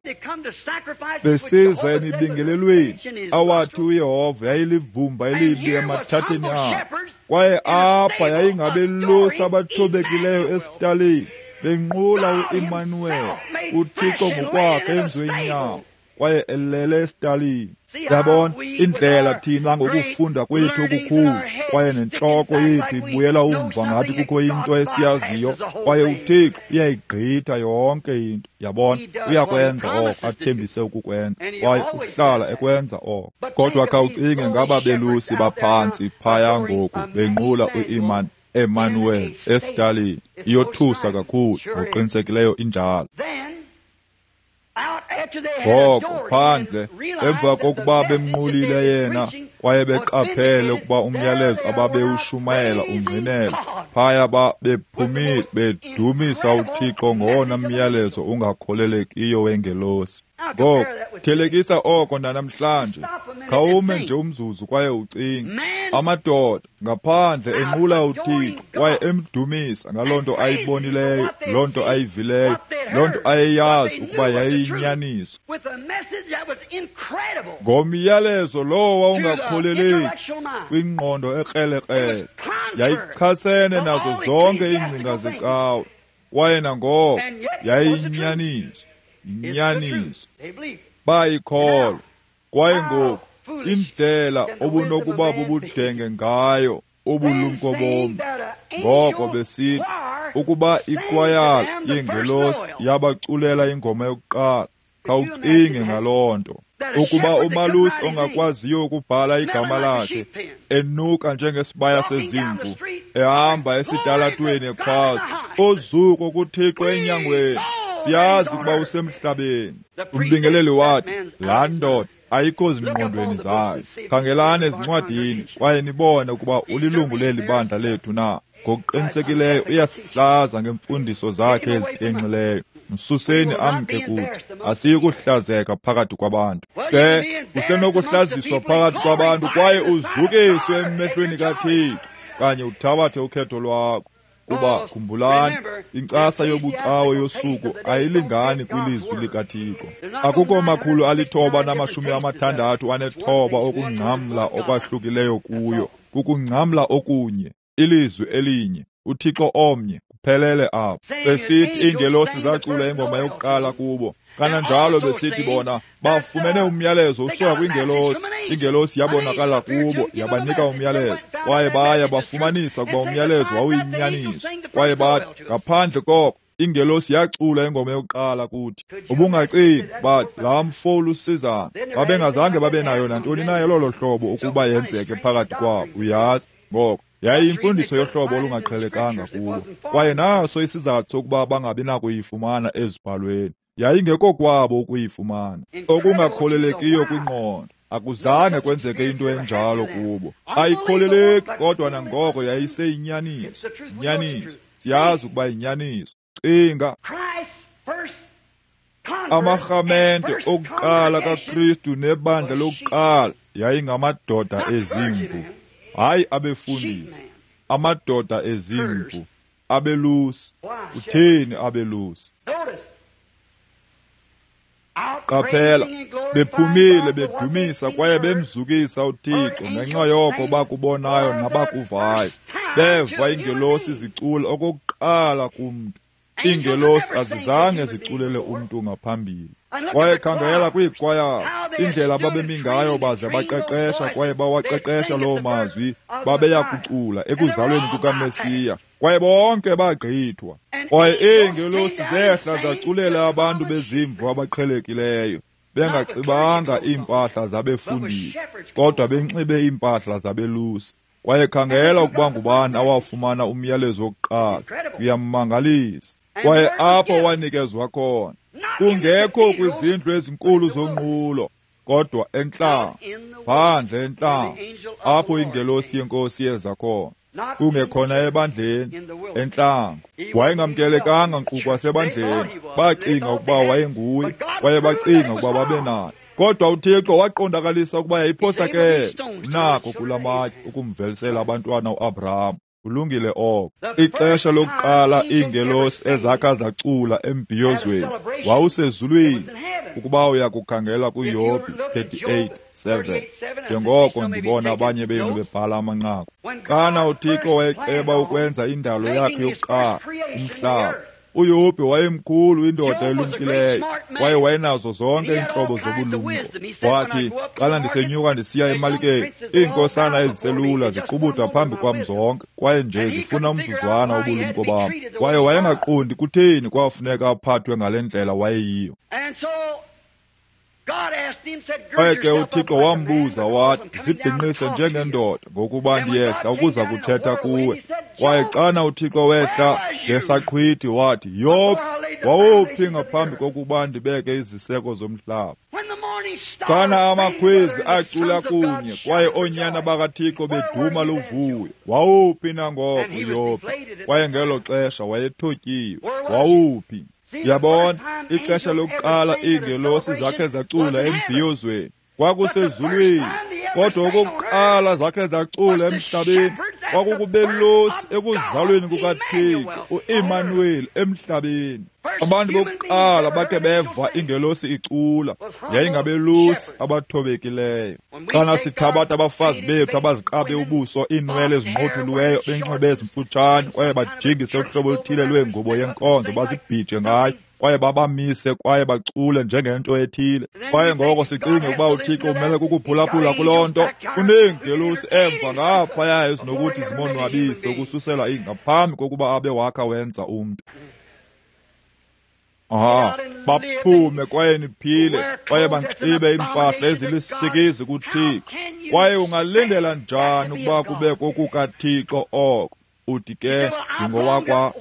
besiza emibingelelweni awathi uYehova yayilivumba elibi emathatheni abo. Kwaye apha yayingabelusi abathobekileyo esitalini benqula uEmanuweli, uThixo ngokwakhe enziwe inyama, kwaye elele esitalini. Yabona indlela thina ngokufunda kwethu okukhulu, kwaye nentloko yethu ibuyela umva ngathi kukho into esiyaziyo, kwaye uThixo uyayigqitha yonke into. Yabona, uyakwenza oko athembise ukukwenza, kwaye uhlala ekwenza oko. Kodwa khawucinge ngaba belusi baphantsi phaya ngoku benqula uEmanuweli esitalini. Iyothusa kakhulu, ngokuqinisekileyo injalo. Ngoko phandle, emva kokuba bemnqulile yena kwaye beqaphele ukuba umyalezo ababewushumayela ungqinela, phaya bephumile bedumisa uThixo ngowona myalezo ungakholelekiyo wengelosi. Ngoko thelekisa oko nanamhlanje. Khawume nje umzuzu kwaye ucinge. Amadoda ngaphandle enqula uThixo kwaye emdumisa ngaloo nto ayibonileyo, loo nto ayivileyo, loo nto ayeyazi ukuba yayiyinyaniso, ngomyalezo lowo wawungakholeleki kwingqondo ekrelekrele, yayichasene nazo zonke iingcinga zecawe, kwaye nangoko yayiyinyaniso. Inyaniso. Bayikholwa. Kwaye ngoku indlela obunokuba bubudenge ngayo ubulumko bomntu, ngoko besithi ukuba ikwayala yengelosi yabaculela ingoma yokuqala, khawucinge ngaloo nto. Ukuba umalusi ongakwaziyo ukubhala igama lakhe, enuka njengesibaya sezimvu, ehamba esitalatweni ekhwaza, "Uzuko kuThixo enyangweni, siyazi ukuba usemhlabeni." Umbingeleli wathi, laa ndoda ayikho zingqondweni zayo. Khangelani ezincwadini kwaye nibone ukuba ulilungu leli bandla lethu na. Ngokuqinisekileyo uyasihlaza ngemfundiso zakhe ezitenxileyo. Msuseni amke kuthi, asiyi kuhlazeka phakathi kwabantu. Ke usenokuhlaziswa phakathi kwabantu kwaye uzukiswe emehlweni kaThixo, kanye uthabathe ukhetho lwakho. Kuba khumbulani, inkcasa yobucawe yosuku ayilingani kwilizwi likaThixo. Akukho 969 okungcamla okwahlukileyo kuyo, kukungcamla okunye, ilizwi elinye, uThixo omnye, kuphelele apho. Besithi iingelosi zacula ingoma yokuqala kubo, kananjalo besithi bona bafumene umyalezo usuka kwingelosi. Ingelosi yabonakala kubo, yabanika umyalezo, kwaye baya bafumanisa ukuba umyalezo wawuyinyaniso. Kwaye bathi ngaphandle koko ingelosi yacula ingoma yokuqala kuthi. Ubungacingi bathi laa mfo ulusizana, babengazange babe nayo nantoni na elolo hlobo ukuba yenzeke phakathi kwabo, uyazi. Ngoko yayiyimfundiso yohlobo olungaqhelekanga kubo, kwaye naso isizathu sokuba bangabi nakuyifumana ezibhalweni. Yayingekokwabo ukuyifumana. Okungakholelekiyo kwingqondo, akuzange kwenzeke into enjalo kubo. Ayikholeleki, kodwa nangoko yayiseyinyaniso. Inyaniso, siyazi ukuba yinyaniso. Cinga, amarhamente okuqala kaKristu nebandla lokuqala yayingamadoda ezimvu, hayi abefundisi, amadoda ezimvu, abelusi. Utheni abelusi? Qaphela, bephumile bedumisa kwaye bemzukisa uThixo ngenxa yoko bakubonayo nabakuvayo. Beva iingelosi zicula okokuqala kumntu. Iingelosi azizange ziculele umntu ngaphambili. Kwaye khangela kwiikwayala, indlela ababemi ngayo baze baqeqesha kwaye bawaqeqesha loo mazwi babeya kucula ekuzalweni kukaMesiya. Kwaye bonke bagqithwa. Kwaye iingelosi zehla zaculela abantu bezimvu abaqhelekileyo, bengaxibanga iimpahla zabefundisi, kodwa benxibe iimpahla zabelusi. Kwaye khangela ukuba ngubani awafumana umyalezo wokuqala. Uyammangalisa. Kwaye apho wanikezwa khona, kungekho kwizindlu ezinkulu zonqulo, kodwa entlango, phandle entlango, apho ingelosi yenkosi yeza khona, kungekhona ebandleni, entlango. Wayengamkelekanga nkqu kwasebandleni. Bacinga ukuba wayenguye, kwaye bacinga ukuba babenaye. Kodwa uThixo waqondakalisa ukuba yayiphosakele nako kula matye ukumvelisela abantwana uAbraham. Kulungile oko. Ixesha lokuqala iingelosi ezakha zacula embhiyozweni wawusezulwini, ukuba uyakukhangela kuYobhi 38:7, njengoko ndibona abanye benu bebhala amanqaku. Xana uThixo wayeceba ukwenza indalo yakhe yokuqala, umhlaba, uYobhi wayemkhulu, indoda elumkileyo, kwaye wayenazo zonke iintlobo zobulumko. Wathi, xana ndisenyuka ndisiya emalikeni, iinkosana eziselula ziqubuda phambi kwam zonke, kwaye nje zifuna umzuzwana wobulumko bam. Kwaye wayengaqondi kutheni kwafuneka aphathwe ngale ndlela wayeyiyo. Kwaye ke uThixo wambuza wathi, zibhinqise njengendoda, ngokuba ndiyehla ukuza kuthetha kuwe. Kwaye xana uThixo wehla ngesaqhwithi wathi, Yobhi, Wawuphi ngaphambi kokuba ndibeke iziseko zomhlaba? Xana amakhwezi acula kunye kwaye oonyana bakaThixo beduma luvuyo, wawuphi nangoko uYobhi? Kwaye ngelo xesha wayethotyiwe. Wawuphi? Yabona, ixesha lokuqala iingelosi zakhe zacula embhiyozweni kwakusezulwini, kodwa okokuqala zakhe zacula emhlabeni kwakukubelusi ekuzalweni kukaThixo uImanuweli emhlabeni. Abantu bokuqala bakhe beva ingelosi icula yayingabelusi abathobekileyo. Xana sithabatha abafazi bethu abaziqabe ubuso, iinwele ezinqothuliweyo, benxibe ezimfutshane kwaye bajingise uhlobo oluthile lwengubo yenkonzo bazibhije ngayo, kwaye babamise kwaye bacule njengento ethile, kwaye ngoko sicinge ukuba uThixo umele kukuphulaphula kuloo nto. Uneengelosi emva ngaphaya ezinokuthi zimonwabise ukususela ngaphambi kokuba abe wakha wenza umntu. Baphume kwaye niphile kwaye banxibe iimpahla ezilisikizi kuThixo. Kwaye ungalindela njani ukuba kube kokukaThixo oko? Uthi ke ndingowakwa.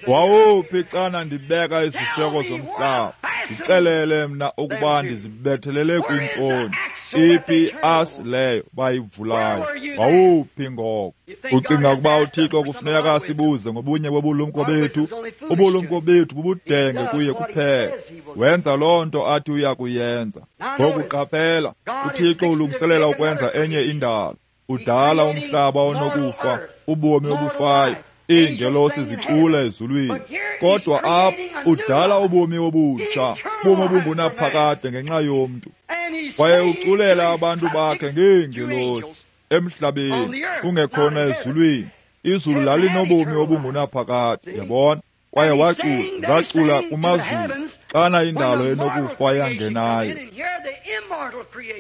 Wawuphi xana ndibeka iziseko zomhlaba? Ndixelele mna ukuba ndizibethelele kwintoni. Iphi iasi leyo bayivulayo? Wawuphi ngoko? Ucinga ukuba uThixo kufuneka asibuze ngobunye bobulumko bethu? Ubulumko bethu bubudenge kuye kuphela. Wenza loo nto athi uya kuyenza. Ngoku qaphela, uThixo ulungiselela ukwenza enye indalo. Udala umhlaba onokufa, ubomi obufayo, iingelosi zicula ezulwini. Kodwa apha udala ubomi obutsha, ubomi obungunaphakade ngenxa yomntu. Kwaye uculela abantu bakhe ngeengelosi emhlabeni, kungekhona ezulwini. Izulu lalinobomi obungunaphakade, yabona. Kwaye wacula, zacula kumazulu xana indalo enokufa yangenayo.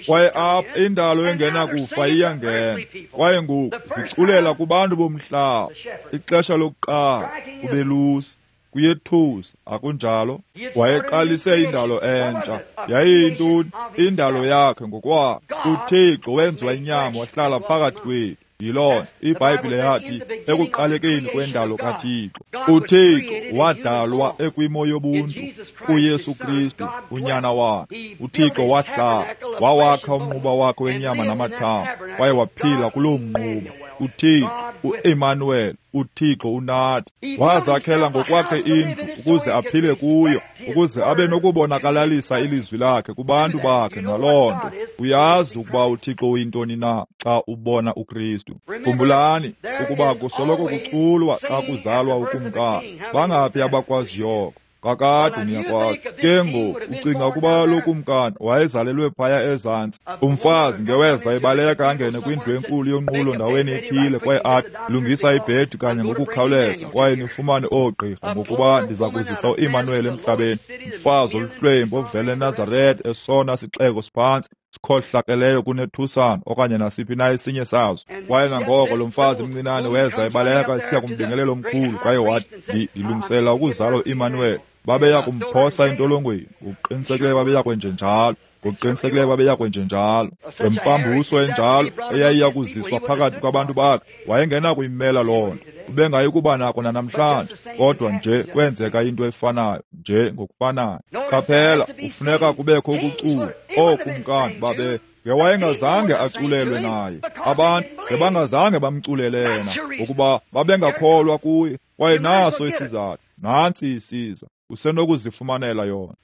Kwaye apha indalo engenakufa iyangena. Kwaye ngoku ziculela kubantu bomhlaba. Ixesha lokuqala kubelusi, kuyethusa, akunjalo? Wayeqalise indalo entsha. Yayiyintoni? Indalo yakhe ngokwakhe. uThixo wenziwa inyama wahlala phakathi kwethu. Yiloo iBhayibhile yathi ekuqalekeni kwendalo kaThixo, uThixo wadalwa ekwimo yobuntu kuYesu Kristu unyana wakhe. uThixo wahlala, wawakha umnquba wakhe wenyama namathambo, kwaye waphila kuloo mnquba. uThixo uEmmanuel, uThixo unathi, wazakhela ngokwakhe indlu ukuze aphile kuyo, ukuze abe nokubonakalalisa ilizwi lakhe kubantu bakhe. Ngaloo nto uyazi ukuba uThixo uyintoni na xa ubona uKristu. Khumbulani ukuba kusoloko kuculwa xa kuzalwa ukumkani. Bangaphi abakwaziyo oko? Kakade niyakwazi. Ke ngoku ucinga ukuba lo kumkani wayezalelwe phaya ezantsi? Umfazi ngeweza ebaleka angene kwindlu enkulu yonqulo ndaweni ethile kwaye athi, lungisa ibhedi kanye ngokukhawuleza kwaye nifumane oogqirha, ngokuba ndiza kuzisa uImanuel emhlabeni. Umfazi oluhlwempu ovela eNazareth, esona sixeko siphantsi sikhohlakeleyo kunethusana okanye nasiphi na esinye sazo. Kwaye nangoko lo mfazi mncinane weza ebaleka esiya kumbingelelo omkhulu kwaye wathi, ndilungisela ukuzalwa uImanuel. Babeya kumphosa entolongweni, ngokuqinisekileyo babeya kwenjenjalo, ngokuqinisekileyo babeya kwenjenjalo. Ngempambuso enjalo eyayiya kuziswa phakathi kwabantu bakhe, wayengenakuyimela loo nto. Ubengayi kuba nako nanamhlanje, kodwa nje kwenzeka into efanayo, nje ngokufanayo. Qaphela, kufuneka kubekho ukucula. Ookumkani babe ngewayengazange aculelwe naye. Abantu ngebangazange bamculele yena, ngokuba babengakholwa kuye. Kwaye naso isizathu, nantsi isiza, usenokuzifumanela yona.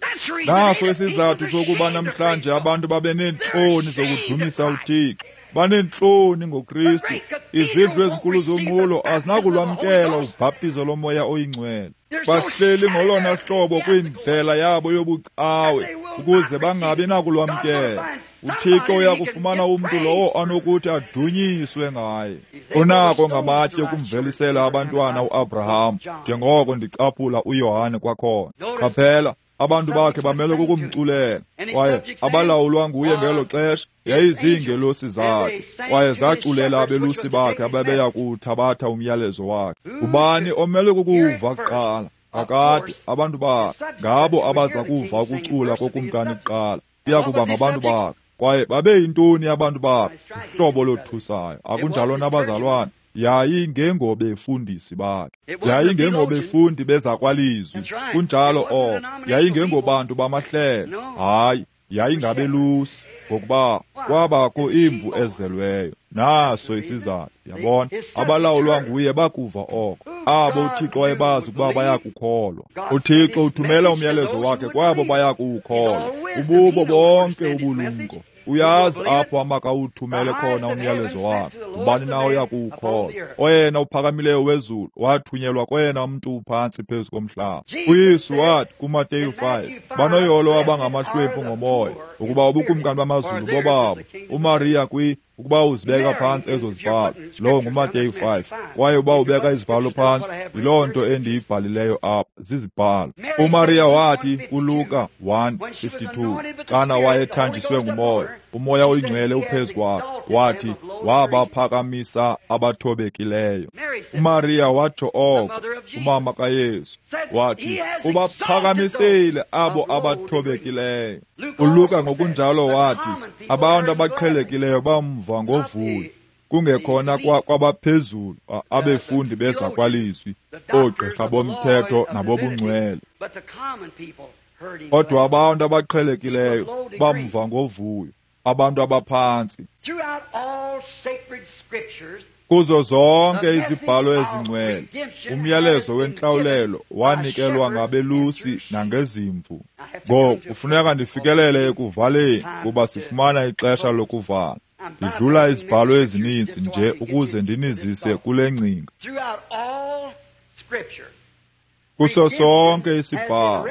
Naso isizathu sokuba namhlanje abantu babe neentloni zokudumisa uThixo, baneentloni ngoKristu. Izindlu ezinkulu zonqulo azinakulwamkela ubhaptizo lomoya oyingcwele. Bahleli ngolona hlobo kwindlela yabo yobucawe ukuze bangabi nakulwamkela. uThixo uyakufumana umntu lowo anokuthi adunyiswe ngaye. Unako ngamatye ukumvelisela abantwana uAbraham, njengoko ndicaphula uYohane kwakhona. Qaphela, abantu bakhe bamele kukumculela, kwaye abalawulwa nguye ngelo xesha yayiziingelosi zakhe, kwaye zaculela abelusi bakhe ababeya kuwuthabatha umyalezo wakhe. Ngubani omele kukuva kuqala? Kakade abantu bakhe, ngabo abaza kuva ukucula kokumkani kuqala, kuya kuba ngabantu bakhe. Kwaye babeyintoni abantu bakhe? Uhlobo lothusayo, akunjalo nabazalwane? Yayingengobefundisi bakhe, yayingengobefundi bezakwalizwi. Kunjalo oko. Yayingengobantu bamahlelo. Hayi, yayingabelusi, ngokuba kwabakho imvu ezelweyo. Naso isizathu, yabona. Abalawulwa nguye bakuva oko. Abo uThixo wayebazi ukuba bayakukholwa. UThixo uthumela umyalezo wakhe kwabo bayakuwukholwa. Ububo bonke ubulumko. Uyazi apho amakawuthumele khona umyalezo wakhe. Ubani na oyakuwukholwa? Oyena uphakamileyo wezulu wathunyelwa koyena mntu uphantsi phezu komhlaba. UYesu wathi kuMateyu 5, banoyolo abangamahlwempu ngomoya, ukuba ubukumkani bamazulu bobabo. uMariya ukuba uzibeka phantsi ezo zibhalo, lowo nguMateyu 5. Kwaye uba ubeka izibhalo phantsi, yiloo nto endiyibhalileyo apha, zizibhalo. uMariya wathi kuLuka 1:52, xana wayethanjiswe ngumoya, umoya oyingcwele uphezu kwakhe, wathi wabaphakamisa abathobekileyo. uMariya watsho oko, umama kaYesu, wathi ubaphakamisile abo abathobekileyo. uLuka ngokunjalo wathi abantu abaqhelekileyo bamva ngovuyo, kungekhona kwabaphezulu abefundi bezakwalizwi, oogqirha bomthetho nabobungcwele. Kodwa abantu abaqhelekileyo bamva ngovuyo, abantu abaphantsi. Kuzo zonke izibhalo ezingcwele, umyalezo wentlawulelo wanikelwa ngabelusi nangezimvu. Ngoku kufuneka ndifikelele ekuvaleni, kuba sifumana ixesha lokuvala. Ndidlula izibhalo ezininzi nje ukuze ndinizise kule ngcinga. Kuso sonke isibhalo,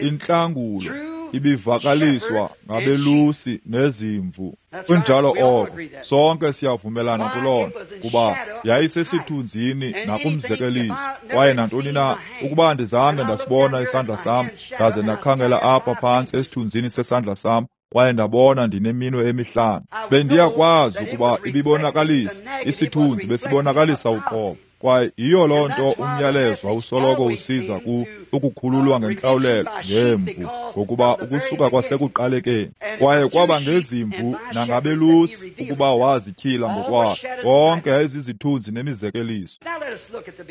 intlangulo ibivakaliswa ngabelusi nezimvu. Kunjalo oko, sonke siyavumelana kuloo nto, kuba yayisesithunzini nakumzekeliso. Kwaye nantoni na, ukuba andizange ndasibona isandla sam, ndaze ndakhangela apha phantsi esithunzini sesandla sam, kwaye ndabona ndineminwe emihlanu, bendiyakwazi ukuba ibibonakalisa isithunzi, besibonakalisa uqobo. Kwaye yiyo loo nto umyalezo wawusoloko usiza ukukhululwa ngentlawulelo ngemvu, ngokuba ukusuka kwasekuqalekeni. Kwaye kwaba ngezimvu nangabelusi ukuba wazityhila ngokwakhe. Konke yayizizithunzi nemizekeliso.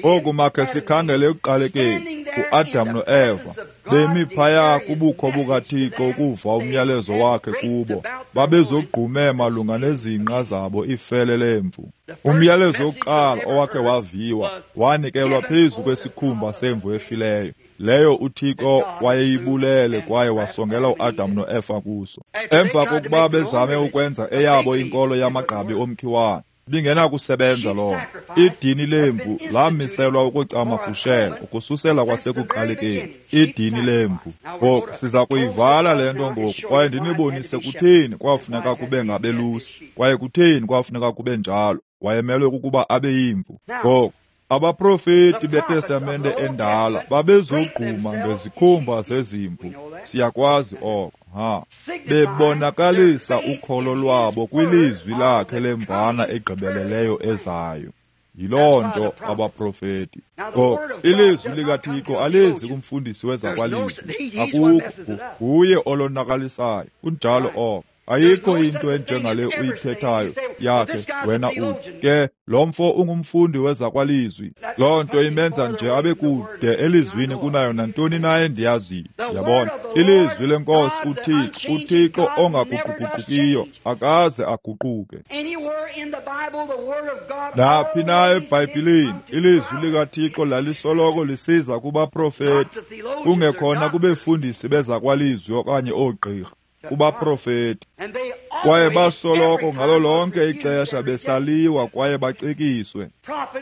Oku makhe sikhangele ekuqalekeni, uAdam noEva bemi phaya kubukho bukaThixo ukuva umyalezo wakhe kubo. Babezogqume malunga nezinqa zabo ifele lemvu. Umyalezo wokuqala owakhe waviwa wanikelwa phezu kwesikhumba semvu efileyo, leyo uThixo wayeyibulele kwaye wasongela uAdam noEfa kuso. Emva kokuba bezame ukwenza eyabo inkolo yamagqabi omkhiwane, ibingenakusebenza loo nto. Idini lemvu lamiselwa ukucamagushela ukususela kwasekuqalekeni. Idini lemvu. Ngoku siza kuyivala le nto ngoku, kwaye ndinibonise kutheni kwafuneka kube ngabelusi, kwaye kutheni kwafuneka kube njalo. Wayemelwe kukuba abe yimvu. Ngoku abaprofeti beTestamente endala babezogquma ngezikhumba zezimvu. Siyakwazi oko, ha. Bebonakalisa ukholo lwabo kwilizwi lakhe lemvana egqibeleleyo ezayo. Yiloo nto abaprofeti. Ngoku ilizwi likaThixo alizi kumfundisi wezakwalizwi. Akukho, nguye olonakalisayo. Kunjalo oko. Ayikho into enjengale uyithethayo yakhe wena uthi ke lo mfo ungumfundi wezakwalizwi. Loo nto imenza nje abe kude elizwini kunayo nantoni na endiyaziyo. Yabona, ilizwi lenkosi uThixo, uThixo ongaguquguqukiyo, akaze aguquke. Naphi na eBhayibhileni ilizwi likaThixo lalisoloko lisiza kubaprofeti, kungekhona kubefundisi bezakwalizwi okanye oogqirha, kubaprofeti. Kwaye basoloko ngalo lonke ixesha besaliwa kwaye bacikiswe.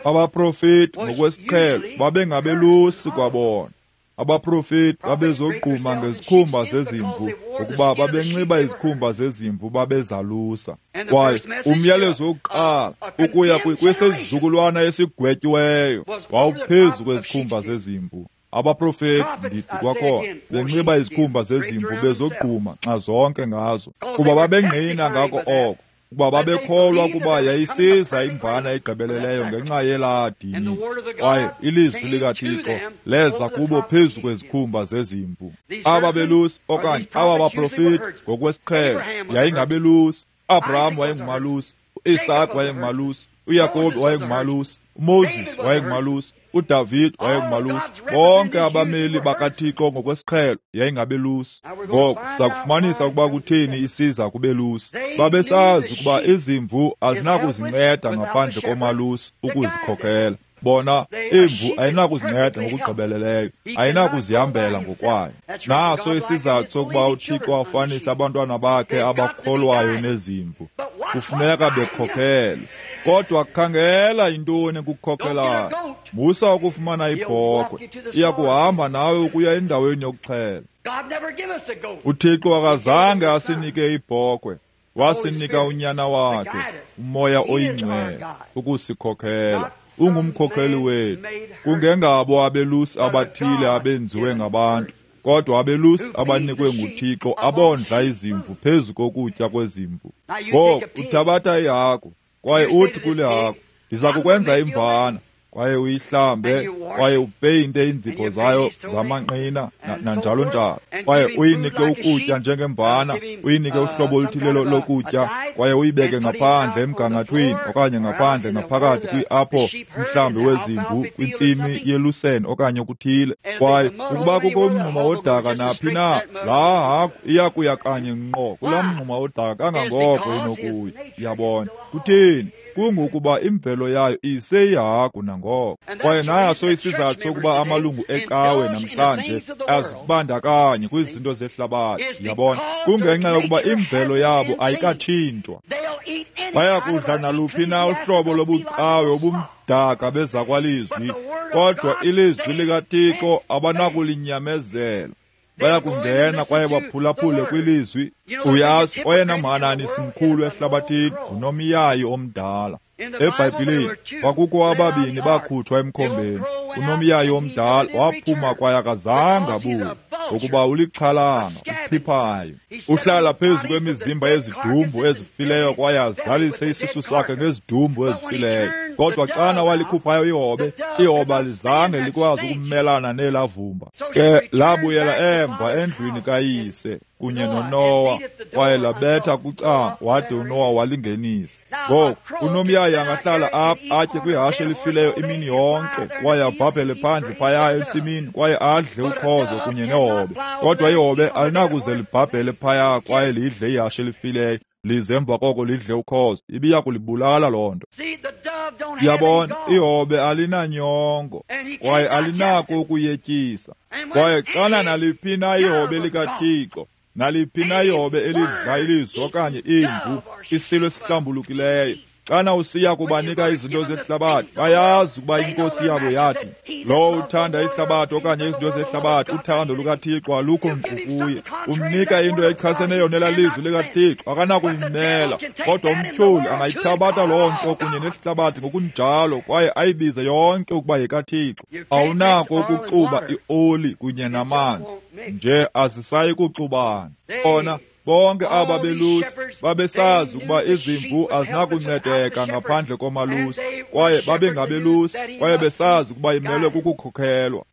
Abaprofeti ngokwesiqhelo babengabelusi kwabona. Abaprofeti babezogquma ngezikhumba zezimvu, ngokuba babenxiba izikhumba zezimvu babezalusa. Kwaye umyalezo wokuqala ukuya kwisizukulwana esigwetyiweyo wawuphezu kwezikhumba zezimvu. Abaprofeti, ndithi kwakhona, benxiba izikhumba zezimvu bezogquma nxa zonke ngazo, kuba babengqina ngako oko, ukuba babekholwa ukuba yayisiza imvana egqibeleleyo ngenxa yelaa dini. Kwaye ilizwi likaThixo leza kubo phezu kwezikhumba zezimvu. Aba belusi okanye aba baprofeti ngokwesiqhelo yayingabelusi. Abraham wayengumalusi, uIsaac wayengumalusi, uYakobi wayengumalusi, uMoses wayengumalusi, uDavid wayengumalusi. Bonke abameli bakaThixo ngokwesiqhelo yayingabelusi. Ngoku sakufumanisa ukuba kutheni isiza kubelusi. Babesazi ukuba izimvu azinakuzinceda ngaphandle komalusi ukuzikhokela. Bona, imvu ayinakuzinceda ngokugqibeleleyo, ayinakuzihambela ngokwayo. Naso isizathu sokuba uThixo afanise abantwana bakhe abakholwayo nezimvu. Kufuneka bekhokhelwe. Kodwa khangela intoni ekukhokhelayo. Musa ukufumana ibhokhwe, iya kuhamba nawe ukuya endaweni yokuxhela. UThixo akazange asinike ibhokhwe, wasinika uNyana wakhe, uMoya oyiNgcwele, ukusikhokhela. Ungumkhokheli wethu. Kungengabo abelusi abathile abenziwe ngabantu, kodwa abelusi abanikwe nguThixo abondla izimvu phezu kokutya kwezimvu. Ngoku uthabatha ihagu kwaye uthi kule hagu, ndiza kukwenza imvana, kwaye uyihlambe, kwaye upeyinte iinzipho zayo zamanqina nanjalo njalo, kwaye uyinike ukutya njengemvana, uyinike uhlobo oluthile lokutya, kwaye uyibeke ngaphandle emgangathweni okanye ngaphandle ngaphakathi kwi-apho umhlambi wezimvu kwintsimi yeluseni okanye okuthile. Kwaye ukuba kukho umngxuma wodaka naphi na, laa hagu iya kuya kanye ngqo kulaa mngxuma wodaka kangangoko inokuya. Uyabona kutheni? Kungokuba imvelo yayo iseyihagu nangoko. Kwaye naso isizathu sokuba amalungu ecawe namhlanje azibandakanye kwizinto zehlabathi. Uyabona, kungenxa yokuba imvelo yabo ayikatshintshwa. Bayakudla naluphi na uhlobo lobucawe obumdaka bezakwalizwi, kodwa ilizwi likaThixo abanakulinyamezela. Bayakungena kwaye baphulaphule kwilizwi. Uyazi, oyena mhananisi mkhulu ehlabathini ngunomyayi omdala. EBhayibhileni kwakukho ababini bakhutshwa emkhombeni. Unomyayi omdala waphuma kwaye akazange abuye, ngokuba ulixhalanga, uphiphayo. Uhlala phezu kwemizimba yezidumbu ezifileyo kwaye azalise isisu sakhe ngezidumbu ezifileyo. Kodwa xana walikhuphayo ihobe, ihobe alizange likwazi ukumelana nelavumba. Ke labuyela emva endlwini kayise kunye noNowa, kwaye labetha kucango wade uNowa walingenisa. Ngoku unomyayi angahlala apha atye kwihashe elifileyo imini yonke, kwaye abhabhele phandle phaya entsimini kwaye adle ukhozo kunye nehobe. Kodwa ihobe alinakuze libhabhele phaya kwaye lidle ihashe elifileyo, lize emva koko lidle ukhozo. Ibiya kulibulala loo nto. Uyabona, ihobe alinanyongo kwaye alinako ukuyetyisa. Kwaye xana naliphi na ihobe likaThixo, naliphi na ihobe elidla ilizwi okanye imvu, isilo esihlambulukileyo, xana usiya kubanika izinto zehlabathi, bayazi ukuba inkosi yabo yathi, lowo uthanda ihlabathi okanye izinto zehlabathi, uthando lukaThixo alukho nkqu kuye. Umnika into echaseneyo nelalizwi likaThixo, akanakuyimela. Kodwa umtyholi angayithabatha loo nto kunye nehlabathi ngokunjalo kwaye ayibize yonke ukuba yekaThixo. Awunako ukuxuba ioli kunye namanzi, nje azisayi kuxubana. Ona bonke aba belusi babesazi ukuba izimvu azinakuncedeka ngaphandle komalusi, kwaye babengabelusi, kwaye besazi ukuba imelwe kukukhokhelwa.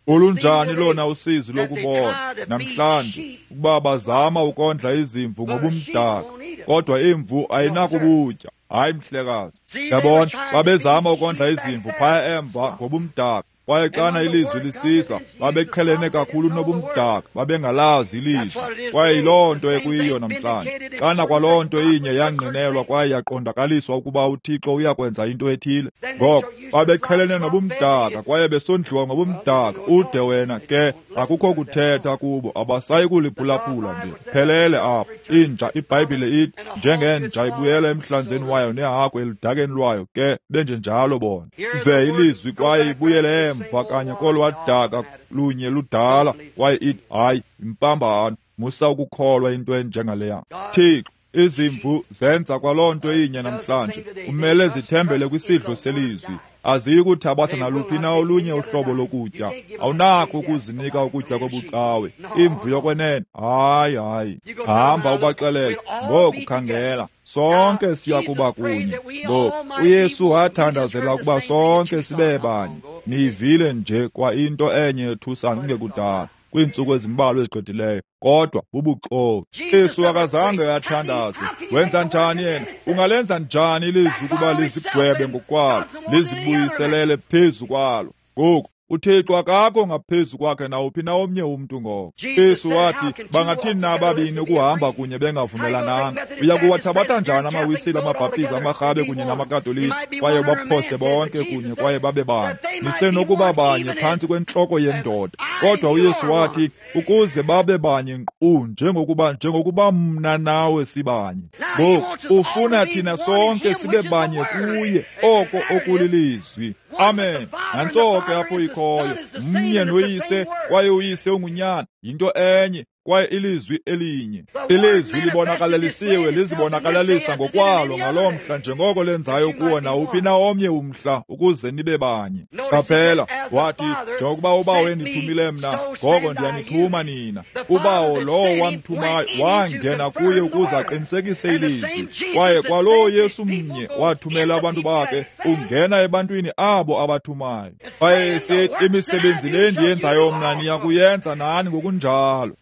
Olunjani lona usizi lokubona namhlanje ukuba bazama ukondla izimvu ngobumdaka, kodwa imvu ayinakubutya. Hayi mhlekazi. Yabona, babezama ukondla izimvu phaya emva ngobumdaka, kwaye xana ilizwi lisisa babeqhelene kakhulu nobumdaka, babengalazi ilizwi. Kwaye yiloo nto ekuyiyo namhlanje. Xana kwaloo nto inye yangqinelwa kwaye yaqondakaliswa ukuba uThixo uyakwenza into ethile, ngoko babeqhelene nobumdaka kwaye besondliwa ngobumdaka. Ude wena ke akukho kuthetha kubo, abasayi kuliphulaphula nje. Phelele apho. Inja, iBhayibhile ithi, njengenja ibuyela emhlanzeni wayo nehagu eludakeni lwayo, ke benjenjalo bona. Ive ilizwi kwaye ibuyele emva kanye kolwadaka lunye ludala, kwaye ithi, hayi, impambano, musa ukukholwa into enjengaleya. Thixo, izimvu zenza kwaloo nto inye namhlanje. Umele zithembele kwisidlo selizwi. Aziyi kuthabatha naluphi na olunye uhlobo lokutya. Awunako ukuzinika ukutya kobucawe. Imvu yokwenene, hayi, hayi. Hamba ubaxelele, ngoku khangela, sonke siya kuba kunye. Ngoku uYesu wathandazela ukuba sonke sibe banye. Niyivile nje kwa into enye ethusana kungekudala. kwiintsuku ezimbalwa ezigqithileyo, kodwa bubuxoki. Yesu akazange athandaze. Wenza njani yena? Ungalenza njani ilizwi ukuba lizigwebe ngokwalo, lizibuyiselele phezu kwalo? Ngoku uThixo akakho ngaphezu kwakhe nawuphi na omnye umntu. Ngoko Yesu wathi, bangathini na ababini ukuhamba kunye bengavumelananga? Uya kuwathabatha njani amaWisile, amaBhaptizi, amaRhabe kunye namaKatolika, kwaye baphose bonke kunye kwaye babe banye? Nisenokuba banye phantsi kwentloko yendoda, kodwa uYesu wathi ukuze babe banye nkqu njengokuba mna nawe sibanye. Ngoku ufuna thina sonke sibe banye kuye, oko okulilizwi. Amen. Nantso ke apho ikhoyo, mnye noYise, kwaye uYise unguNyana, yinto enye, kwaye ilizwi elinye. Ilizwi libonakalalisiwe, lizibonakalalisa ngokwalo ngaloo mhla njengoko lenzayo kuwo nawuphi na omnye umhla, ukuze nibe banye. Qaphela, wathi, njengokuba uBawo endithumile mna, ngoko ndiyanithuma nina. UBawo lowo wamthumayo wangena kuye ukuze aqinisekise ilizwi, kwaye kwaloo Yesu mnye wathumela abantu bakhe ungena ebantwini abo abathumayo. Kwaye esithi, imisebenzi le ndiyenzayo mna niya kuyenza nani ngokunjalo.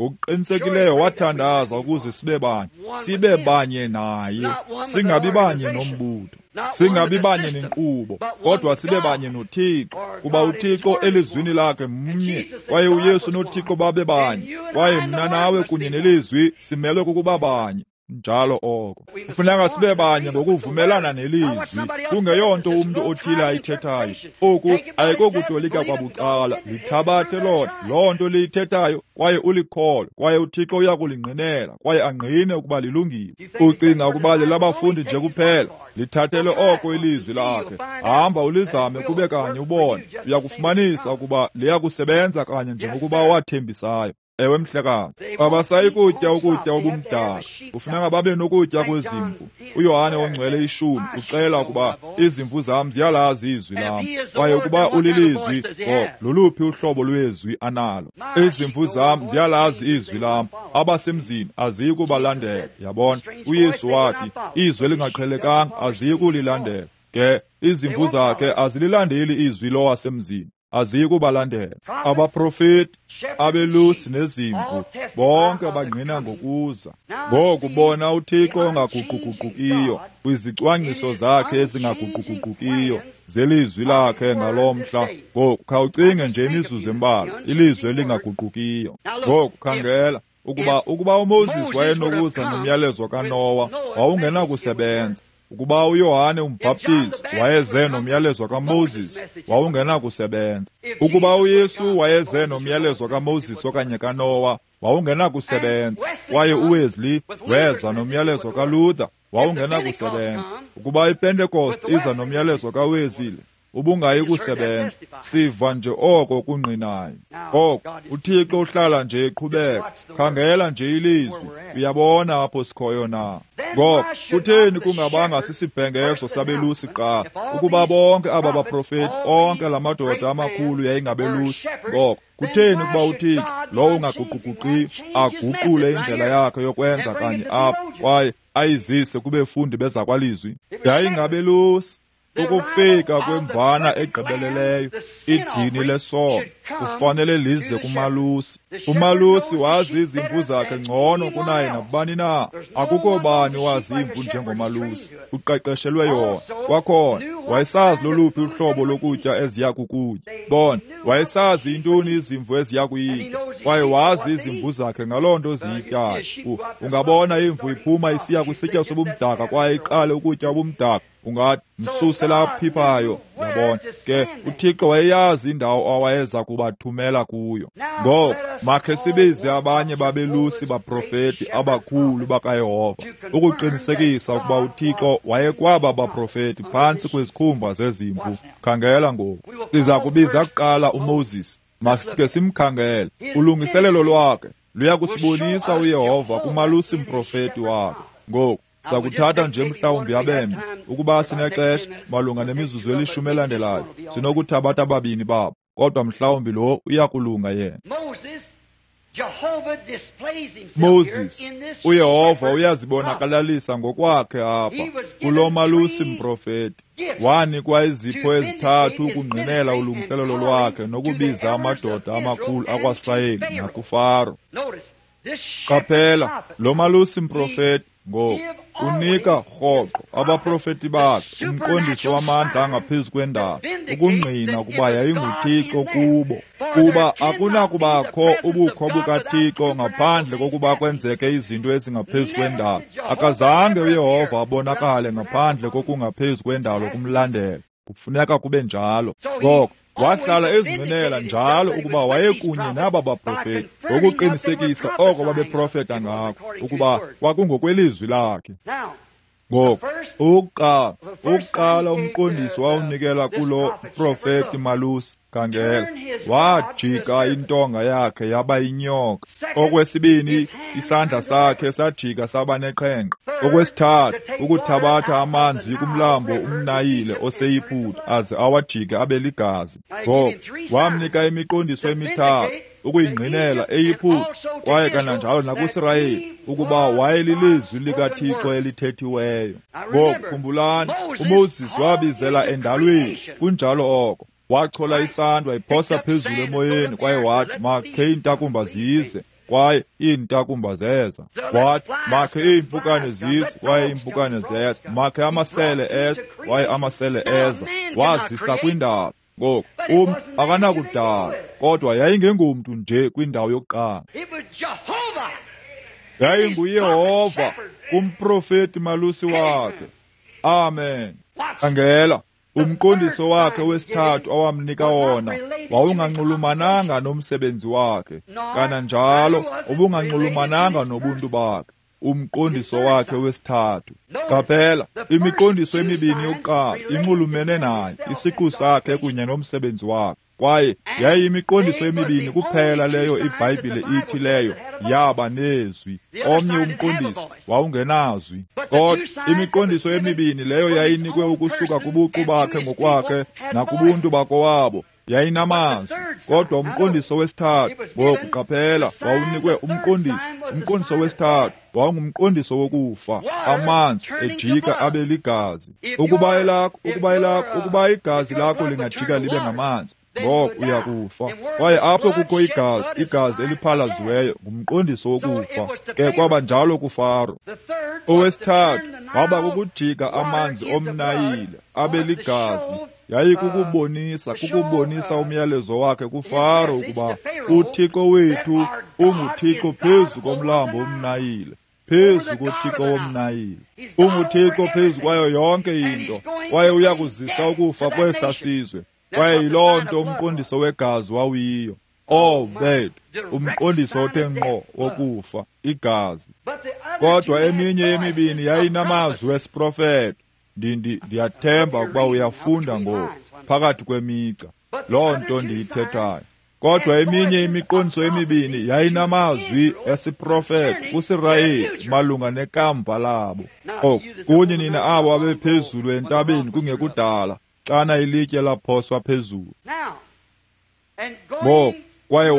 Ngokuqinisekileyo wathandaza ukuze sibe banye, sibe banye naye, singabi banye nombutho, singabi banye nenkqubo, kodwa sibe banye noThixo, kuba uThixo elizwini lakhe mnye, kwaye uYesu noThixo babe banye, kwaye mna nawe kunye nelizwi simelwe kukuba banye. Njalo oko kufuneka sibe banye ngokuvumelana nelizwi, kungeyonto umntu othile ayithethayo. Oku ayikokutolika kwabucala, lithabathe lona loo nto liyithethayo kwaye ulikholwe, kwaye uThixo uya kulingqinela kwaye angqine ukuba lilungile. Ucinga ukuba lelabafundi nje kuphela? Lithathele oko ilizwi lakhe, hamba ulizame kube kanye ubone, uya kufumanisa ukuba liyakusebenza kanye njengokuba wathembisayo. Ewe mhlekazi, abasayi kutya ukutya obumdaka, kufuneka babe nokutya kwezimvu. uYohane ongcwele 10 uxela ukuba izimvu zam ziyalazi izwi lam, kwaye ukuba ulilizwi, loluphi uhlobo lwezwi analo? Izimvu zam ziyalazi izwi lam, abasemzini aziyi kubalandela. Yabona, uYesu wathi izwi elingaqhelekanga aziyi kulilandela. Ke izimvu zakhe azililandeli izwi lowasemzini, aziyi kubalandela. Abaprofeti, abelusi nezimvu bonke bangqina ngokuza. Ngoku bona uThixo ongaguquguqukiyo kwizicwangciso zakhe ezingaguquguqukiyo zelizwi lakhe ngaloo mhla. Ngoku khawucinge nje imizuzu embalwa, ilizwi elingaguqukiyo. Ngoku khangela, ukuba uMoses wayenokuza nomyalezo kaNowa, wawungenakusebenza. Ukuba uYohane umbhaptizi wayeze nomyalezo kaMoses, wawungenakusebenza. Ukuba uYesu wayeze nomyalezo kaMoses okanye kaNowa, wawungenakusebenza. Kwaye uWesley weza nomyalezo kaLuther, wawungenakusebenza. Ukuba iPentecost iza nomyalezo kaWesley, ubungayi kusebenza. Siva nje oko kungqinayo. Oko uThixo uhlala nje eqhubeka. Khangela nje ilizwi, uyabona apho sikhoyo na. Ngoko kutheni kungabanga sisibhengezo sabelusi kuqala, ukuba bonke aba baprofeti, onke la madoda amakhulu yayingabelusi? Ngoko kutheni ukuba uThixo lowo ungaguquguqiyo aguqule indlela yakhe yokwenza kanye apha kwaye ayizise kubefundi bezakwalizwi? Yayingabelusi. Ukufika kwemvana egqibeleleyo, idini lesono, kufanele lize kumalusi. Umalusi wazi izimvu zakhe ngcono kunaye nabani na. Akukho bani wazi imvu njengomalusi, uqeqeshelwe yona. Kwakhona wayesazi loluphi uhlobo lokutya eziya kukutya. Bona, wayesazi intoni izimvu eziya kuyitya, kwaye wazi izimvu zakhe ngaloo nto ziyityayo. Ungabona imvu iphuma isiya kwisitya sobumdaka kwaye iqale ukutya ubumdaka, ungathi msuse laphiphayo. Yabona ke, uThixo wayeyazi indawo awayeza kubathumela kuyo. Ngoko makhe sibize abanye babelusi baprofeti abakhulu bakaYehova ukuqinisekisa ukuba uThixo wayekwaba baprofeti phantsi kwezikhumba zezimvu. Khangela ngoku, siza kubiza kuqala uMoses. Masike simkhangele. Ulungiselelo lwakhe luya kusibonisa uYehova kumalusi mprofeti wakhe. Ngoku sakuthatha nje mhlawumbi abembe, ukuba sinexesha malunga nemizuzu elishumi elandelayo, sinokuthabatha ababini babo, kodwa mhlawumbi lo uyakulunga yena. Moses, uYehova uyazibonakalalisa ngokwakhe apha kulo malusi mprofeti. Wanikwa izipho ezithathu ukungqinela ulungiselelo lwakhe nokubiza amadoda amakhulu akwaSirayeli nakuFaro. Qaphela, lo malusi mprofeti ngoku unika rhoqo abaprofeti bakhe umqondiso wamandla angaphezu kwendalo ukungqina ukuba yayinguThixo kubo, kuba akunakubakho ubukho bukaThixo ngaphandle kokuba kwenzeke izinto ezingaphezu kwendalo. Akazange uYehova abonakale ngaphandle kokungaphezu kwendalo kumlandela. Kufuneka kube njalo. Ngoko wahlala ezingqinela njalo ukuba wayekunye naba baprofeti ngokuqinisekisa oko babeprofeta ngako ukuba kwakungokwelizwi lakhe. Ngoku ukuqala umqondiso wawunikela kulo profeti malusi, khangela, wajika intonga yakhe yaba inyoka. Okwesibini, isandla sakhe sajika saba neqhenqa. Okwesithathu, ukuthabatha amanzi kumlambo umNayile oseYiputa aze awajike abe ligazi. Ngoku wamnika imiqondiso emithathu ukuyingqinela eYiputa kwaye kananjalo nakuSirayeli ukuba wayelilizwi likaThixo elithethiweyo. Ngoku khumbulani, uMoses wabizela endalweni, kunjalo oko. Wachola isandwa wayiphosa phezulu emoyeni kwaye wathi, makhe iintakumba zize, kwaye iintakumba zeza. Wathi, makhe iimpukane zize, kwaye iimpukane zeza. Makhe amasele eza, kwaye amasele eza. Wazisa kwindalo. Ngoku umntu akanakudala, kodwa yayingengomntu nje kwindawo yokuqala. YayinguYehova kumprofeti malusi wakhe. Amen. Khangela, umqondiso wakhe wesithathu awamnika wona wawunganxulumananga nomsebenzi wakhe, kananjalo ubunganxulumananga nobuntu bakhe. Umqondiso wakhe wesithathu. Qaphela, imiqondiso emibini yokuqala inxulumene naye, isiqu sakhe kunye nomsebenzi wakhe. Kwaye yayiyimiqondiso emibini kuphela leyo iBhayibhile ithi leyo yaba nezwi. Omnye umqondiso wawungenazwi. Kodwa imiqondiso emibini leyo yayinikwe ukusuka kubuqu bakhe ngokwakhe nakubuntu bakowabo yayinamazwi. Kodwa umqondiso wesithathu, ngoku qaphela, wawunikwe umqondiso. Umqondiso wesithathu wawungumqondiso wokufa, amanzi ejika abe ligazi. Ukuba igazi lakho lingajika libe ngamanzi, ngoko uyakufa. Kwaye apho kukho igazi, igazi eliphalaziweyo ngumqondiso wokufa. Ke kwaba njalo kuFaro. Owesithathu waba kukujika amanzi omNayile abe ligazi. Yayikukubonisa, kukubonisa umyalezo wakhe kuFaro ukuba uThixo wethu unguThixo phezu komlambo umNayile, phezu koThixo womNayile. UnguThixo phezu kwayo yonke into, kwaye uyakuzisa ukufa kwesa sizwe. Kwaye yiloo nto umqondiso wegazi wawuyiyo. Oh, bethu, umqondiso othe ngqo wokufa, igazi. Kodwa eminye yemibini yayinamazwi esiprofeto. Ndiyathemba ukuba uyafunda ngoku phakathi kwemigca loo nto ndiyithethayo. Kodwa eminye imiqondiso emibini yayinamazwi esiprofeto kuSirayeli malunga nekamva labo. Oku kunye nina abo abephezulu entabeni kungekudala xana ilitye laphoswa phezulu. Ngoku kwaye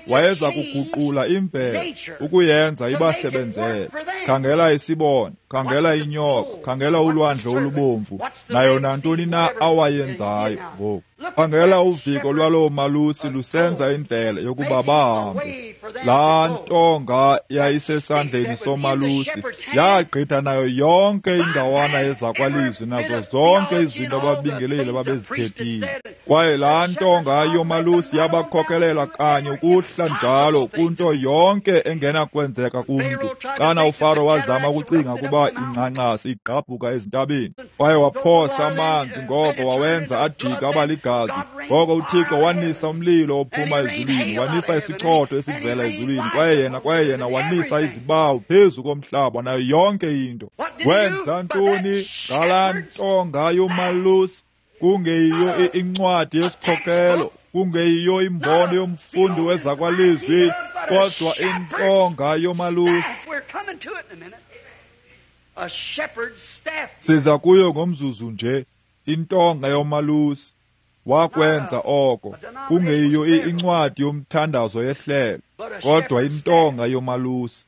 wayeza kuguqula imvelo ukuyenza ibasebenzele. Khangela isibona, khangela inyoka, khangela ulwandle olubomvu, nayo nantoni na awayenzayo ngoku. Khangela uviko lwaloo malusi lusenza indlela yokuba bahambe. Laa ntonga yayisesandleni somalusi yagqitha nayo yonke indawana yezakwalizwi nazo zonke izinto ababingeleli babezithethile. Kwaye laa ntonga yomalusi yabakhokelela kanye ukuhla njalo kunto yonke engenakwenzeka kumntu. Xana uFaro wazama ukucinga ukuba ingxangxasi igqabhuka ezintabeni, kwaye waphosa amanzi, ngoko wawenza ajika abaligazi. Ngoko uThixo wanisa umlilo ophuma ezulwini, wanisa isichotho esivela ezulwini, kwaye yena wanisa izibawu phezu komhlaba nayo yonke into. Wenza ntoni ngalaa ntonga yomalusi? Kungeyiyo incwadi yesikhokelo, kungeyiyo imbono yomfundi wezakwalizwi, kodwa intonga yomalusi. Siza kuyo ngomzuzu nje, intonga yomalusi. Wakwenza oko, kungeyiyo incwadi yomthandazo yehlelo, kodwa intonga yomalusi.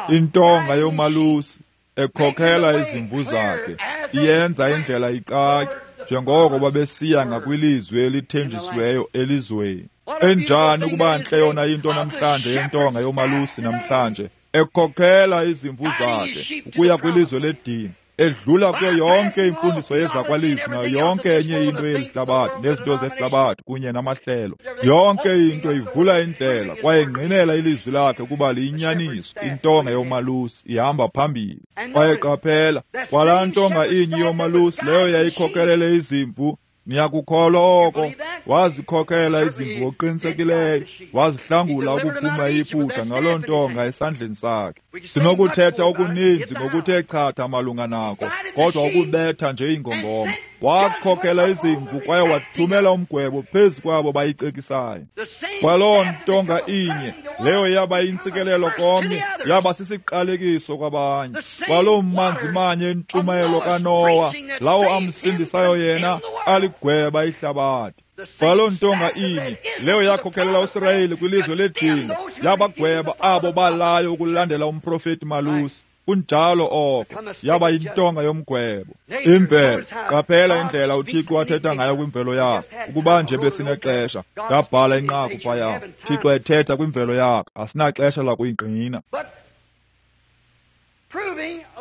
Intonga yomalusi ekhokhela izimvu zakhe, iyenza indlela icace njengoko babesiya ngakwilizwe elithenjisiweyo elizweni. Enjani ukuba ntle yona into namhlanje yentonga yomalusi namhlanje, ekhokhela izimvu zakhe ukuya kwilizwe ledini, edlula kuyo yonke imfundiso yezakwalizwi nayo yonke enye into yelihlabathi nezinto zehlabathi kunye namahlelo. Yonke into ivula indlela kwaye ingqinela ilizwi lakhe ukuba liyinyaniso. Intonga yomalusi ihamba phambili. Kwaye qaphela, kwalaa ntonga inye yomalusi leyo yayikhokelele izimvu, niyakukholwa oko, wazikhokela izimvu ngokuqinisekileyo, wazihlangula ukuphuma eYiputa ngaloo ntonga esandleni sakhe. Sinokuthetha okuninzi ngokuthe chatha malunga nako, kodwa ukubetha nje ingongoma. Wakhokela izimvu kwaye wathumela umgwebo phezu kwabo bayicekisayo. Kwaloo ntonga inye leyo yaba yintsikelelo komnye, yaba sisiqalekiso kwabanye. Kwaloo manzi manye entshumayelo kaNowa, lawo amsindisayo yena, aligweba ihlabathi. Kwaloo ntonga inye leyo yakhokelela uSirayeli kwilizwe ledinga, yabagweba abo balayo ukulandela umprofeti malusi. Kunjalo oko, yaba yintonga yomgwebo. Imvelo, qaphela indlela uThixo athetha ngayo kwimvelo yakhe. Ukuba nje besinexesha, ndabhala inqaku phaya. Thixo ethetha kwimvelo yakhe, asinaxesha lakuyingqina.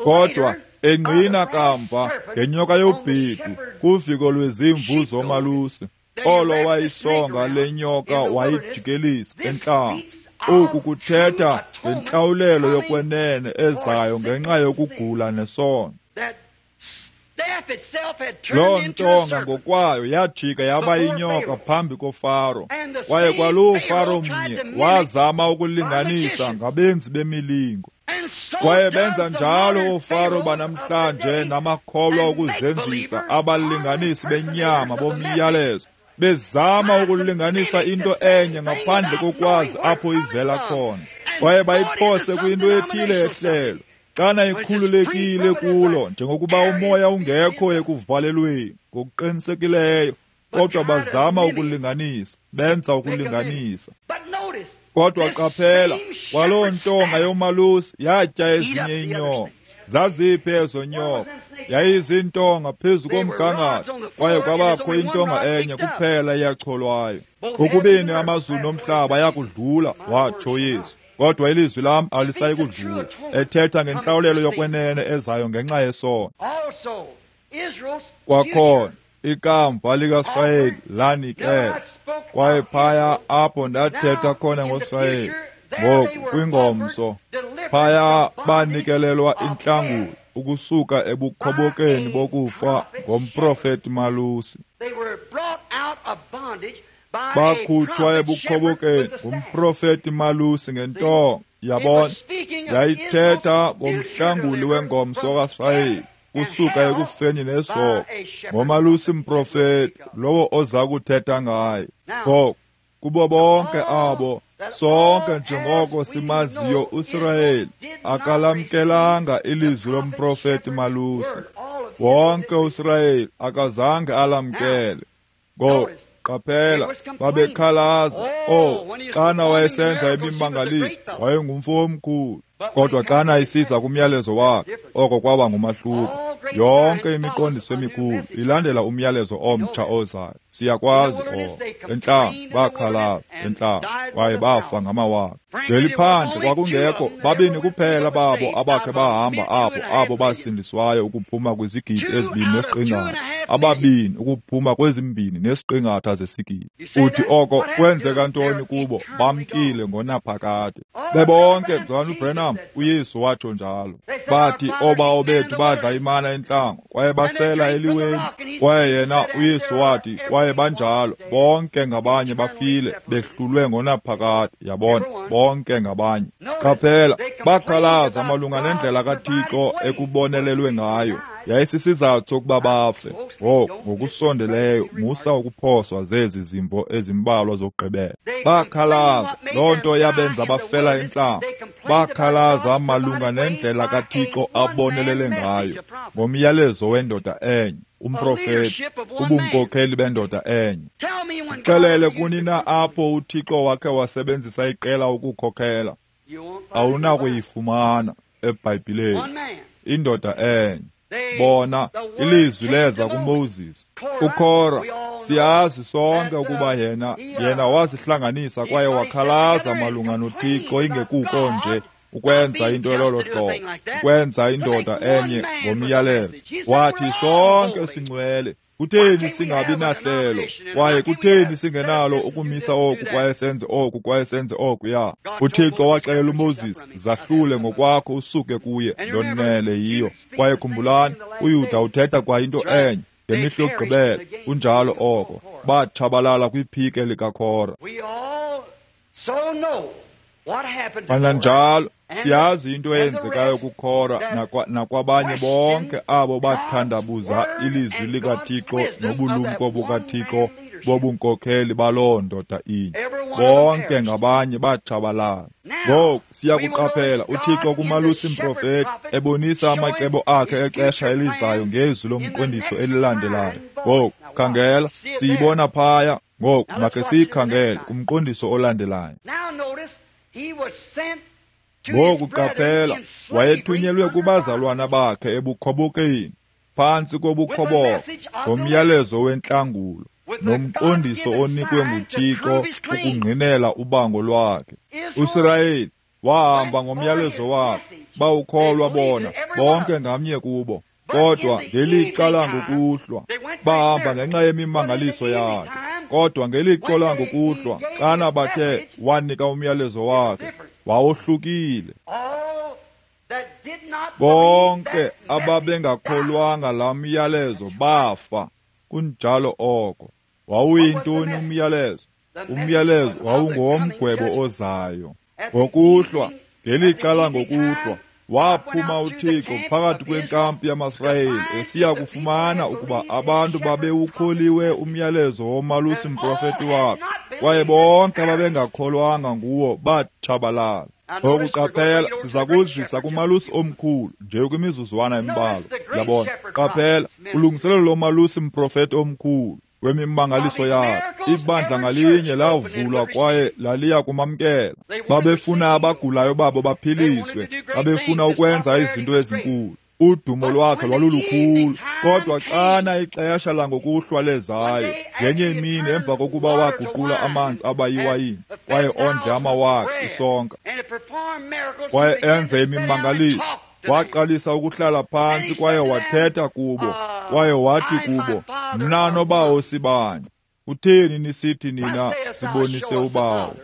Kodwa engqina kamva ngenyoka yobhedu kuviko lwezimvu zomalusi, olo wayisonga le nyoka wayijikelisa entlango. Oku kuthetha ngentlawulelo yokwenene ezayo ngenxa yokugula nesono. Loo ntonga ngokwayo yajika yaba yinyoka phambi koFaro, kwaye kwaloo Faro mnye wazama ukulinganisa ngabenzi bemilingo. Kwaye benza njalo oofaro banamhlanje namakholwa okuzenzisa, abalinganisi benyama bomyalezo, bezama ukulinganisa into enye ngaphandle kokwazi apho ivela khona. Kwaye bayiphose kwinto ethile ehlelo, xana ikhululekile kulo njengokuba umoya ungekho ekuvalelweni ngokuqinisekileyo, kodwa bazama ukulinganisa, benza ukulinganisa. Kodwa qaphela, kwaloo ntonga yomalusi yatya ezinye iinyoka. Zaziphi ezo nyoka? Yayizintonga phezu komgangatho, kwaye kwabakho intonga enye kuphela eyacholwayo. Ukubini amazulu nomhlaba ayakudlula, watsho Yesu, kodwa ilizwi lam alisayi kudlula, ethetha ngentlawulelo yokwenene ezayo ngenxa yesono. Kwakhona ikamva likaSirayeli lanikela, kwaye phaya apho ndathetha khona ngoSirayeli, ngoku kwingomso, phaya banikelelwa intlangulo ukusuka ebukhobokeni bokufa ngomprofeti malusi. Bakhutshwa ebukhobokeni ngumprofeti malusi ngentonga, yabona, yayithetha ngomhlanguli wengomso kaSirayeli kusuka ekufeni nesono ngomalusi mprofeti lowo oza kuthetha ngaye. Ngoku kubo bonke abo, sonke njengoko simaziyo uSirayeli akalamkelanga ilizwi lomprofeti malusi. Wonke uSirayeli akazange alamkele. Ngoku qaphela, babekhalaza. Oh, xana wayesenza imimangaliso, wayengumfo omkhulu. Kodwa xana isiza kumyalezo wakhe, oko kwaba ngumahluko. Yonke imiqondiso emikhulu ilandela umyalezo omtsha ozayo. Siyakwazi oko. Entlango bakhalaza, entlango kwaye bafa ngamawaka. Ngeliphandle kwakungekho babini kuphela babo abakhe bahamba apho, abo basindiswayo ukuphuma kwizigidi 2.5, ababini ukuphuma kwe-2.5 zesigidi. Uthi oko kwenzeka ntoni kubo? Bamkile ngonaphakade bebonke. Mzalwana uBrenham, uYesu watsho njalo. Bathi oobawo bethu badla imana entlango kwaye basela eliweni, kwaye yena uYesu wathi, kwaye banjalo bonke ngabanye bafile behlulwe ngonaphakade. Yabona, bonke ngabanye. Qaphela, bakhalaza malunga nendlela kaThixo ekubonelelwe ngayo. Yayisisizathu sokuba bafe. Ngoku ngokusondeleyo musa ukuphoswa zezi zimvo ezimbalwa zokugqibela. Bakhalaza, loo nto yabenza bafela entlango. Bakhalaza malunga nendlela kaThixo abonelele ngayo ngomyalezo wendoda enye. umprofeti, ubunkokheli bendoda enye. Xelele kunina apho uThixo wakhe wasebenzisa iqela ukukhokhela. Awunakuyifumana eBhayibhileni. Indoda enye. Bona, ilizwi leza kuMoses. UKora, siyazi sonke ukuba yena wasihlanganisa kwaye wakhalaza malunga noThixo ingekuko nje ukwenza into elolo hlobo, ukwenza indoda enye ngomyalezo. Wathi sonke singcwele. Kutheni singabi nahlelo? Kwaye kutheni singenalo ukumisa oku kwaye senze oku kwaye senze oku ya? UThixo waxelela uMoses, zahlule ngokwakho usuke kuye, ndonele yiyo. Kwaye khumbulani, uYuda uthetha kwa into enye ngemihla yokugqibela. Kunjalo oko. Batshabalala kwiphike likaKora. Kananjalo siyazi into eyenzekayo kuKora nakwabanye bonke abo bathandabuza ilizwi likaThixo nobulumko bukaThixo bobunkokheli baloo ndoda inye. Bonke ngabanye batshabalala. Ngoku siyakuqaphela uThixo kumalusi mprofeti ebonisa amacebo akhe exesha elizayo ngezwi lomqondiso elilandelayo. Ngoku khangela, siyibona phaya. Ngoku makhe siyikhangele kumqondiso olandelayo. Ngoku qaphela, wayethunyelwe kubazalwana bakhe ebukhobokeni, phantsi kobukhoboka, ngomyalezo wentlangulo nomqondiso onikwe nguThixo ukungqinela ubango lwakhe. USirayeli wahamba ngomyalezo wakhe, bawukholwa bona bonke ngamnye kubo. Kodwa ngelixa langokuhlwa bahamba ngenxa yemimangaliso yakhe. Kodwa ngelixa langokuhlwa xana bathe wanika umyalezo wakhe, wawohlukile. Bonke ababengakholwanga laa myalezo bafa. Kunjalo oko. Wawuyintoni umyalezo? Umyalezo wawungowomgwebo ozayo. Ngokuhlwa, ngelixa langokuhlwa, waphuma uThixo phakathi kwenkampu yamaSirayeli esiya kufumana ukuba abantu babewukholiwe umyalezo womalusi mprofeti wakhe, kwaye bonke ababengakholwanga nguwo batshabalala. Ngoku qaphela, siza kuzisa kumalusi omkhulu nje kwimizuzwana embalwa. Yabona, qaphela ulungiselelo lomalusi mprofeti omkhulu wemimangaliso yakhe. Ibandla ngalinye lavulwa kwaye laliya kumamkela. Babefuna abagulayo babo baphiliswe, babefuna ukwenza izinto ezinkulu. Udumo lwakhe lwalulukhulu. Kodwa xana ixesha langokuhlwa lezayo, ngenye imini emva kokuba waguqula amanzi abayiwayini kwaye ondle amawaka isonka kwaye enze imimangaliso, waqalisa ukuhlala phantsi kwaye wathetha kubo, kwaye wathi kubo, mna nobawo sibanye. Kutheni nisithi nina sibonise ubawo?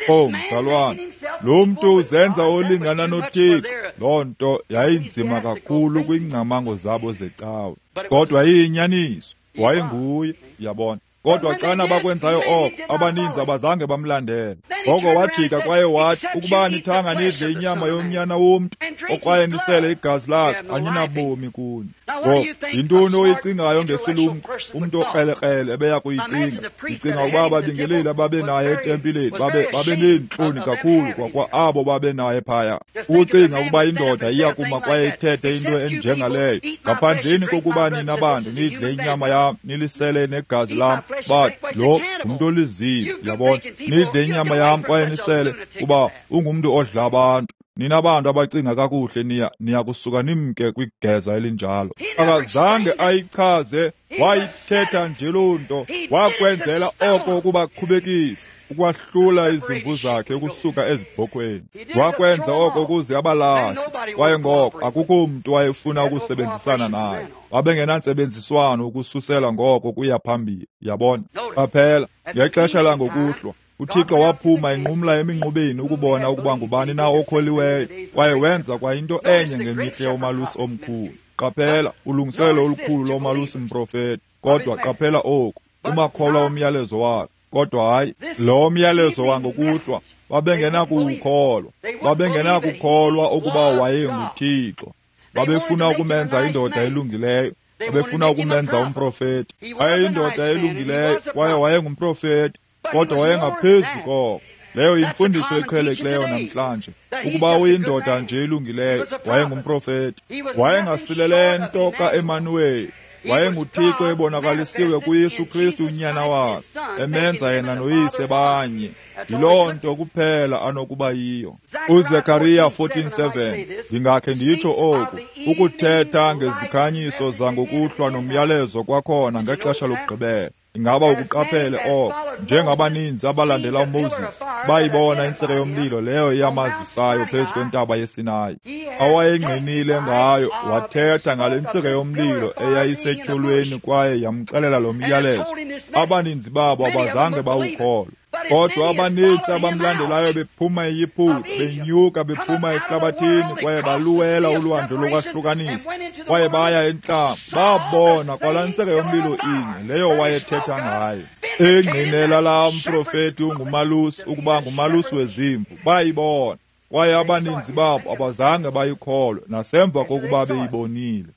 Oh, mzalwane, lo mntu uzenza olingana noThixo. Loo nto yayinzima kakhulu kwiingcamango zabo zecawe, kodwa iyinyaniso, wayenguye, yabona. Kodwa xana bakwenzayo oko, abaninzi abazange bamlandele. Ngoko wajika kwaye wathi, ukuba nithanga nidle inyama yomnyana womntu okwaye nisele igazi lakhe, aninabomi kuni. Ngoko yintoni oyicingayo ngesilumko umntu okrelekrele ebeya kuyicinga? Ndicinga ukuba ababingeleli ababenaye etempileni babeneentloni kakhulu kwakwa abo babenaye phaya. Ukucinga ukuba indoda iyakuma kwaye ithethe into enjengaleyo, ngaphandleni kokuba nina bantu nidle inyama yam nilisele negazi lam, but lo ngumntu olizibi, yabona. Nidle inyama yam kwaye nisele, kuba ungumntu odla abantu. Nina bantu abacinga kakuhle niya kusuka nimke kwigeza elinjalo. Akazange ayichaze, wayithetha nje loo nto. Wakwenzela oko ukubakhubekisa, ukwahlula izimvu zakhe ukusuka ezibhokhweni. Wakwenza oko ukuze abalahle, kwaye ngoko akukho mntu wayefuna ukusebenzisana naye. Babengenantsebenziswano ukususela ngoko kuya phambili, yabona. Qaphela, ngexesha langokuhlwa uThixo waphuma enqumla eminqubeni ukubona ukuba ngubani na okholiweyo, kwaye wenza kwa into enye ngemihla yomalusi omkhulu. Qaphela ulungiselelo olukhulu lomalusi mprofeti, kodwa qaphela oku, umakholwa umyalezo wakhe. Kodwa hayi lo myalezo wangokuhlwa, babengenakuwukholwa. Babengenakukholwa ukuba wayenguThixo. Babefuna ukumenza indoda elungileyo, babefuna ukumenza umprofeti. Wayeyindoda elungileyo kwaye wayengumprofeti, kodwa wayengaphezu koko. Leyo yimfundiso eqhelekileyo namhlanje, ukuba uyindoda nje elungileyo. Wayengumprofeti. Wayengasilele nto kaEmanuweli. WayenguThixo ebonakalisiwe kuYesu Kristu unyana wakhe, emenza yena noYise banye. Yiloo nto kuphela anokuba yiyo. UZekariya 14:7, ndingakhe nditsho oku, ukuthetha ngezikhanyiso zangokuhlwa nomyalezo kwakhona ngexesha lokugqibela. Ingaba ukuqaphele oko? Njengabaninzi abalandela uMoses, bayibona intsika yomlilo leyo yamazisayo phezu kwentaba yeSinayi, awayengqinile ngayo. Wathetha ngale ntsika yomlilo eyayisetyholweni kwaye yamxelela lo myalezo. Abaninzi babo abazange bawukholwe, kodwa abaninzi abamlandelayo bephuma eYiputa, benyuka bephuma ehlabathini, kwaye baluwela ulwandle lokwahlukanisa, kwaye baya entlango, babona kwalaa ntsika yomlilo inye leyo wayethetha ngayo. Engqinela laa mprofeti ungumalusi ukuba ngumalusi wezimvu, bayibona, kwaye abaninzi babo abazange bayikholwe nasemva kokuba beyibonile.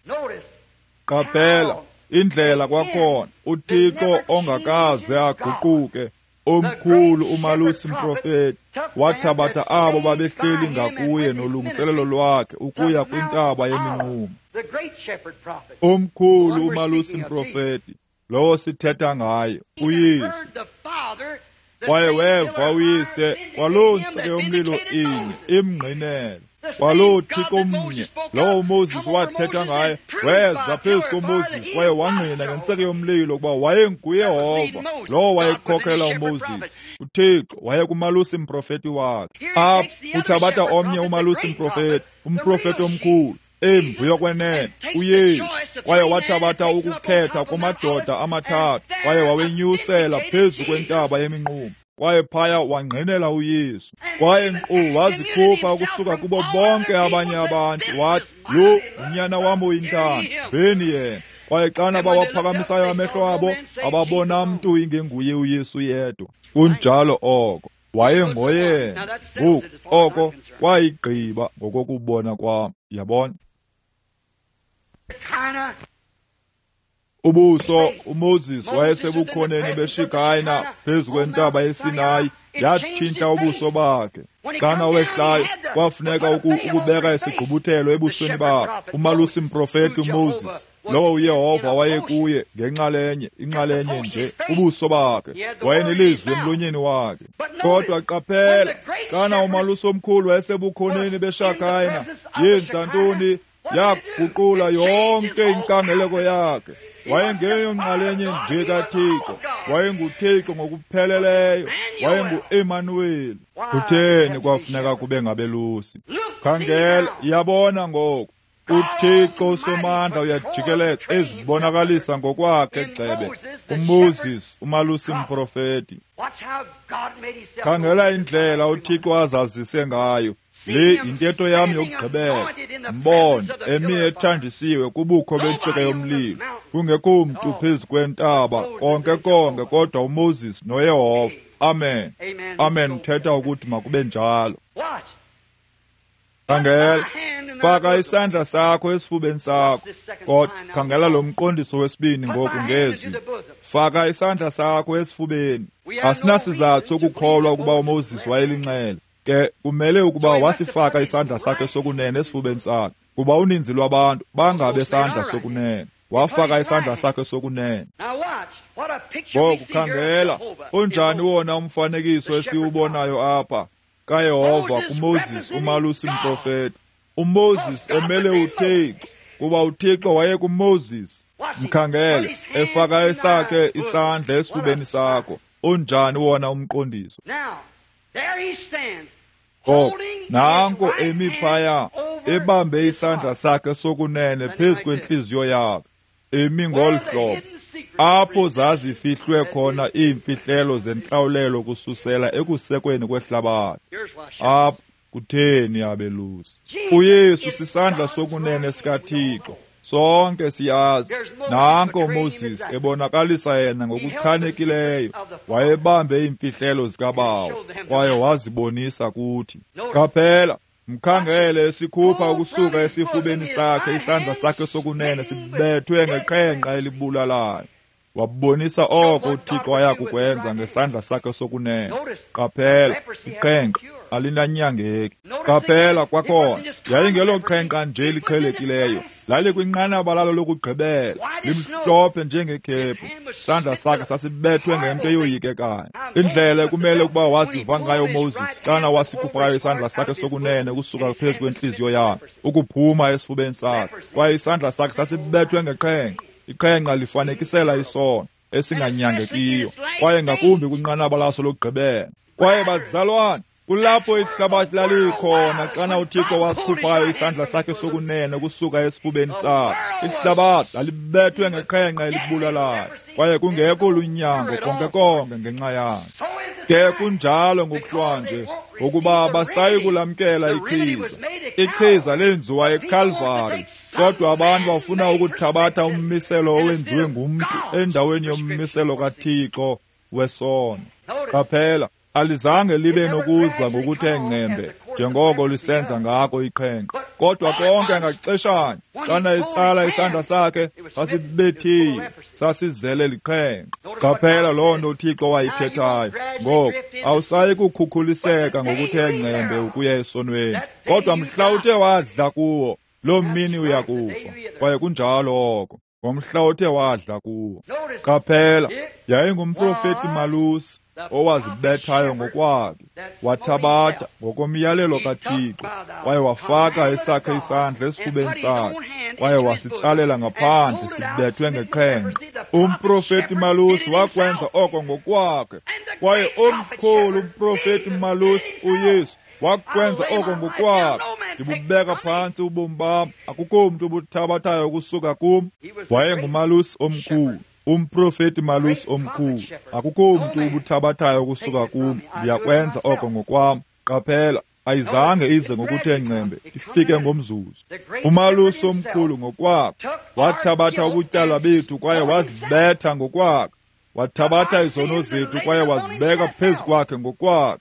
Qaphela indlela kwakhona, uThixo ongakaze aguquke, omkhulu umalusi mprofeti, wathabatha abo babehleli ngakuye nolungiselelo lwakhe ukuya kwintaba yeminqumo. Omkhulu umalusi mprofeti, lowo sithetha ngaye, uYesu. Kwaye weva uYise kwaloo ntsika yomlilo inye imngqinela, kwaloo Thixo mnye lowo uMoses wathetha ngaye, weza phezu koMoses kwaye wangqina ngentsika yomlilo ukuba wayenguYehova lowo wayekhokhela uMoses. uThixo wayekumalusi mprofeti wakhe. Apha uthabatha omnye umalusi mprofeti, umprofeti omkhulu, imvu yokwenene, uYesu, kwaye wathabatha ukukhetha kumadoda amathathu kwaye wawenyusela phezu kwentaba yeminqumo, kwaye phaya wangqinela uYesu. Kwaye nkqu wazikhupha ukusuka kubo bonke abanye abantu, wathi, lo unyana wam oyintanda, veni yena. Kwaye xana bawaphakamisayo amehlo abo, ababona mntu ingenguye uYesu yedwa. Kunjalo oko, wayengoyena. Ngoku oko kwayigqiba ngokokubona kwam, yabona. Ubuso uMoses wayesebukhoneni beShekina phezu kwentaba yeSinayi, yatshintsha ubuso bakhe. Xana wehlayo, kwafuneka ukubeka isigqubuthelo ebusweni bakhe. Umalusi mprofeti uMoses, lowo uYehova wayekuye ngenxalenye, inxalenye nje, ubuso bakhe wayenelizwi emlonyeni wakhe. Kodwa qaphela, xana umalusi omkhulu wayesebukhoneni beShekina, yenza ntoni? Yaguqula yonke inkangeleko yakhe. Wayengeyo nxalenye nje kaThixo, wayenguThixo ngokupheleleyo, wayengu-Emanuweli. Kutheni kwafuneka kube ngabelusi? Khangela, yabona ngoku, uThixo uSomandla uyajikeleza ezibonakalisa ngokwakhe gxebe uMoses umalusi mprofeti. Khangela indlela uThixo azazise ngayo. Le yintetho yam yokugqibela. Mbone emi ethanjisiwe kubukho bentsika yomlilo, kungekho mntu phezu kwentaba konke konke kodwa uMoses noYehova. Amen. Amen. Uthetha ukuthi makube njalo. Khangela, faka isandla sakho esifubeni sakho. Kodwa khangela lo mqondiso wesibini ngoku ngezwi. Faka isandla sakho esifubeni. Asinasizathu sokukholwa ukuba uMoses wayelinxele. Ke kumele ukuba wasifaka isandla sakhe sokunene esifubeni sakhe, kuba uninzi lwabantu bangabe sandla sokunene. Wafaka isandla sakhe sokunene. Ngoku khangela, unjani wona umfanekiso esiwubonayo apha kaYehova kuMoses umalusi mprofeti. uMoses emele uThixo, kuba uThixo wayekuMoses. Mkhangele efaka esakhe isandla esifubeni sakho. Unjani wona umqondiso? Ngoko nanko emi phaya ebambe isandla sakhe sokunene phezu kwentliziyo yakhe, emi ngolu hlobo, apho zazifihlwe khona iimfihlelo zentlawulelo kususela ekusekweni kwehlabathi. Apho kutheni abelusi? uYesu sisandla sokunene sikaThixo. Sonke siyazi. Nanko uMoses ebonakalisa yena ngokuchanekileyo, wayebambe iimfihlelo zikaBawo kwaye wazibonisa kuthi. Qaphela, mkhangele esikhupha ukusuka esifubeni sakhe isandla sakhe sokunene sibethwe ngeqhenqa elibulalayo. Wabonisa oko uThixo ayakukwenza ngesandla sakhe sokunene. Qaphela, iqhenqa alinanyangeki. Qaphela kwakhona, yayingeloqhenqa nje liqhelekileyo, lalikwinqanaba lalo lokugqibela, limhlophe njengekhephu. Isandla sakhe sasibethwe ngento eyoyikekayo. Indlela ekumele ukuba waziva ngayo uMoses xana wasikhuphayo isandla sakhe sokunene ukusuka phezu kwentliziyo yakhe, ukuphuma esifubeni sakhe, kwaye isandla sakhe sasibethwe ngeqhenqa. Iqhenqa lifanekisela isono esinganyangekiyo, kwaye ngakumbi kwinqanaba laso lokugqibela. Kwaye bazalwane, kulapho ihlabathi lalikhona xana uThixo wasikhuphayo isandla sakhe sokunene kusuka esifubeni sakhe. Ihlabathi lalibethwe ngeqhenqa elibulalayo, kwaye kungekho lunyango konke konke ngenxa yalo. Ke kunjalo ngokuhlwanje, ngokuba abasayi kulamkela ichiza. Ichiza lenziwa eKalvari, kodwa abantu bafuna ukuthabatha ummiselo owenziwe ngumntu endaweni yommiselo kaThixo wesono. Qaphela, alizange libe nokuza ngokuthe ngcembe njengoko lisenza ngako iqhenqa, kodwa konke ngaxeshanye xana itsala isandla sakhe sasibethiwe, sasizele liqhenqa. Qaphela loo nto uThixo wayithethayo. Ngoku awusayi kukhukhuliseka ngokuthe ngcembe ukuya esonweni, kodwa mhla uthe wadla kuwo, loo mini uyakufa. Kwaye kunjalo oko, ngomhla othe wadla kuwo. Qaphela, yayingumprofeti malusi owazibethayo ngokwakhe, wathabatha ngokomyalelo kaThixo, kwaye wafaka esakhe isandla esifubeni sakhe, kwaye wasitsalela ngaphandle sibethwe ngeqhenqa. Umprofeti malusi wakwenza oko ngokwakhe, kwaye omkhulu umprofeti malusi uYesu wakwenza oko ngokwakhe. Ndibubeka phantsi ubomi bam, akukho mntu ubuthabathayo ukusuka kum. Wayengumalusi omkhulu, umprofeti malusi omkhulu. Akukho mntu ubuthabathayo ukusuka kum, ndiyakwenza oko ngokwam. Qaphela, ayizange ize ngokuthe ngcembe, ifike ngomzuzu. Umalusi omkhulu ngokwakhe wathabatha ubutyala bethu kwaye wazibetha ngokwakhe, wathabatha izono zethu kwaye wazibeka phezu kwakhe ngokwakhe.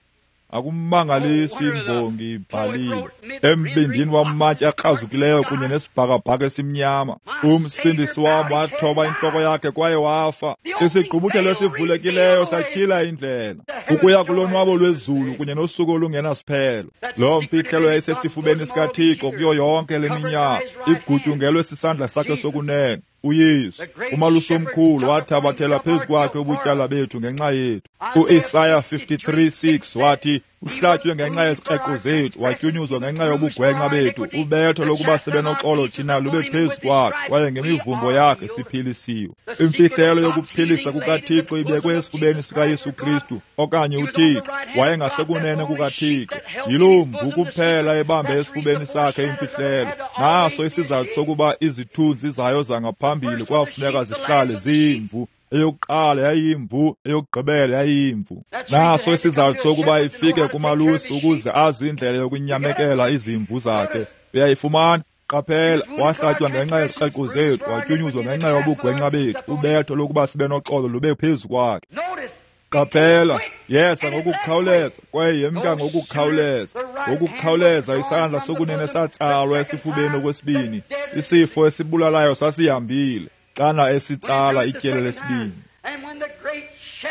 Akumangalisi imbongi ibhalile, embindini wamatye akrazukileyo kunye nesibhakabhaka esimnyama, umsindisi wam wathoba intloko yakhe kwaye wafa. Isigqubuthelo esivulekileyo satyhila indlela ukuya kulonwabo lwezulu kunye nosuku olungenasiphelo. Loo mfihlelo yayisesifubeni sikaThixo kuyo yonke le minyaka, igutyungelwe sisandla sakhe sokunene. uYesu, umalusi omkhulu, wathabathela phezu kwakhe ubutyala bethu ngenxa yethu. UIsaya 53:6 wathi, uhlatywe ngenxa yezikreqo zethu, watyunyuzwa ngenxa yobugwenxa bethu. Ubetho lokuba sibe noxolo thina lube phezu kwakhe, kwaye ngemivumbo yakhe siphilisiwe. Imfihlelo yokuphilisa kukaThixo ibekwe esifubeni sikaYesu Kristu, okanye uThixo wayengasekunene kukaThixo. Yiloo mvu kuphela ebambe esifubeni sakhe imfihlelo. Naso isizathu sokuba izithunzi zayo zangaphambili kwafuneka zihlale ziyimvu. Eyokuqala yayiyimvu, eyokugqibela yayiyimvu. Naso isizathu sokuba ifike kumalusi ukuze azi indlela yokunyamekela izimvu zakhe. Uyayifumana? Qaphela, wahlatywa ngenxa yezikreqo zethu, watyunyuzwa ngenxa yobugwenxa bethu. Ubetho lokuba sibe noxolo lube phezu kwakhe. Qaphela, yesa ngokukhawuleza, kwaye yemka ngokukhawuleza. Ngokukhawuleza isandla sokunene satsalwa esifubeni okwesibini. Isifo esibulalayo sasihambile xana esitsala ityeli lesibini.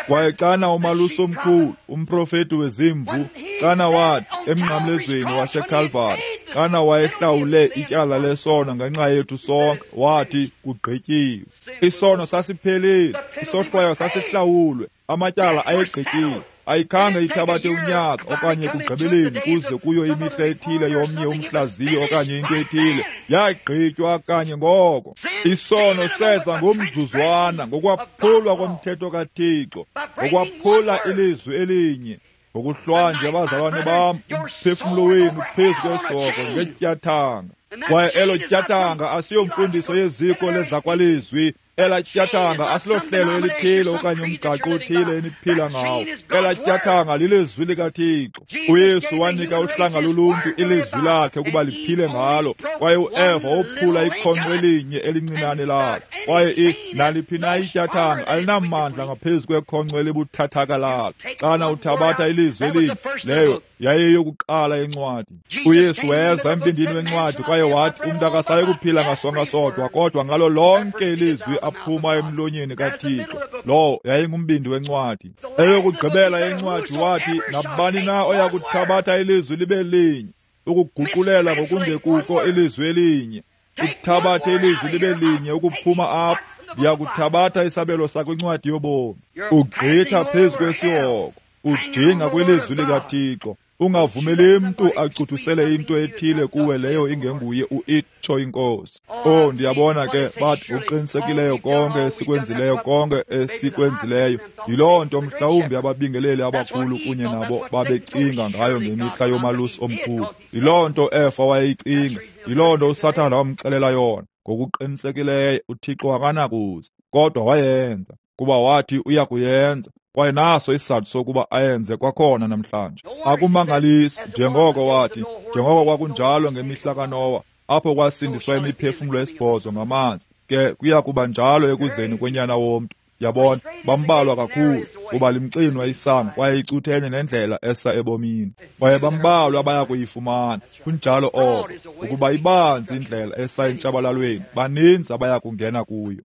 Kwaye xana umalusi omkhulu, umprofeti wezimvu, xana wathi emnqamlezweni waseKalvari, xana wayehlawule ityala lesono ngenxa yethu sonke, wathi kugqityiwe. Isono sasiphelile, isohlwayo sasihlawulwe, amatyala ayegqityiwe. Ayikhange ithabathe unyaka okanye kugqibeleni kuze kuyo imihla ethile yomnye umhlaziyo okanye into ethile. Yagqitywa kanye ngoko. Isono seza ngomzuzwana ngokwaphulwa komthetho kaThixo, ngokwaphula ilizwi elinye. Ngokuhlwanje abazalwane bam, umphefumlo wenu phezu kwesoko ngetyathanga. Kwaye elo tyathanga asiyomfundiso yeziko lezakwalizwi. Ela tyathanga asilohlelo elithile okanye umgaqo othile eniphila ngawo. Ela tyathanga lilizwi likaThixo. uYesu wanika uhlanga loluntu ilizwi lakhe ukuba liphile ngalo, kwaye uEva wophula ikhonkco elinye elincinane lakhe. Kwaye naliphi na ityathanga alinamandla ngaphezu kwekhonkco elibuthathaka lakhe. Xana uthabatha ilizwi elinye, leyo Yayiyokuqala yencwadi. UYesu weza embindini wencwadi kwaye wathi umntu akasayi kuphila ngasonka sodwa, kodwa ngalo lonke ilizwi aphuma emlonyeni kaThixo. Lowo yayingumbindi wencwadi. Eyokugqibela yencwadi wathi, nabani na oya kuthabatha ilizwi libe linye, ukuguqulela ngokungekuko ilizwi elinye, uthabathe ilizwi libe linye ukuphuma apho, ndiyakuthabatha isabelo sakwincwadi yobomi. Ugqitha phezu kwesihoko, ujinga kwilizwi likaThixo. Ungavumeli mntu acuthusele into ethile kuwe leyo ingenguye uitsho iNkosi. Oh, ndiyabona ke bathi uqinisekileyo konke esikwenzileyo, konke esikwenzileyo. Yiloo nto mhlawumbi ababingeleli abakhulu kunye nabo babecinga ngayo ngemihla yomalusi omkhulu. Yiloo nto Efa wayeyicinga. Yiloo nto uSathana wamxelela yona. Ngokuqinisekileyo uThixo akanakuza, kodwa wayenza, kuba wathi uya kuyenza. Kwaye naso isizathu sokuba ayenze kwakhona namhlanje. Akumangalisi, njengoko wathi, njengoko kwakunjalo ngemihla kaNowa, apho kwasindiswa imiphefumlo esibhozo ngamanzi, ke kuya kuba njalo ekuzeni kwenyana womntu. Yabona, bambalwa kakhulu, kuba limxinwa isango kwaye icuthenye nendlela esa ebomini, kwaye bambalwa abaya kuyifumana. Kunjalo oko, ukuba ibanzi indlela esa entshabalalweni, baninzi abaya kungena kuyo.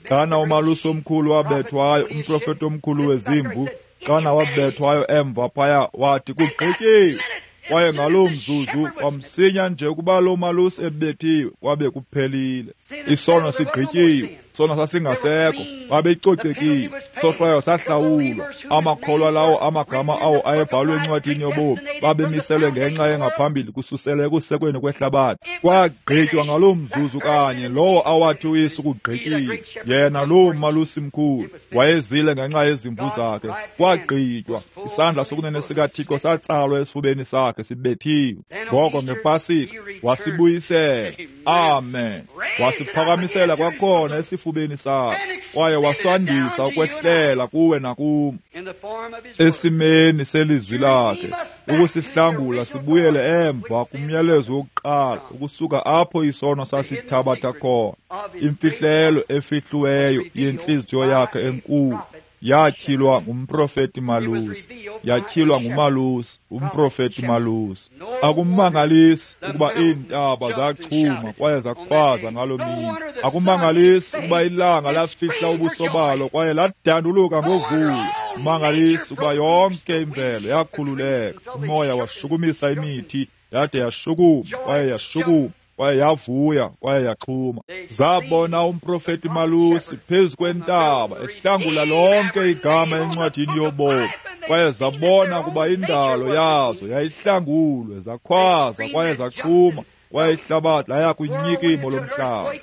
Xana umalusi omkhulu wabethwayo, umprofeti omkhulu wezimvu, xana wabethwayo emva phaya, wathi kugqityiwe. Kwaye ngaloo mzuzu kwamsinya nje ukuba loo malusi ebethiwe, kwabe kuphelile. Isono sigqityiwe, isono sasingasekho, babecocekile, sohlwayo sahlawulwa. Amakholwa lawo amagama awo ayebhalwe encwadini yobomi babemiselwe ngenxa engaphambili kususela ekusekweni kwehlabathi. Kwagqitywa ngaloo mzuzu kanye lowo awathi uYesu kugqityiwe. Yena loo malusi mkhulu wayezile ngenxa yezimvu zakhe. Kwagqitywa, isandla sokunene sikaThixo satsalwa esifubeni sakhe sibethiwe. Ngoko ngePasika wasibuyisela. Amen. Wasiphakamisela kwakhona esifubeni sakhe, kwaye wasandisa ukwehlela kuwe nakum esimeni selizwi lakhe, ukusihlangula sibuyele emva kumyalezo wokuqala, ukusuka apho isono sasithabatha khona. Imfihlelo efihliweyo yentliziyo yakhe enkulu yatyhilwa ngumprofeti malusi, yatyhilwa ngumalusi, umprofeti malusi. Akumangalisi ukuba iintaba zachuma kwaye zakhwaza ngaloo mini. Akumangalisi ukuba ilanga lafihla ubuso balo kwaye ladanduluka ngovuyo. Mangalisi ukuba yonke imvelo yakhululeka, umoya washukumisa imithi yade yashukuma kwaye yashukuma kwaye yavuya kwaye yaxhuma. Zabona umprofeti malusi phezu kwentaba ehlangula lonke igama encwadini yobomi, kwaye zabona ukuba indalo yazo yayihlangulwe, zakhwaza kwaye zaxhuma, kwaye ihlabathi laya kwinyikimo lomhlaba.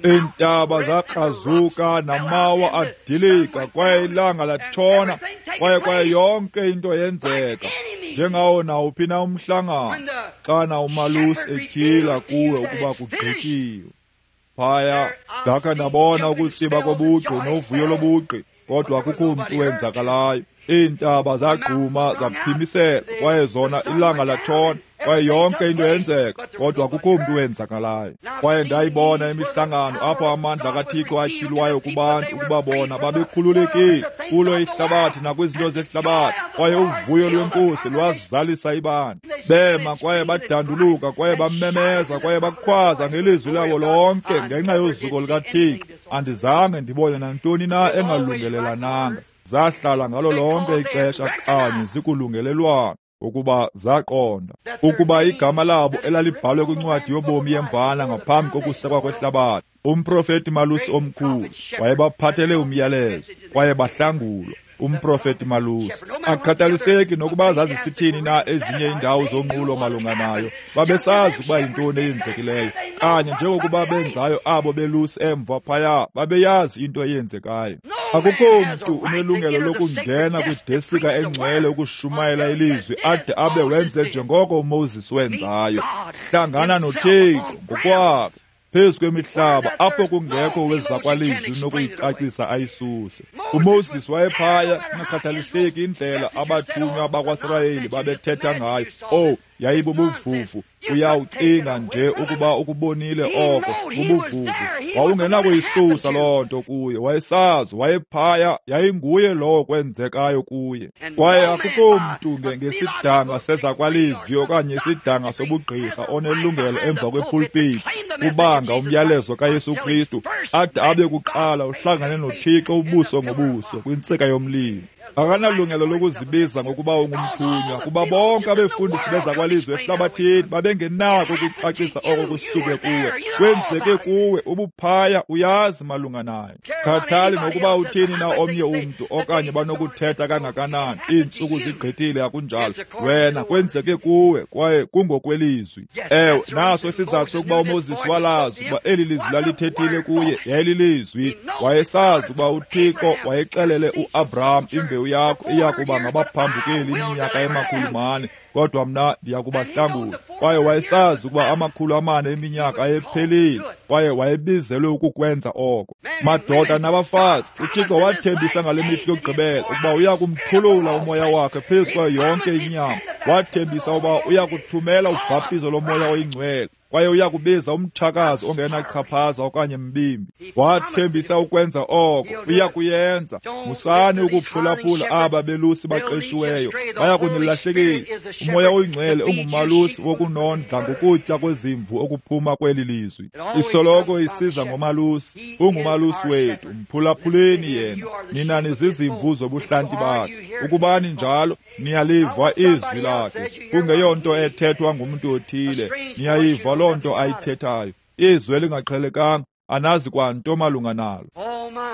Iintaba zakrazuka namawa adilika, kwaye ilanga latshona, kwaye yonke into yenzeka njengawo nawuphi na umhlangano xana umalusi etyhila kuwe ukuba kugqityiwe. Phaya ndakha ndabona ukutsiba kobugqi novuyo lobugqi, kodwa akukho mntu wenzakalayo. Iintaba zagquma zaphimisela, kwaye zona ilanga latshona, kwaye yonke into yenzeka, kodwa akukho mntu wenzakalayo. Kwaye ndayibona imihlangano apho amandla kaThixo atyhilwayo kubantu ukuba bona babekhululekile kulo ihlabathi nakwizinto zehlabathi, kwaye uvuyo lweNkosi lwazalisa ibandla. Bema kwaye badanduluka kwaye bamemeza kwaye bakhwaza ngelizwi labo lonke ngenxa yozuko lukaThixo. Andizange ndibone nantoni na engalungelelananga. Zahlala ngalo lonke ixesha kanye zikulungelelwano, ukuba zaqonda ukuba igama labo elalibhalwe kwincwadi yobomi yemvana ngaphambi kokusekwa kwehlabathi, umprofeti malusi omkhulu wayebaphathele umyalezo kwaye bahlangulwa. Umprofeti malusi, akukhathaliseki nokuba zazisithini na ezinye iindawo zonqulo malunga nayo, babesazi ukuba yintoni eyenzekileyo. Kanye njengokuba benzayo abo belusi emva phaya, babeyazi into eyenzekayo. Akukho mntu unelungelo lokungena kwidesika engcwele ukushumayela ilizwi ade abe wenze njengoko uMoses wenzayo. Hlangana noThixo ngokwakhe phezu kwemihlaba apho kungekho wezakwalizwi nokuyicacisa ayisuse. uMoses wayephaya, kungakhathaliseki indlela abathunywa bakwaSirayeli babethetha ngayo. Oh, yayibubuvuvu. Uyawucinga nje ukuba ukubonile oko bubuvuvu. Wawungenakuyisusa loo nto kuye. Wayesazi, wayephaya, yayinguye lowo kwenzekayo kuye. Kwaye akukho mntu ngesidanga sezakwalizwi okanye isidanga sobugqirha onelungelo emva kwepulpiti kubanga umyalezo kaYesu Kristu ade abe kuqala uhlangane noThixo ubuso ngobuso kwintsika yomlilo. Akanalungelo lokuzibiza ngokuba ungumthunywa, kuba bonke abefundisi bezakwalizwi ehlabathini babengenako ukucacisa oko kusuke kuwe. Kwenzeke kuwe, ubuphaya, uyazi malunga nayo. Khathali nokuba uthini na omnye umntu okanye banokuthetha kangakanani, iintsuku zigqithile, akunjalo. Wena kwenzeke kuwe kwaye kungokwelizwi. Ewe, naso isizathu sokuba uMoses walazi ukuba eli lizwi lalithethile kuye yayililizwi. Wayesazi ukuba uThixo wayexelele uAbraham, imbewu yakho iya kuba ngabaphambukeli iminyaka ema-400, kodwa mna ndiya kubahlangula. Kwaye wayesazi ukuba 400 eminyaka ayephelile, kwaye wayebizelwe ukukwenza oko. Madoda nabafazi, uThixo wathembisa ngale mihla yokugqibela ukuba uya kumthulula umoya wakhe phezu kwayo yonke inyama. Wathembisa ukuba uya kuthumela ubhaptizo lomoya oyingcwele, kwaye uya kubiza umtshakazi ongenachaphaza okanye mbimbi. Wathembisa ukwenza oko, uya kuyenza. Musani ukuphulaphula aba belusi baqeshiweyo, baya kunilahlekisa. Umoya oyingcwele ungumalusi wokunondla ngokutya kwezimvu okuphuma kweli lizwi. Isoloko isiza ngomalusi, ungumalusi wethu. Mphulaphuleni yena, nina nizizimvu zobuhlanti bakhe. Ukubani njalo, niyaliva izwi lakhe, kungeyonto ethethwa ngumntu othile. Niyayiva loo nto ayithethayo, izwi elingaqhelekanga, anazi kwanto malunga nalo.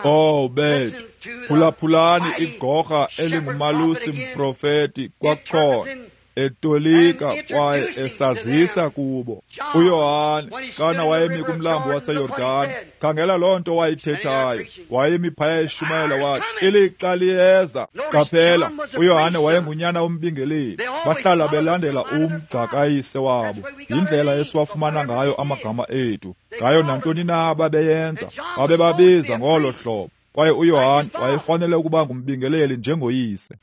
Oh bethu, phulaphulani igorha elingumalusi mprofeti kwakhona, etolika kwaye esazisa kubo. uYohane xana wayemi kumlambo waseYordani, khangela loo nto wayithethayo. Wayemi phaya eshumayela, wathi, ilixa liyeza. Qaphela, uYohane wayengunyana wombingeleli. Bahlala belandela umgca kayise wabo. Yindlela esiwafumana ngayo amagama ethu, ngayo nantoni na babeyenza, babebabiza ngolo hlobo. Kwaye uYohane wayefanele ukuba ngumbingeleli njengoyise.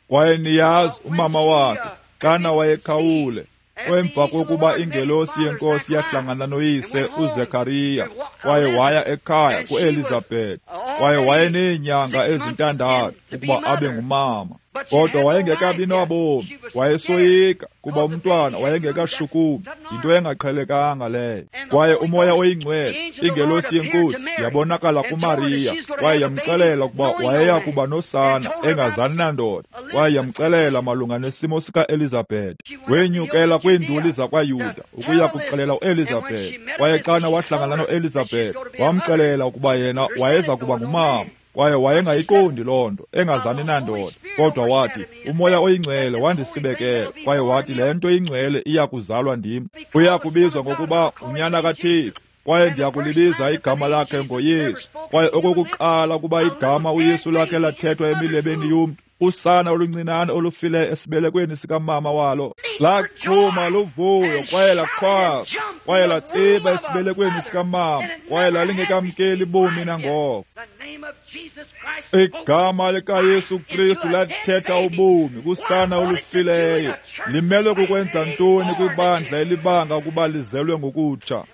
Kwaye niyazi umama wakhe xana wayekhawule, emva kokuba ingelosi yenkosi yahlangana noyise uZekariya, kwaye waya ekhaya kuElizabeth, kwaye wayeneenyanga ezintandathu ukuba abe ngumama. Kodwa wayengekabi nobomi, wayesoyika kuba umntwana wayengekashukumi. Yinto engaqhelekanga leyo. Kwaye umoya oyingcwele, ingelosi yenkosi, yabonakala kuMariya, kwaye yamxelela ukuba wayeya kuba nosana engazani nandoda, kwaye yamxelela malunga nesimo sikaElizabeth. Wenyukela kwiinduli zakwaYuda ukuya kuxelela uElizabeth. Kwaye xana wahlangana noElizabeth, wamxelela ukuba yena wayeza kuba ngumama. Kwaye wayengayiqondi loo nto, engazani nandoda. Kodwa wathi, umoya oyingcwele wandisibekela. Kwaye wathi, le nto ingcwele iya kuzalwa ndim, uya kubizwa ngokuba unyana kaThixo, kwaye ndiyakulibiza igama lakhe ngoYesu. Kwaye okokuqala ukuba igama uYesu lakhe lathethwa emilebeni yomntu, usana oluncinane olufileyo esibelekweni sikamama walo laqhuma luvuyo, kwaye lakhwaza, kwaye latsiba esibelekweni sikamama, kwaye lalingekamkeli bomi nangoko. Igama likaYesu Kristu lathetha ubomi kusana olufileyo. Limelwe kukwenza ntoni kwibandla elibanga ukuba lizelwe ngokutsha?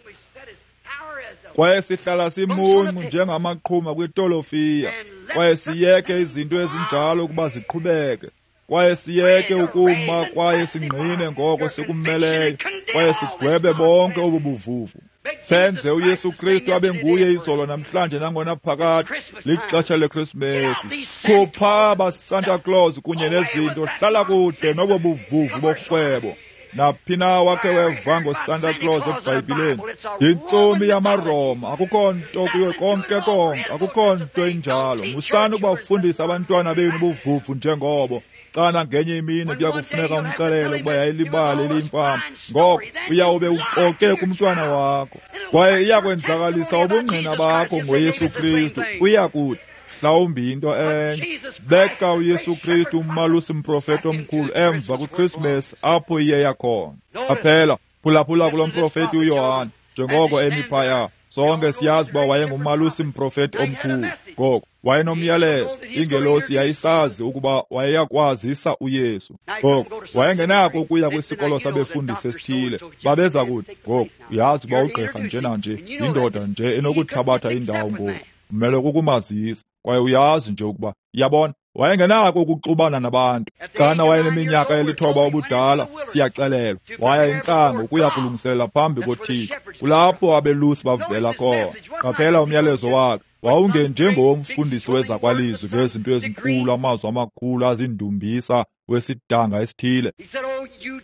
Kwaye sihlala simuncu njengamaqhuma kwitolofiya, kwaye siyeke izinto ezinjalo ukuba ziqhubeke, kwaye siyeke ukuma kwaye singqine ngoko sikumeleyo, kwaye sigwebe bonke obu buvuvu. Senze uYesu Kristu abe nguye izolo, namhlanje, nangona phakade. Lixesha leKrisimesi. Khupha abaSanta Claus kunye nezinto, hlala kude nobo buvuvu borhwebo. Naphi na wakhe weva ngoSanta Claus eBhayibhileni? Yintsomi yamaRoma, akukho nto kuyo konke konke, akukho nto injalo. Musani ukubafundisa abantwana benu ubuvuvu njengobo. Xana ngenye imini kuya kufuneka umxelele ukuba yayilibali eliyimfama, ngoko uyawube uxoke kumntwana wakho, kwaye iyakwenzakalisa ubungqina bakho ngoYesu Kristu. Uya kuthi mhlawumbi into enye. Beka uYesu Kristu umalusi mprofeti omkhulu emva kwiKrismesi apho iye yakhona. Qaphela, phulaphula kulo mprofeti uYohane njengoko emi phaya. Sonke siyazi uba wayengumalusi mprofeti omkhulu. Ngoko wayenomyalezo. Ingelosi yayisazi ukuba wayeyakwazisa uYesu. Ngoko wayengenako ukuya kwisikolo sabefundisi esithile. Babeza kuthi, ngoku uyazi uba ugqirha njenanje yindoda nje enokuthabatha indawo ngoku, umele kukumazisa, kwaye uyazi nje ukuba, yabona, wayengenako ukuxubana nabantu. Xana wayeneminyaka eli-9 ubudala, siyaxelelwa, waya entlango ukuya kulungiselela phambi koThixo. Kulapho abelusi bavela khona. Qaphela umyalezo wakhe wawungenjengowomfundisi wezakwalizwi ngezinto ezinkulu, amazwi amakhulu azindumbisa wesidanga esithile.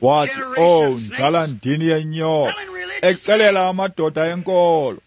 Wathi, "Oh, nzala ndini yenyoka," exelela amadoda enkolo,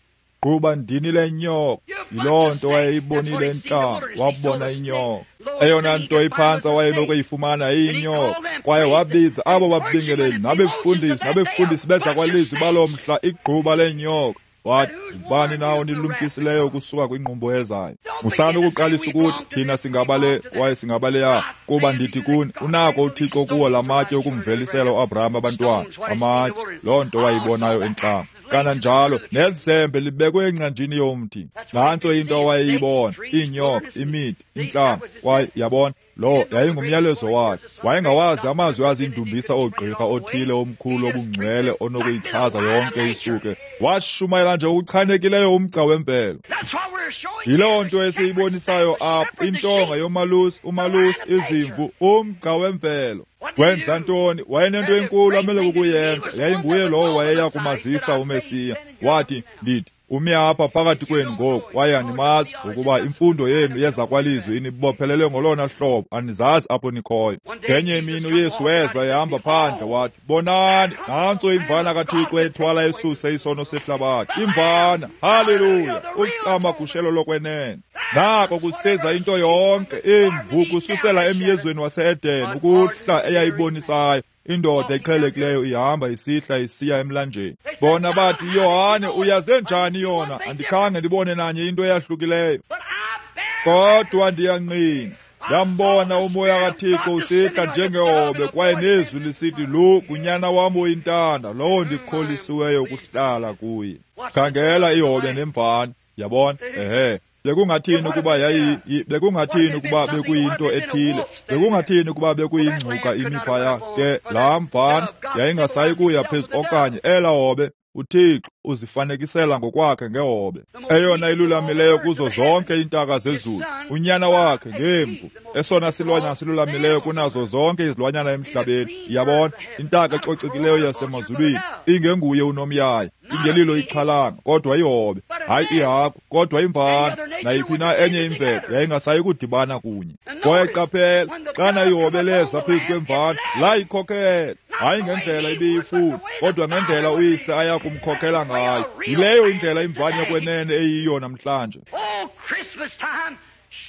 "Gquba ndini lenyoka." Yiloo nto wayeyibonile entlango, wabona inyoka. Eyona nto iphantsi awayenokuyifumana yiyinyoka. Kwaye wabiza abo babingeleli nabefundisi bezakwalizwi baloo mhla igquba lenyoka. Wathi, "Ubani na onilumkisileyo ukusuka kwingqumbo ezayo? Musani ukuqalisa ukuthi thina singabale kwaye singabaleya, kuba ndithi kuni, unako uThixo kuwo la matye ukumvelisela uAbraham abantwana." Amatye, loo nto wayibonayo entlango. Kananjalo nezembe libekwe engcanjini yomthi. Nantso into awayeyibona, iinyoka, imithi, intlango. Kwaye yabona, lo yayingumyalezo wakhe. Wayengawazi amazwi azindumbisa oogqirha othile omkhulu obungcwele onokuyichaza yonke isuke. Washumayela nje okuchanekileyo umgca wemvelo. Yiloo nto esiyibonisayo apha, intonga yomalusi, umalusi, izimvu, umgca wemvelo. Wenza ntoni? Wayenento enkulu amele kukuyenza. Yayinguye lowo wayeya kumazisa uMesiya. Wathi, "Ndithi umi apha phakathi kwenu ngoku, kwaye animazi, ngokuba imfundo yenu yezakwalizwi inibophelele ngolona hlobo, anizazi apho nikhoyo." Ngenye imini uYesu weza ehamba phandle, wathi, "Bonani, nantso imvana kaThixo ethwala esuse isono sehlabathi. Imvana, haleluya, ucamagushelo lokwenene." Nako kuseza into yonke, imvu kususela emyezweni wase-Eden ukuhla eyayibonisayo. Indoda eqhelekileyo ihamba isihla isiya emlanjeni. Bona bathi, "Yohane, uyaze njani yona? Andikhange ndibone nanye into eyahlukileyo. Kodwa ndiyangqina, ndambona uMoya kaThixo usihla njengehobe, kwaye nezwi lisithi, Lo ngunyana wam oyintanda, lowo ndikholisiweyo ukuhlala kuye." Khangela ihobe nemvana, yabona? Ehe. Bekungathini ukuba bekungathini ukuba bekuyinto ethile? Bekungathini ukuba bekuyingcuka imi phaya? Ke laa mvana yayingasayi kuya phezu okanye ela hobe. uThixo uzifanekisela ngokwakhe ngehobe, eyona ilulamileyo kuzo zonke iintaka zezulu, unyana wakhe ngemvu, esona silwanyana silulamileyo kunazo zonke izilwanyana emhlabeni. Yabona, intaka ecocekileyo yasemazulwini, ingenguye unomyayi, ingelilo ixhalanga, kodwa ihobe, hayi ihagu, kodwa imvana. Nayiphi na enye imvelo yayingasayi kudibana kunye. Kwaye qaphela, xana ihobe leza phezu kwemvana, layikhokhela, hayi ngendlela ibiyifuna, kodwa ngendlela uyise aya kumkhokhela ngayo. Yileyo indlela imvana yokwenene eyiyo namhlanje.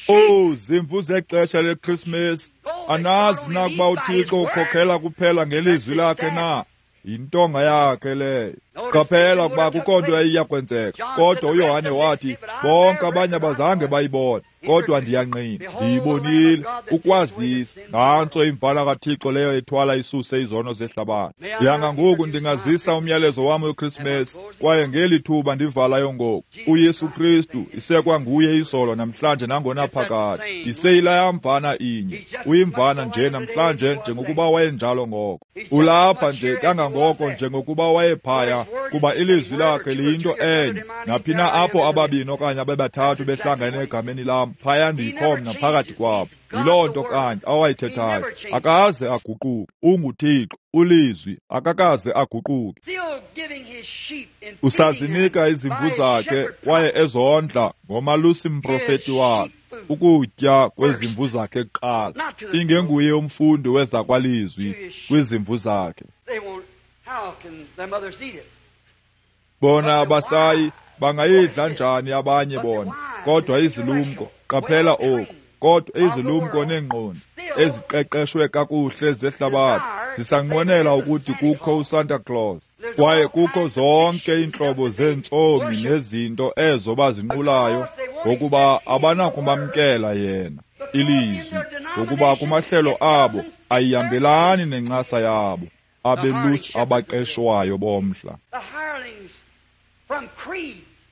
Oh, zimvu zexesha leKrismesi, anazi na ukuba uThixo ukhokhela kuphela ngelizwi lakhe na? Yintonga yakhe leyo. Qaphela ukuba kukho nto yayiya kwenzeka, kodwa uYohane wathi, bonke abanye abazange bayibone, kodwa ndiyangqina, ndiyibonile, ukwazisa. Nantso imvana kaThixo leyo ethwala isuse izono zehlabathi. Yanga ngoku ndingazisa umyalezo wam weKrismesi, kwaye ngeli thuba ndivalayo ngoku, uYesu Kristu isekwanguye izolo, namhlanje nangonaphakade. Iseyilaya mvana inye, uyimvana nje namhlanje njengokuba wayenjalo ngoko. Ulapha nje kangangoko njengokuba wayephaya, kuba ilizwi lakhe liyinto enye. Naphi na apho ababini okanye abebathathu behlangene egameni lam, phaya ndikho mna phakathi kwabo. Yiloo nto kanye awayithethayo. Akaze aguquke. UnguThixo, ulizwi, akakaze aguquke. Usazinika izimvu zakhe kwaye ezondla ngomalusi mprofeti wakhe, ukutya kwezimvu zakhe kuqala. Ingenguye umfundi wezakwalizwi kwizimvu zakhe. Bona abasayi bangayidla njani abanye bona, kodwa izilumko, qaphela oku, kodwa izilumko neengqondo eziqeqeshwe kakuhle zehlabathi zisanqwenela ukuthi kukho uSanta Claus, kwaye kukho zonke iintlobo zeentsomi nezinto ezo bazinqulayo, ngokuba abanakumamkela yena ilizwi, ngokuba kumahlelo abo ayihambelani nencasa yabo abelusi abaqeshwayo bomhla.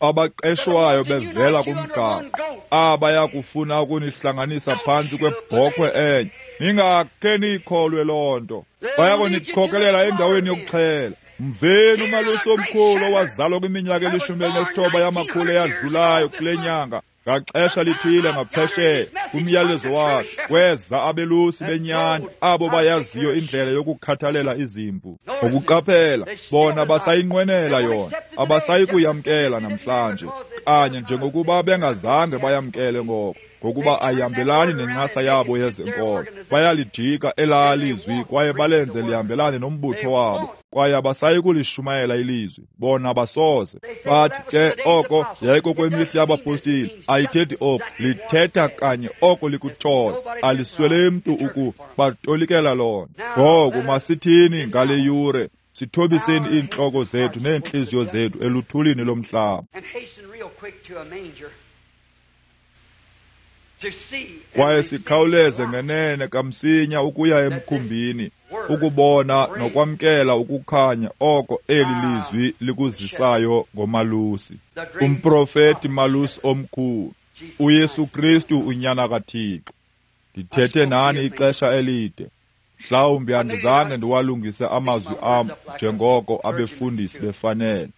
Abaqeshwayo bevela kumgaqo, abaya kufuna ukunihlanganisa phantsi kwebhokhwe enye. Ningakhe niyikholwe loo nto. Baya kunikhokelela endaweni yokuxhela. Mveni umalusi omkhulu owazalwa kwiminyaka e-19 yamakhulu eyadlulayo kule nyanga, ngaxesha lithile ngaphesheya kumyalezo wakhe kweza abelusi benyani, abo bayaziyo indlela yokukhathalela izimvu. Ngokuqaphela, bona basayinqwenela yona, abasayi kuyamkela namhlanje, kanye njengokuba bengazange bayamkele ngoko, ngokuba ayihambelani nencasa yabo yezenkolo. Bayalijika elaa lizwi kwaye balenze lihambelane nombutho wabo, kwaye abasayi kulishumayela ilizwi. Bona basoze bathi ke oko yayikokwemihla yabapostile. Ayithethi oko, lithetha kanye oko likutshoyo. Aliswele mntu ukubatolikela lona. Ngoku masithini ngale yure, sithobiseni iintloko zethu neentliziyo zethu eluthulini lomhlaba, kwaye sikhawuleze ngenene kamsinya ukuya emkhumbini, ukubona nokwamkela ukukhanya oko eli lizwi likuzisayo ngomalusi, umprofeti malusi omkhulu, uYesu Kristu unyana kaThixo. Ndithethe nani ixesha elide. Mhlawumbi andizange ndiwalungise amazwi am njengoko abefundisi befanele.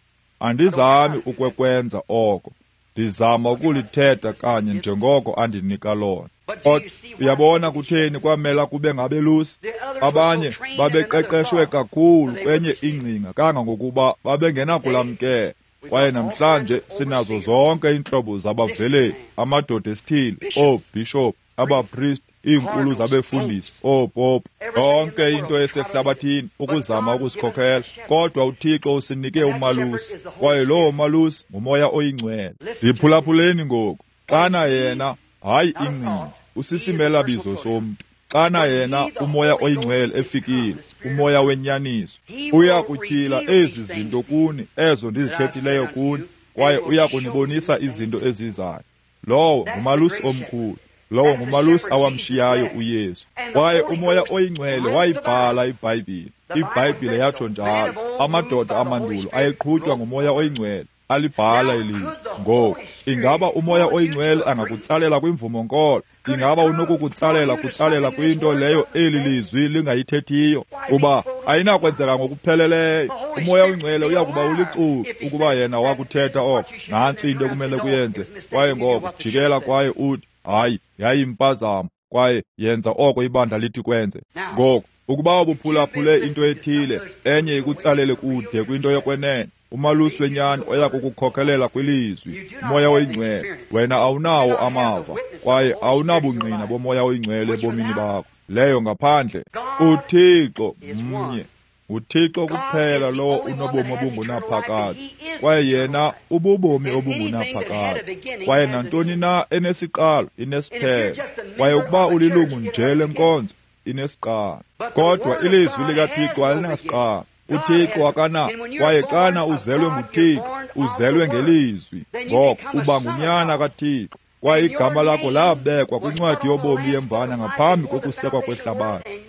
Andizami ukwekwenza oko. Ndizama ukulithetha kanye njengoko andinika lona. Kodwa uyabona kutheni kwamela kube ngabelusi? Abanye babeqeqeshwe kakhulu kwenye ingcinga kangangokuba babengenakulamkela. Kwaye namhlanje sinazo zonke iintlobo zabaveleli, amadoda esithile, oobhishophu, abapristi, iinkulu zabefundisi, oopopu, yonke into esehlabathini ukuzama ukusikhokhela. Kodwa uThixo usinike umalusi, kwaye lowo malusi nguMoya oyiNgcwele. Ndiphulaphuleni ngoku. Xana yena, hayi ingcinga, usisimelabizo somntu. Xana yena uMoya oyiNgcwele efikile, uMoya wenyaniso, uya kutyhila ezi zinto kuni, ezo ndizithethileyo kuni, kwaye uya kunibonisa izinto ezizayo. Lowo ngumalusi omkhulu. Lowo ngumalusi awamshiyayo uYesu. Kwaye uMoya oyiNgcwele wayibhala iBhayibhile. IBhayibhile yatsho njalo. Amadoda amandulo ayeqhutywa nguMoya oyiNgcwele, alibhala ilizwi. Ngoku, ingaba uMoya oyiNgcwele angakutsalela kwimvumo-nkolo? Ingaba unokukutsalela kutsalela kwinto leyo eli lizwi lingayithethiyo? Kuba ayinakwenzeka ngokupheleleyo. UMoya oyiNgcwele uyakuba ulixuku ukuba yena wakuthetha oko. Nantsi into ekumele kuyenze. Kwaye ngoko jikela kwaye uthi, hayi, yayimpazamo, kwaye yenza oko ibandla lithi kwenze. Ngoku, ukuba ubuphulaphule into ethile, enye ikutsalele kude kwinto yokwenene, umalusi wenyani oya kukukhokelela kwilizwi, uMoya oyiNgcwele. Wena awunawo amava, kwaye awunabungqina boMoya oyiNgcwele ebomini bakho. Leyo ngaphandle. UThixo mnye. UThixo kuphela lowo unobomi obungunaphakade, kwaye yena ububomi obungunaphakade. Kwaye nantoni na enesiqalo inesiphelo, kwaye ukuba ulilungu nje lenkonzo inesiqalo. Kodwa ilizwi likaThixo alinasiqalo. uThixo akana, kwaye xana uzelwe nguThixo, uzelwe ngelizwi. Ngoko uba ngunyana kaThixo, kwaye igama lakho labekwa kwincwadi yobomi yemvana ngaphambi kokusekwa kwehlabathi.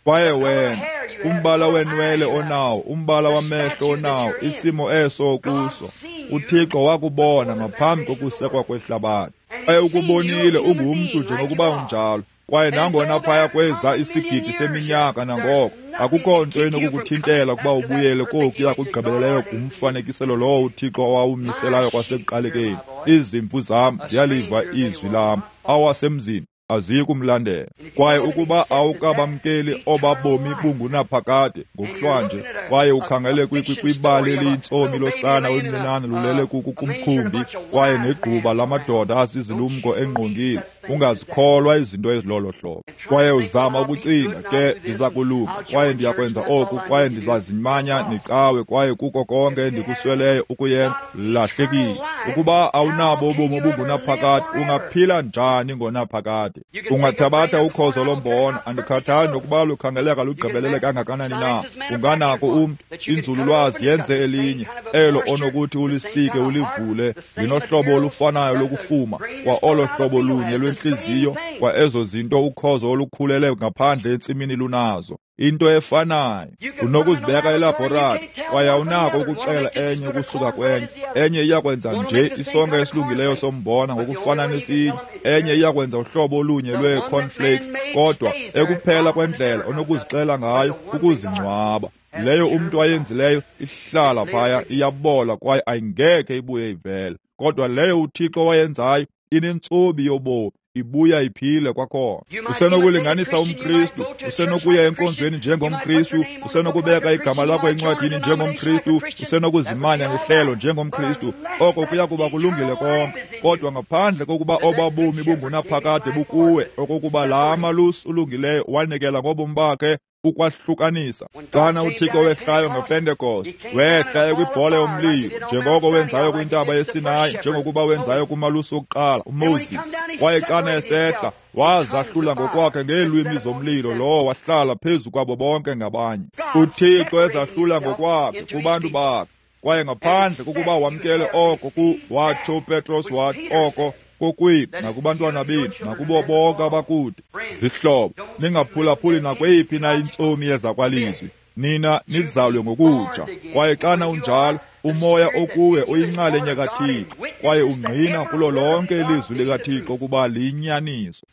Kwaye wena, umbala wenwele onawo, umbala wamehlo onawo, isimo eso kuso, uThixo wakubona ngaphambi kokusekwa kwehlabathi. Kwaye ukubonile ungumntu njengokuba unjalo. Kwaye nangona phaya kweza isigidi seminyaka nangoko, akukho nto enokukuthintela ukuba ubuyele kokuya kugqibeleleyo kumfanekiselo lowo uThixo owawumiselayo kwasekuqalekeni. Izimvu zam ziyaliva izwi lam, awasemzini aziyi kumlandela. Kwaye ukuba awukabamkeli obabomi bungunaphakade ngokuhlwanje, kwaye ukhangele kwibali eliyintsomi losana oluncinane lulele kumkhumbi, kwaye negquba lamadoda asizilumko engqongile, ungazikholwa izinto ezilolo hlobo. Kwaye uzama ukucinga, ke ndiza kulunga, kwaye ndiyakwenza oku, kwaye ndizazimanya necawe, kwaye kuko konke endikusweleyo ukuyenza, lahlekile. Ukuba awunabo ubomi obungunaphakade, ungaphila njani ngonaphakade? Ungathabatha ukhozo lombona, andikhathali nokuba lukhangeleka lugqibelele kangakanani na, unganako umntu, inzululwazi yenze elinye, elo onokuthi ulisike ulivule, linohlobo olufanayo lokufuma, kwa olo hlobo lunye lwendalo. lwentliziyo kwa ezo zinto ukhozo olukhulele ngaphandle entsimini lunazo. Into efanayo, unokuzibeka elabhoratri kwaye awunako ukuxela enye ukusuka kwenye. Enye iyakwenza nje isonka esilungileyo sombona ngokufana nesinye, enye iyakwenza uhlobo olunye lwee-cornflakes, kodwa ekuphela kwendlela onokuzixela ngayo kukuzingcwaba. Leyo umntu ayenzileyo ihlala phaya, iyabola kwaye ayingekhe ibuye ivele. Kodwa leyo uThixo wayenzayo inentsobi yobomi, ibuya iphile kwakhona. Usenokulinganisa umKristu, usenokuya enkonzweni njengomKristu, usenokubeka igama lakho encwadini njengomKristu, usenokuzimanya ngehlelo njengomKristu. Oko kuya kuba kulungile konke, kodwa ngaphandle kokuba obabomi bungunaphakade bukuwe, okokuba laa malusi ulungileyo wanikela ngobomi bakhe ukwahlukanisa. Xana uThixo wehlayo ngePentekoste, wehla ekwibhola yomlilo, njengoko wenzayo kwintaba yeSinayi, njengokuba wenzayo kumalusi wokuqala uMoses. Kwaye xana esehla, wazahlula ngokwakhe ngeelwimi zomlilo, lowo wahlala phezu kwabo bonke ngabanye. UThixo ezahlula ngokwakhe kubantu bakhe, kwaye ngaphandle kokuba wamkele oko watsho uPetros wathi oko kokwenu nakubantwana benu nakubo bonke abakude. Zihlobo, ningaphulaphuli nakweyiphi na intsomi yezakwalizwi. Nina nizalwe ngokutsha, kwaye xana unjalo, umoya okuwe uyinxalenye kaThixo, kwaye ungqina kulo lonke ilizwi likaThixo ukuba liyinyaniso.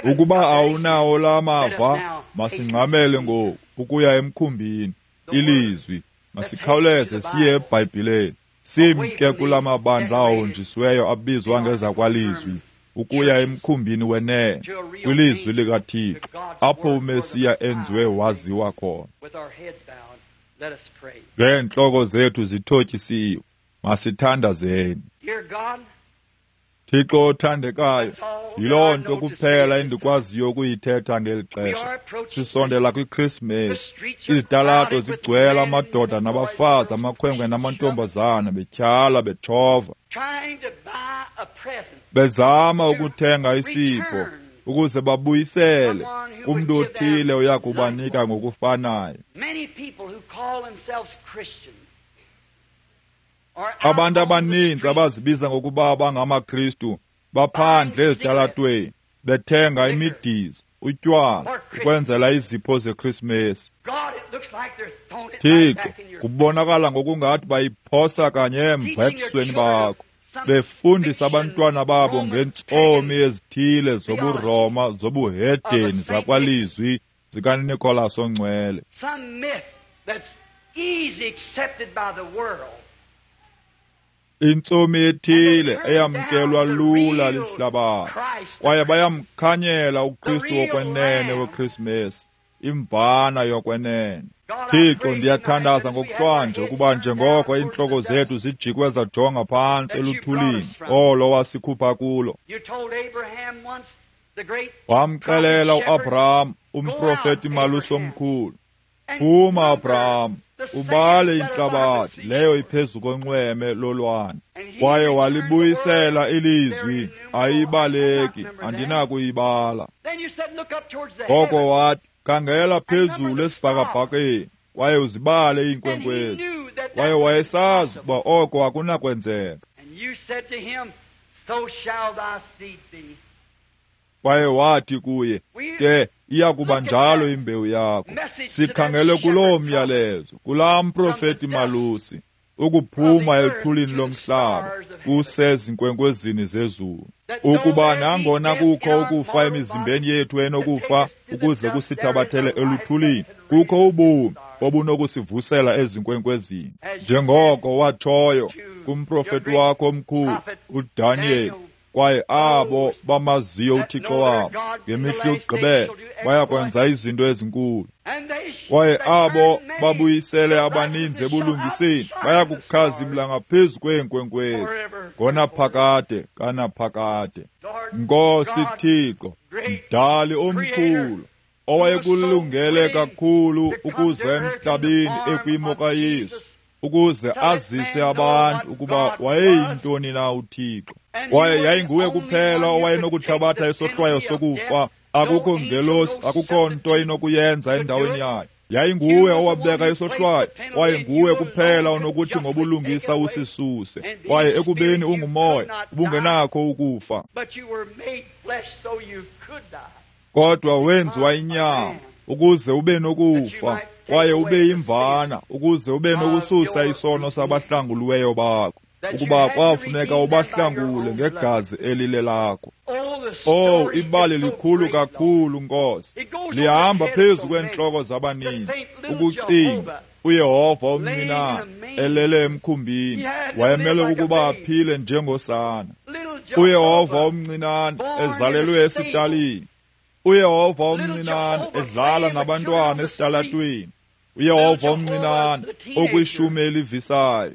Ukuba awunawo la mava, masingxamele ngoku ukuya emkhumbini. Ilizwi, masikhawuleze siye eBhayibhileni, simke kula mabandla ahonjisiweyo abizwa ngezakwalizwi, ukuya emkhumbini wenene, kwilizwi likaThixo, apho uMesiya enziwe waziwa khona. Ngeentloko zethu zithotyisiwe, masithandazeni. Thixo othandekayo, yiloo nto kuphela endikwaziyo ukuyithetha ngeli xesha. Sisondela kwiKrismesi. Izitalato zigcwele amadoda nabafazi, amakhwenkwe namantombazana, betyhala, betshova, bezama ukuthenga isipho ukuze babuyisele kumntu othile oya kubanika ngokufanayo. Abantu abaninzi abazibiza ngokuba bangamaKristu baphandle ezitalatweni bethenga imidiza, utywala, ukwenzela izipho zeKrismesi. Thixo, kubonakala ngokungathi bayiphosa kanye emva ebusweni bakho, befundisa abantwana babo ngentsomi ezithile zobuRoma, zobuhedeni, zakwalizwi zikaNicholas oNgcwele. Intsomi ethile eyamkelwa lula lihlabathi, kwaye bayamkhanyela uKristu wokwenene weKrismesi, imvana yokwenene. Thixo, ndiyathandaza ngokuhlwanje ukuba njengoko iintloko zethu zijikwe zajonga phantsi eluthulini olo wasikhupha kulo. Wamxelela uAbraham, umprofeti malusi omkhulu, phuma Abraham, ubale intlabathi leyo iphezu konxweme lolwandle. Kwaye walibuyisela ilizwi, ayibaleki, andinakuyibala. Ngoko wathi, khangela phezulu esibhakabhakeni kwaye uzibale iinkwenkwezi. Kwaye wayesazi ukuba oko akunakwenzeka. Kwaye wathi kuye, ke iya kuba njalo imbewu yakho. Sikhangele kuloo myalezo, kulaa mprofeti malusi, ukuphuma ethulini lomhlaba kusezinkwenkwezini zezulu. Ukuba nangona kukho ukufa emizimbeni yethu enokufa ukuze kusithabathele eluthulini, kukho ubomi obunokusivusela ezinkwenkwezini. Njengoko watshoyo kumprofeti wakho omkhulu uDaniyeli, kwaye abo bamaziyo uThixo wabo ngemihla yokugqibela bayakwenza izinto ezinkulu. Kwaye abo babuyisele abaninzi ebulungiseni bayakukhazimla ngaphezu kweenkwenkwezi ngonaphakade kanaphakade. Nkosi Thixo, Mdali omkhulu, owayekulungele kakhulu ukuza emhlabeni ekwimo kaYesu, ukuze azise abantu ukuba wayeyintoni na uThixo. Kwaye yayinguye kuphela owayenokuthabatha isohlwayo sokufa. Akukho ngelosi, akukho nto inokuyenza endaweni yayo. Yayinguwe owabeka isohlwayo, kwaye nguwe kuphela onokuthi ngobulungisa usisuse. Kwaye ekubeni ungumoya, ubungenakho ukufa. Kodwa wenziwa inyama ukuze ube nokufa, kwaye ube yimvana ukuze ube nokususa isono sabahlanguliweyo bakho, ukuba kwafuneka ubahlangule ngegazi elile lakho. Oh, ibali likhulu kakhulu, Nkosi. Lihamba phezu kweentloko zabaninzi ukucinga uYehova omncinane elele emkhumbini wayemele ukuba aphile njengosana. uYehova omncinane ezalelwe esitalini. uYehova omncinane edlala nabantwana esitalatweni. uYehova omncinane okwishumi elivisayo.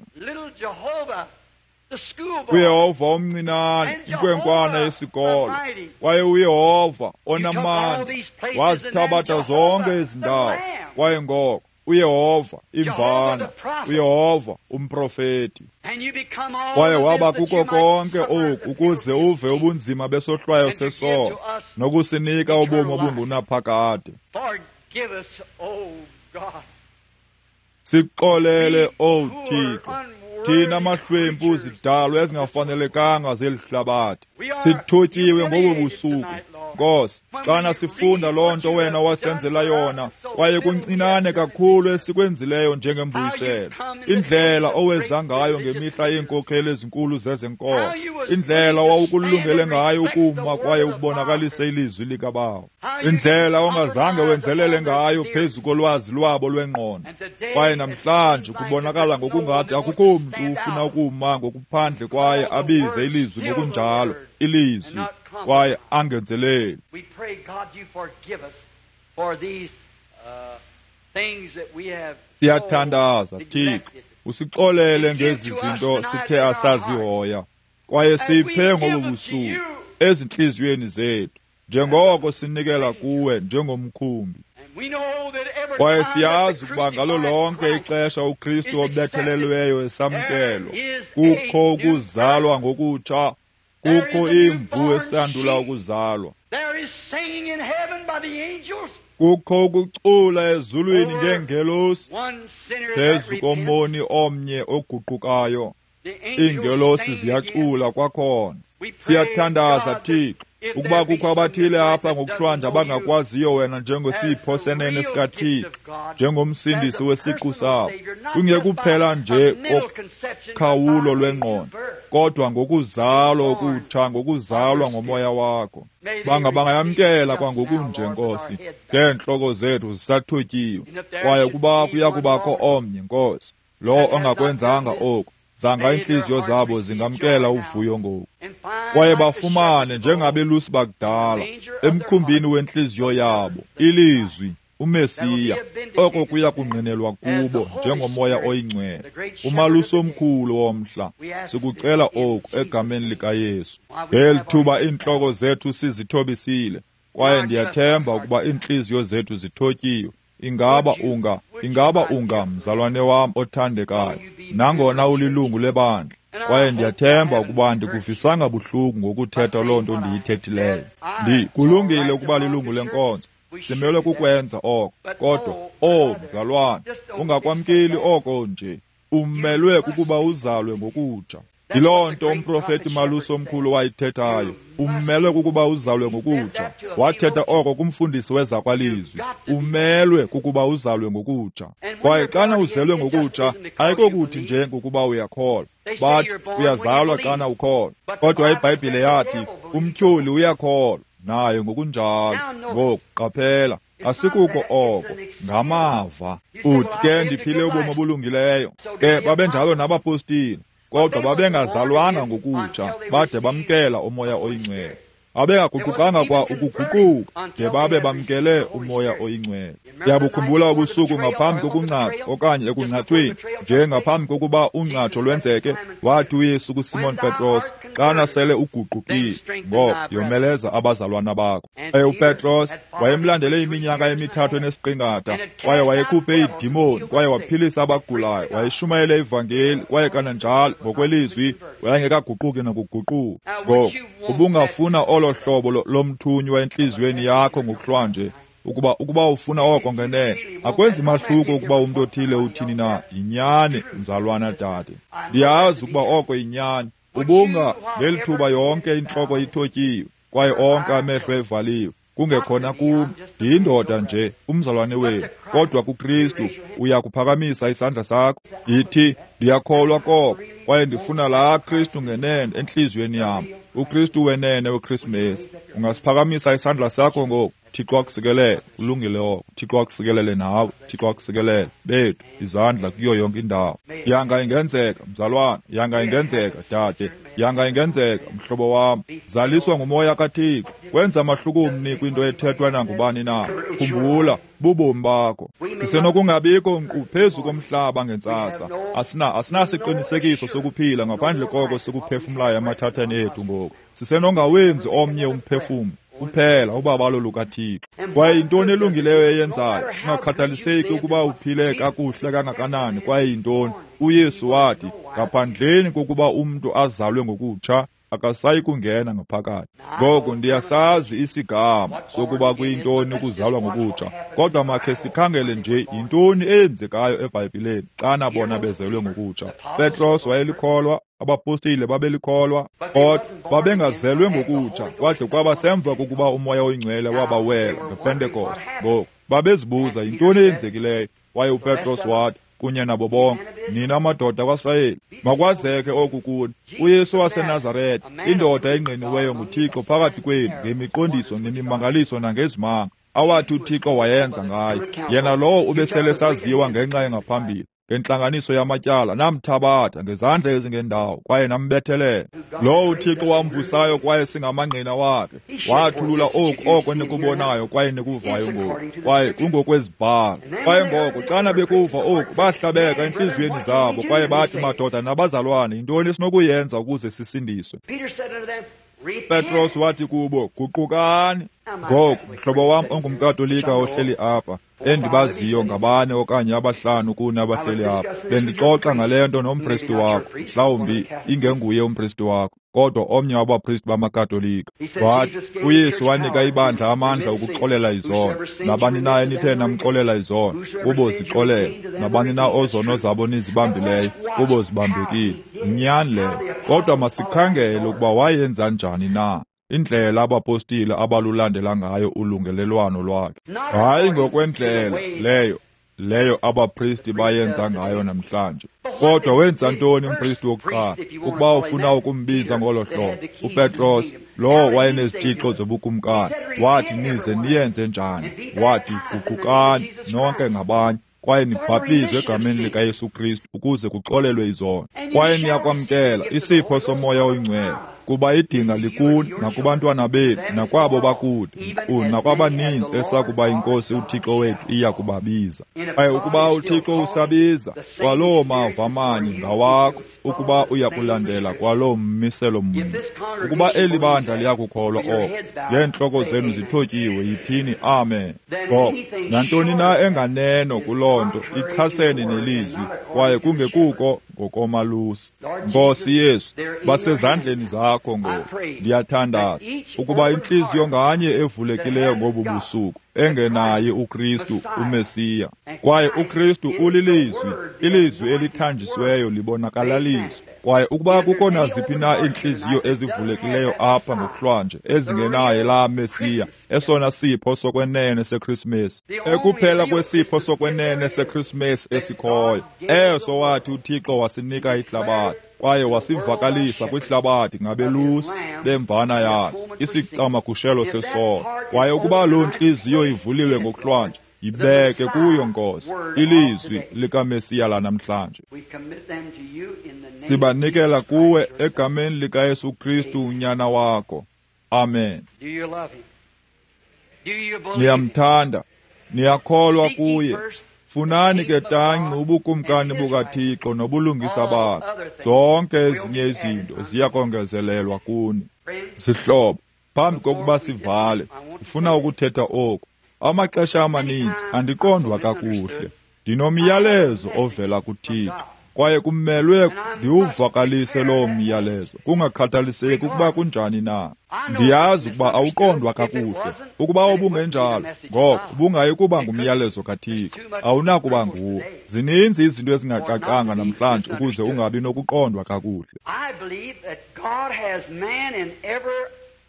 uYehova omncinane inkwenkwana yesikolo. Kwaye uYehova onamandla wazithabatha zonke ezi ndawo. Kwaye ngoko uYehova imvana, uYehova umprofeti. Kwaye waba kuko konke oku ukuze uve ubunzima besohlwayo sesono nokusinika ubomi obungunaphakade. Sixolele, O Thixo, thina mahlwempu zidalwa ezingafanelekanga zeli hlabathi. Sithotyiwe ngobu busuku, Nkosi, xana sifunda loo nto wena wasenzela yona, kwaye kuncinane kakhulu esikwenzileyo njengembuyiselo. Indlela oweza ngayo ngemihla yeenkokheli ezinkulu zezenkolo, indlela owawukulungele ngayo ukuma kwaye ubonakalise ilizwi likaBawo, indlela ongazange wenzelele ngayo phezu kolwazi lwabo lwengqondo. Kwaye namhlanje kubonakala ngokungathi akukho mntu ufuna ukuma ngokuphandle kwaye abize ilizwi ngokunjalo, ilizwi, kwaye angenzeleli. Siyathandaza, Thixo, usixolele ngezi zinto sithe asazihoya, kwaye siphe ngobu busuku ezintliziyweni zethu, njengoko sinikela kuwe njengomkhumbi. Kwaye siyazi ukuba ngalo lonke ixesha uKristu obethelelweyo esamkelwa, kukho ukuzalwa ngokutsha, kukho imvu esandula ukuzalwa. Kukho ukucula ezulwini ngeengelosi phezu komoni omnye oguqukayo. Iingelosi ziyacula kwakhona. Siyathandaza, Thixo, ukuba kukho abathile apha ngokuhlwanje abangakwaziyo wena njengesipho senene sikaThixo, njengomsindisi wesiqu sabo, kungekuphela nje kokhawulo lwengqondo, kodwa ngokuzalwa okutsha, ngokuzalwa ngomoya wakho. Bangayamkela kwangokunje, Nkosi, ngeentloko zethu zisathotyiwe. Kwaye ukuba kuya kubakho omnye, Nkosi, lowo ongakwenzanga oku, zanga iintliziyo zabo zingamkela uvuyo ngoku, kwaye bafumane njengabelusi bakudala emkhumbini wentliziyo yabo ilizwi, uMesiya. Oko kuya kungqinelwa kubo njengoMoya oyiNgcwele, umalusi omkhulu womhla. Sikucela oku egameni likaYesu. Ngeli thuba iintloko zethu sizithobisile, kwaye ndiyathemba ukuba iintliziyo zethu zithotyiwe. Ingaba unga mzalwane wam othandekayo, nangona ulilungu lebandla, kwaye ndiyathemba ukuba ndikuvisanga buhlungu ngokuthetha loo nto ndiyithethileyo. Kulungile ukuba lilungu lenkonzo, simelwe kukwenza oko, kodwa, o mzalwane, ungakwamkeli oko nje. Umelwe kukuba uzalwe ngokutsha. Yiloo nto umprofeti malusi omkhulu wayithethayo. Umelwe kukuba uzalwe ngokutsha. Wathetha oko kumfundisi wezakwalizwi. Umelwe kukuba uzalwe ngokutsha. Kwaye xana uzelwe ngokutsha, ayikokuthi nje ngokuba uyakholwa. Bathi uyazalwa xana ukholwa. Kodwa iBhayibhile yathi umtyholi uyakholwa naye ngokunjalo. Ngoku qaphela, asikuko oko, ngamava. Uthi ke ndiphile ubomi obulungileyo. Ke babenjalo nabapostile, kodwa babengazalwanga ngokutsha bade bamkela uMoya oyiNgcwele. Abengaguqukanga kwa ukuguquka de babe bamkele uMoya oyiNgcwele. Ndiyabukhumbula ubusuku ngaphambi kokungcatsha okanye ekungcatshweni, nje ngaphambi kokuba ungcatsho lwenzeke, wathi uYesu kuSimon Petros, xana sele uguqukile, ngoko yomeleza abazalwana bakho. Kwaye uPetros wayemlandele iminyaka emithathu enesiqingatha, kwaye wayekhuphe iidimoni, kwaye waphilisa abagulayo, wayeshumayele ivangeli, kwaye kananjalo ngokwelizwi wayengekaguquki nokuguquka. Ngoko ubungafuna olo hlobo lomthunywa entliziyweni yakho ngokuhlwanje, Ukuba ufuna oko ngenene, akwenzi mahluko ukuba umntu othile uthini na. Yinyani, mzalwana dade. Ndiyazi ukuba oko yinyani. Ubunga ngeli thuba yonke intloko ithotyiwe kwaye onke amehlo evaliwe. Kungekhona kum, ndiyindoda nje, umzalwane wenu, kodwa kuKristu uya kuphakamisa isandla sakho. Yithi, ndiyakholwa koko, kwaye ndifuna laa Kristu ngenene entliziyweni yam, uKristu wenene weKrisimesi. Ungasiphakamisa isandla sakho ngoku. Thixo akusikelele. Kulungile oko. Thixo akusikelele nawe. Thixo akusikelele. Bethu, izandla kuyo yonke indawo. Yanga ingenzeka, mzalwana. Yanga ingenzeka, dade. Yanga ingenzeka, mhlobo wam. Zaliswa ngumoya kaThixo. Kwenza mahluko mni kwinto ethethwa nangubani na. Khumbula, bubomi bakho. Sisenokungabikho nkqu phezu komhlaba ngentsasa. Asinasiqinisekiso sokuphila ngaphandle koko sikuphefumlayo emathatheni ethu ngoku. Sisenongawenzi omnye umphefumlo kuphela ubabalo lukaThixo. Kwaye yintoni elungileyo eyenzayo, kungakhathaliseki ukuba uphile kakuhle kangakanani, kwaye yintoni? uYesu wathi, ngaphandleni kokuba umntu azalwe ngokutsha, akasayi kungena ngaphakathi. Ngoko ndiyasazi isigama sokuba kuyintoni ukuzalwa ngokutsha, kodwa makhe sikhangele nje yintoni eyenzekayo eBhayibhileni xana bona bezelwe ngokutsha. Petros wayelikholwa, abapostile babelikholwa, kodwa babengazelwe ngokutsha kwade kwaba semva kokuba uMoya oyiNgcwele wabawela ngePentekoste. Ngoku babezibuza yintoni eyenzekileyo, kwaye uPetros wathi kunye nabo bonke, nina madoda kwaSirayeli, makwazeke oku kuni, uYesu waseNazarete, indoda engqiniweyo nguThixo phakathi kwenu ngemiqondiso nemimangaliso nangezimanga awathi uThixo wayenza ngayo, yena lowo ubesele saziwa ngenxa engaphambili ngentlanganiso yamatyala, namthabatha ngezandla ezingendawo kwaye nambethelela. Lowo uThixo wamvusayo kwaye singamangqina wakhe, wathulula oku oko nikubonayo kwaye nikuvayo ngoku, kwaye kungokwezibhalo. Kwaye ngoko xana bekuva oku, bahlabeka entliziyweni zabo kwaye bathi, madoda nabazalwane, yintoni esinokuyenza ukuze sisindiswe? Petros wathi kubo, guqukani. Ngoku, mhlobo wam ongumKatolika ohleli apha, endibaziyo ngabane okanye abahlanu kuni abahleli apha, bendixoxa ngale nto nompristi wakho, mhlawumbi ingenguye umpristi wakho, kodwa omnye wabapristi bamaKatolika. Wathi, uYesu wanika ibandla amandla okuxolela izono. Nabani na enithe namxolela izono, kubo zixolela. Nabani na ozono zabo nizibambileyo, kubo zibambekile. Yinyani leyo. Kodwa masikhangele ukuba wayenza njani na indlela abapostile abalulandela ngayo ulungelelwano lwakhe. Hayi ngokwendlela leyo abapristi bayenza ngayo namhlanje. Kodwa wenza ntoni umpristi wokuqala? Ukuba ufuna ukumbiza ngolo hlobo, uPetros, lowo wayenezitshixo zobukumkani, wathi nize niyenze njani? Wathi guqukani nonke ngabanye, kwaye nibhaptizwe egameni likaYesu Kristu ukuze kuxolelwe izono, kwaye niyakwamkela isipho soMoya oyiNgcwele, kuba idinga likuni nakubantwana bethu nakwabo bakude, nkqu nakwabaninzi esakuba iNkosi uThixo wethu iya kubabiza. Kwaye ukuba uThixo usabiza, kwaloo mava manye ngawakho, ukuba uya kulandela kwaloo mmiselo mnye. Ukuba eli bandla liyakukholwa oko, ngeentloko zenu zithotyiwe, yithini amen. Ngoko nantoni na enganeno kuloo nto ichasene nelizwi, kwaye kungekuko ngokomalusi. Nkosi Yesu, basezandleni zakho ngoku. Ndiyathandaza ukuba intliziyo nganye evulekileyo ngobu busuku engenaye uKristu uMesiya, kwaye uKristu ulilizwi, ilizwi elithanjisiweyo libonakalaliswa. Kwaye ukuba kukho naziphi na iintliziyo ezivulekileyo apha ngokuhlwanje ezingenaye laa Mesiya, esona sipho sokwenene seKrisimesi, ekuphela kwesipho sokwenene seKrisimesi esikhoyo, eso wathi uThixo wasinika ihlabathi, kwaye wasivakalisa kwihlabathi ngabelusi bemvana yakhe, isicamagushelo sesono. Kwaye ukuba loo ntliziyo ivuliwe ngokuhlwanje, yibeke kuyo, Nkosi, ilizwi likaMesiya lanamhlanje. Sibanikela kuwe egameni likaYesu Kristu unyana wakho. Amen. Niyamthanda, niyakholwa kuye. Funani ke tanci ubukumkani bukaThixo nobulungisa bakhe, zonke ezinye izinto ziyakongezelelwa kuni. Zihlobo, phambi kokuba sivale, ndifuna ukuthetha oku. Amaxesha amaninzi andiqondwa kakuhle. Ndinomyalezo ovela kuThixo. Kwaye kumelwe ndiwuvakalise loo myalezo, kungakhathaliseki ukuba kunjani na. Ndiyazi ukuba awuqondwa kakuhle. Ukuba ubungenjalo, ngoko ubungayi kuba ngumyalezo kaThixo. Awunakuba nguwo. Zininzi izinto ezingacacanga namhlanje ukuze ungabi nokuqondwa kakuhle.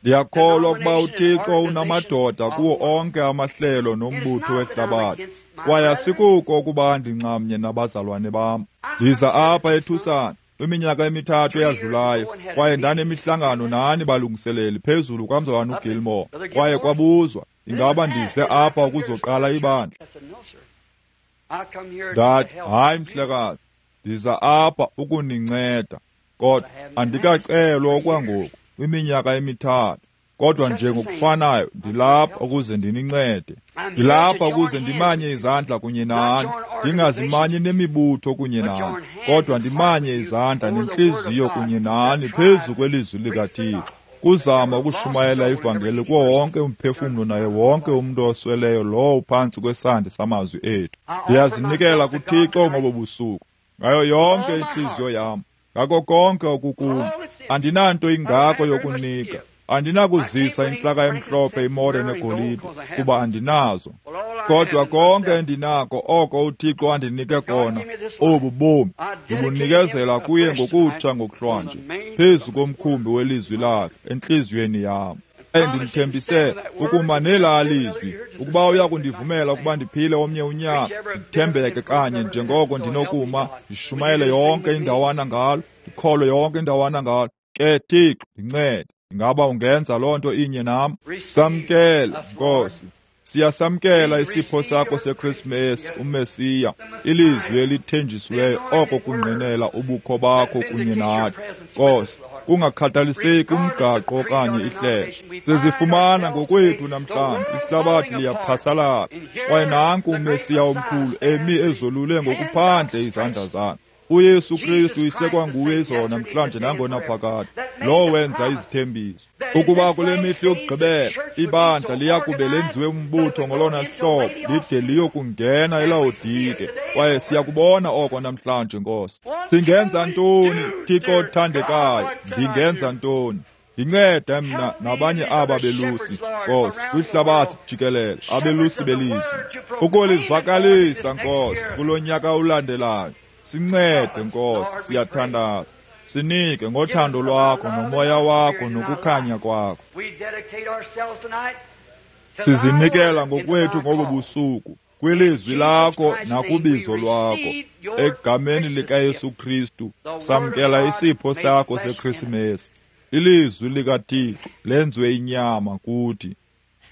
Ndiyakholwa ukuba uThixo unamadoda kuwo onke amahlelo nombutho wehlabathi. Kwaye asikuko ukuba ndinxamnye nabazalwane bam. Ndiza apha eTucson kwiminyaka emithathu eyadlulayo, kwaye ndanemihlangano nani balungiseleli phezulu kwamzalwana uGilmore. Kwaye kwabuzwa, ingaba ndize apha ukuzoqala ibandla? Ndathi, hayi mhlekazi, ndiza apha ukuninceda, kodwa andikacelwa okwangoku kwiminyaka emithathu. Kodwa nje ngokufanayo ndilapha ukuze ndinincede. Ndilapha ukuze ndimanye izandla kunye nani, ndingazimanyi nemibutho kunye nani, kodwa ndimanye izandla nentliziyo kunye nani phezu kwelizwi likaThixo, kuzama ukushumayela ivangeli kuwo wonke umphefumlo naye wonke umntu osweleyo lowo uphantsi kwesandi samazwi ethu. Ndiyazinikela kuThixo ngobo busuku ngayo yonke intliziyo yam, ngako konke okukum. Andinanto ingako yokunika. Andinakuzisa intlaka emhlophe, imore negolide, kuba andinazo. Kodwa konke endinako, oko uThixo andinike kona, obu bomi, ndibunikezela kuye ngokutsha ngokuhlwanje, phezu komkhumbi welizwi lakhe entliziyweni yam. Ndimthembise ukuma nelaa lizwi, ukuba uya kundivumela ukuba ndiphile omnye unyaka, ndithembeke kanye njengoko ndinokuma, ndishumayele yonke indawana ngalo, ndikholwe yonke indawana ngalo. Ke Thixo, ndincede. Ingaba ungenza loo nto inye nam? Samkele, Nkosi. Siyasamkela isipho sakho seKrismesi, uMesiya, ilizwi elithenjisiweyo, oko kungqinela ubukho bakho kunye nathi. Nkosi, kungakhathaliseki umgaqo okanye ihlelo, sizifumana ngokwethu namhlanje. Ihlabathi liyaphasalala, kwaye nanku uMesiya omkhulu emi ezolule ngokuphandle izandla zakhe. uYesu Kristu isekwanguye izolo, namhlanje, nangonaphakade, lowo wenza izithembiso ukuba kule mihla yokugqibela ibandla liyakube lenziwe umbutho ngolona hlobo lide liyokungena eLawodike. Kwaye siyakubona oko namhlanje. Nkosi, singenza ntoni? Thixo othandekayo, ndingenza ntoni? Ndincede mna nabanye aba belusi, Nkosi, kwihlabathi jikelele, abelusi belizwi, ukulivakalisa, Nkosi, kulo nyaka ulandelayo. Sincede, Nkosi, siyathandaza. Sinike ngothando lwakho nomoya wakho nokukhanya kwakho. Sizinikela ngokwethu ngobu busuku kwilizwi lakho nakubizo lwakho. Egameni likaYesu Kristu, samkela isipho sakho seKrisimesi, ilizwi likaThixo lenziwe inyama kuthi.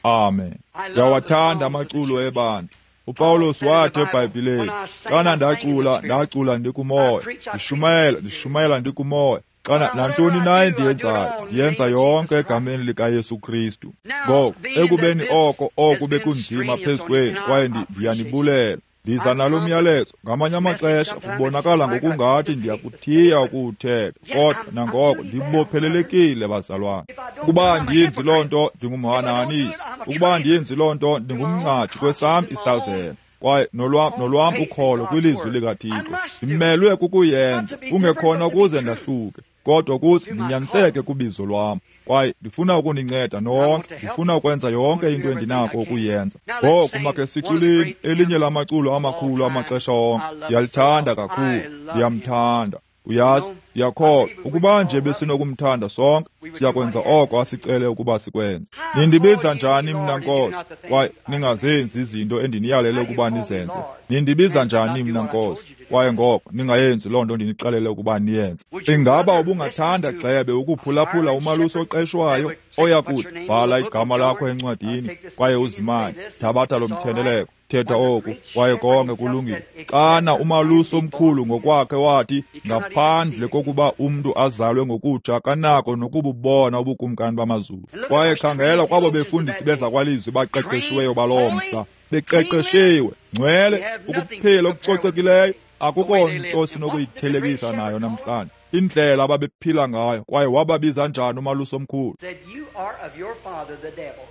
Amen. Ndiyawathanda amaculo ebandla. uPawulos wathi eBhayibhileni, xana ndacula, ndacula ndikumoya, ndishumayela, ndishumayela ndikumoya. Xana nantoni na endiyenzayo, ndiyenza yonke egameni likaYesu Kristu. Ngoko ekubeni oko oku bekunzima phezu kwenu, kwaye ndiyanibulela. Ndiza nalo myalezo. Ngamanye amaxesha kubonakala ngokungathi ndiyakuthiya ukuwuthetha, kodwa nangoko ndibophelelekile, bazalwane. Ukuba andiyenzi loo nto, ndingumhanahanisi. Ukuba andiyenzi loo nto, ndingumngcatshi kwesam isazela, kwaye nolwam ukholo kwilizwi likaThixo. Ndimelwe kukuyenza, kungekhona ukuze ndahluke, kodwa ukuze ndinyaniseke kubizo lwam. Kwaye ndifuna ukuninceda nonke, ndifuna ukwenza yonke into endinako ukuyenza. Ngoku makhe siculeni elinye lamaculo amakhulu amaxesha onke. Ndiyalithanda kakhulu, ndiyamthanda. Uyazi, ndiyakholwa ukuba nje besinokumthanda sonke, siyakwenza oko asicele ukuba sikwenze. Nindibiza njani mna Nkosi, kwaye ningazenzi izinto endiniyalele ukuba nizenze? Nindibiza njani mna Nkosi, kwaye ngoko ningayenzi loo nto ndinixelele ukuba niyenze? Ingaba ubungathanda, gxebe, ukuphulaphula umalusi oqeshwayo oya kuthi, bhala igama lakho encwadini kwaye uzimanye, thabatha lo mthendeleko, thetha oku, kwaye konke kulungile? Xana umalusi omkhulu ngokwakhe wathi, ngaphandle kokuba umntu azalwe ngokutsha, kanako nokububona ubukumkani bamazulu. Kwaye khangela kwabo befundisi bezakwalizwi baqeqeshiweyo baloo mhla, beqeqeshiwe, ngcwele, ukuphila okucocekileyo, akukho nto sinokuyithelekisa nayo namhlanje, indlela ababephila ngayo. Kwaye wababiza njani umalusi omkhulu? Said, "You are of your father, the devil."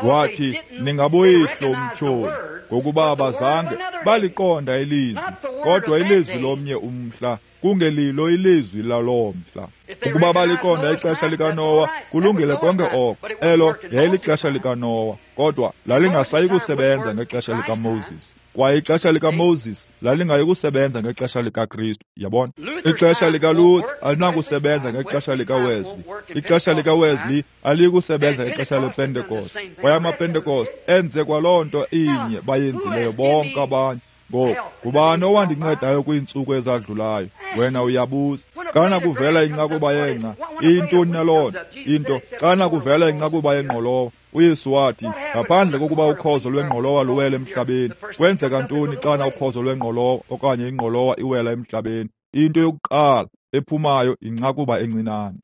Wathi, ningaboyihlo umtyholi, ngokuba abazange baliqonda ilizwi, kodwa ilizwi lomnye umhla, kungelilo ilizwi laloo mhla. Ukuba baliqonda ixesha likaNowa, kulungile konke oko. Elo yayilixesha likaNowa, kodwa lalingasayi kusebenza ngexesha likaMoses. Kwaye ixesha likaMoses lalingayi kusebenza ngexesha likaKristu, yabona. Ixesha likaLuther alinakusebenza ngexesha likaWesley. Ixesha likaWesley aliyi kusebenza ngexesha lePentecost. Kwaye amaPentecost enze kwaloo nto inye bayenzileyo bonke abanye. Ngoku, ngubani owandincedayo kwiintsuku ezadlulayo? Wena uyabuza. Xana kuvela incakuba yengca, iyintoni na loo nto? Into, xana kuvela incakuba yengqolowa, uYesu wathi, ngaphandle kokuba ukhozo lwengqolowa luwele emhlabeni. Kwenzeka ntoni xana ukhozo lwengqolowa okanye ingqolowa iwela emhlabeni? Into yokuqala ephumayo incakuba encinane.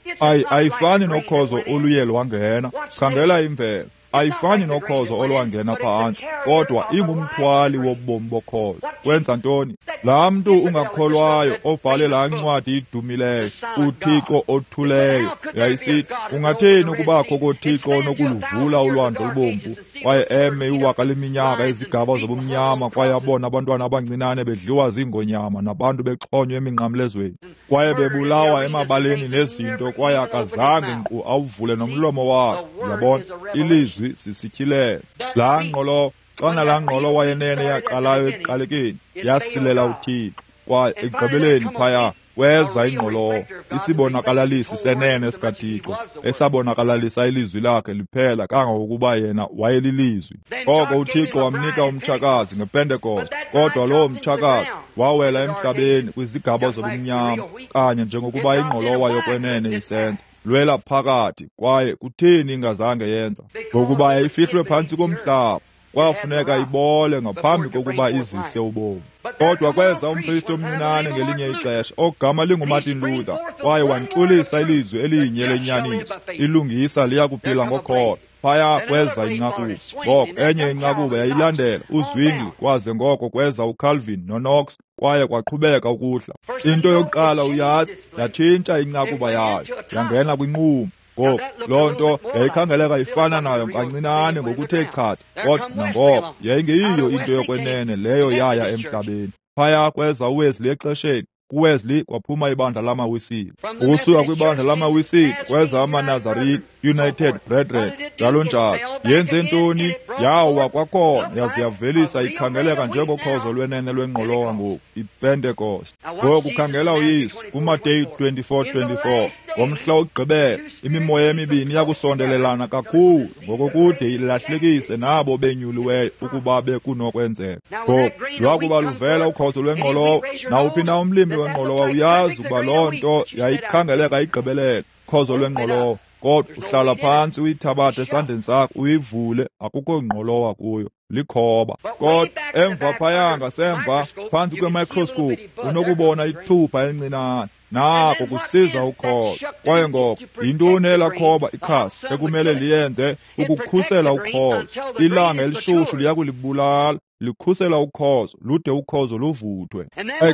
Ayifani nokhozo oluye lwangena. Khangela imvelo. Ayifani nokhozo olwangena phantsi, kodwa ingumthwali wobomi bokhozo. Kwenza ntoni? Laa mntu ungakholwayo obhale laa ncwadi idumileyo, uThixo othuleyo, yayisithi, ungathini ukubakho koThixo onokuluvula ulwandle olubomvu, kwaye eme iwaka leminyaka ezigaba zobumnyama, kwaye abone abantwana abancinane bedliwa ziingonyama nabantu bexhonywa eminqamlezweni, kwaye bebulawa emabaleni nezinto, kwaye akazange nkqu awuvule nomlomo wakhe. Yabona, ilizwi sisityhilelo. Laa ngqolowa, xana laa ngqolowa yenene yaqalayo ekuqalekeni, yasilela uThixo, kwaye ekugqibeleni phaya kweza ingqolowa, isibonakalalisi senene sikaThixo, esabonakalalisa ilizwi lakhe liphela kangangokuba yena wayelilizwi. Koko uThixo wamnika umtshakazi ngePentekoste, kodwa lowo mtshakazi wawela emhlabeni kwizigaba zobumnyama, kanye njengokuba ingqolowa yokwenene isenza. Lwela phakathi, kwaye kutheni ingazange yenza? Ngokuba yayifihlwe phantsi komhlaba, kwafuneka ibole ngaphambi kokuba izise ubomi. Kodwa kweza umpristi omncinane ngelinye ixesha, ogama linguMartin Luther, kwaye wantshulisa ilizwi elinye lenyaniso, ilungisa liya kuphila ngokholo. Phaya kweza incakuba. Ngoko enye incakuba yayilandela uZwingli, kwaze ngoko kweza uCalvin noKnox, kwaye kwaqhubeka ukuhla. Into yokuqala uyazi, yatshintsha incakuba yayo, yangena kwinquma. Ngoku loo nto yayikhangeleka ifana nayo kancinane ngokuthe chatha, kodwa nangoko yayingeyiyo into yokwenene leyo yaya emhlabeni. Phaya kweza uWesley exesheni. KuWesley kwaphuma ibandla lamaWisile. Ukusuka kwibandla lamaWisile kweza amaNazarene, United Brethren, njalo njalo. Yenze ntoni? Yawa kwakhona, yaze yavelisa ikhangeleka njengokhozo lwenene lwengqolowa ngoku, iPentecost. Ngoku khangela uYesu kuMateyu 24:24. Ngomhla wokugqibela imimoya emibini iyakusondelelana kakhulu ngokokude ilahlekise nabo benyuliweyo ukuba bekunokwenzeka. Ngoku lwakuba luvela ukhozo lwengqolowa, nawuphi na umlimi wengqolowa uyazi ukuba loo nto yayikhangeleka igqibelele, khozo lwengqolowa. Kodwa uhlala phantsi uyithabathe esandleni sakho uyivule, akukho ngqolowa kuyo, likhoba. Kodwa emva phaya ngasemva phantsi kwemicroscope unokubona ithupha elincinane, nako kusiza ukhozo. Kwaye ngoko yintoni elaa khoba, ikhasi, ekumele liyenze ukukhusela ukhozo? Ilanga elishushu liya kulibulala, likhusela ukhozo lude ukhozo luvuthwe.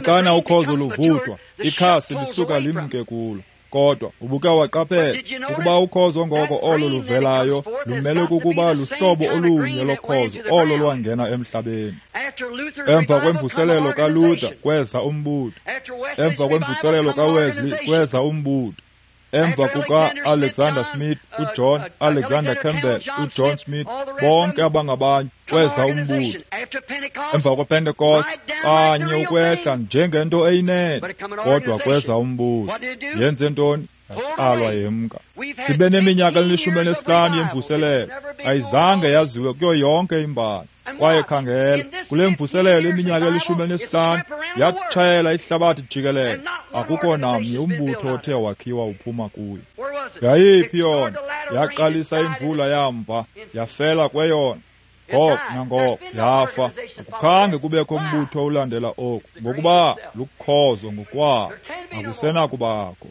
Xana ukhozo luvuthwa, ikhasi lisuka limke kulo. Kodwa ubuke waqaphela ukuba ukhozo ngoko olo luvelayo lumele kukuba luhlobo olunye lokhozo olo lwangena emhlabeni. Emva kwemvuselelo kaLuther kweza umbutho. Emva kwemvuselelo kaWesley kweza umbutho. Emva kuka-Alexander Smith, uJohn Alexander Campbell, uJohn Smith, bonke abangabanye kweza umbutho. Emva kwePentecost kanye ukwehla njengento eyinene, kodwa kweza umbutho. Yenze ntoni? Yatsalwa yemka. Sibe neminyaka eli-15 yemvuselelo, ayizange yaziwe kuyo yonke imbali. Kwaye khangela, kule mvuselelo iminyaka eli-15 yatshayela ihlabathi jikelele, akukho namnye umbutho othe wakhiwa uphuma kuyo. Yayiphi yona? Yaqalisa imvula yamva, yafela kweyona. Ngoko nangoko yafa. Akukhange kubekho umbutho olandela oku, ngokuba lukhozo ngokwabo, akusenakubakho.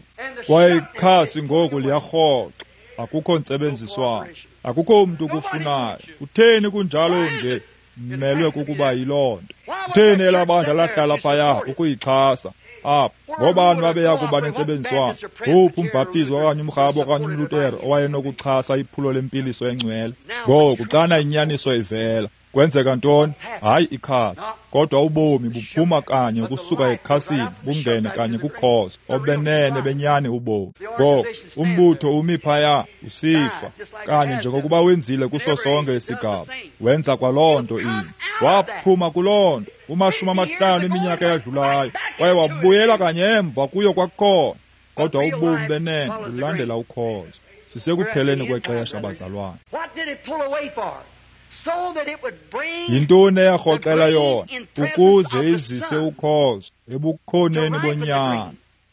Kwaye ikhasi ngoku liyarhoxa, akukho ntsebenziswano, akukho mntu kufunayo. Kutheni kunjalo nje? Mmelwe kukuba yiloo nto. Kutheni elaa bandla lahlala phaya ukuyixhasa? Apha ngobani babeya kuba nentsebenziswano? Nguphi umbhaptizi okanye umrhabo okanye umlutero owayenokuxhasa iphulo lempiliso engcwele? Ngoku xana inyaniso ivela, kwenzeka ntoni? Hayi ikhatsi, kodwa ubomi buphuma kanye ukusuka ekhasini bungene kanye kukhozo obenene benyani ubomi. Ngoku umbutho umi phaya usifa kanye njengokuba wenzile kuso sonke isigaba, wenza kwaloo nto inye. Waphuma kuloo nto kuma-50 eminyaka eyadlulayo kwaye wabuyela kanye emva kuyo kwakhona. Kodwa ubomi benene bulandela ukhozo. Sisekupheleni kwexesha, bazalwane. Yintoni eyarhoxela yona? Ukuze izise ukhozo ebukhoneni bonyana,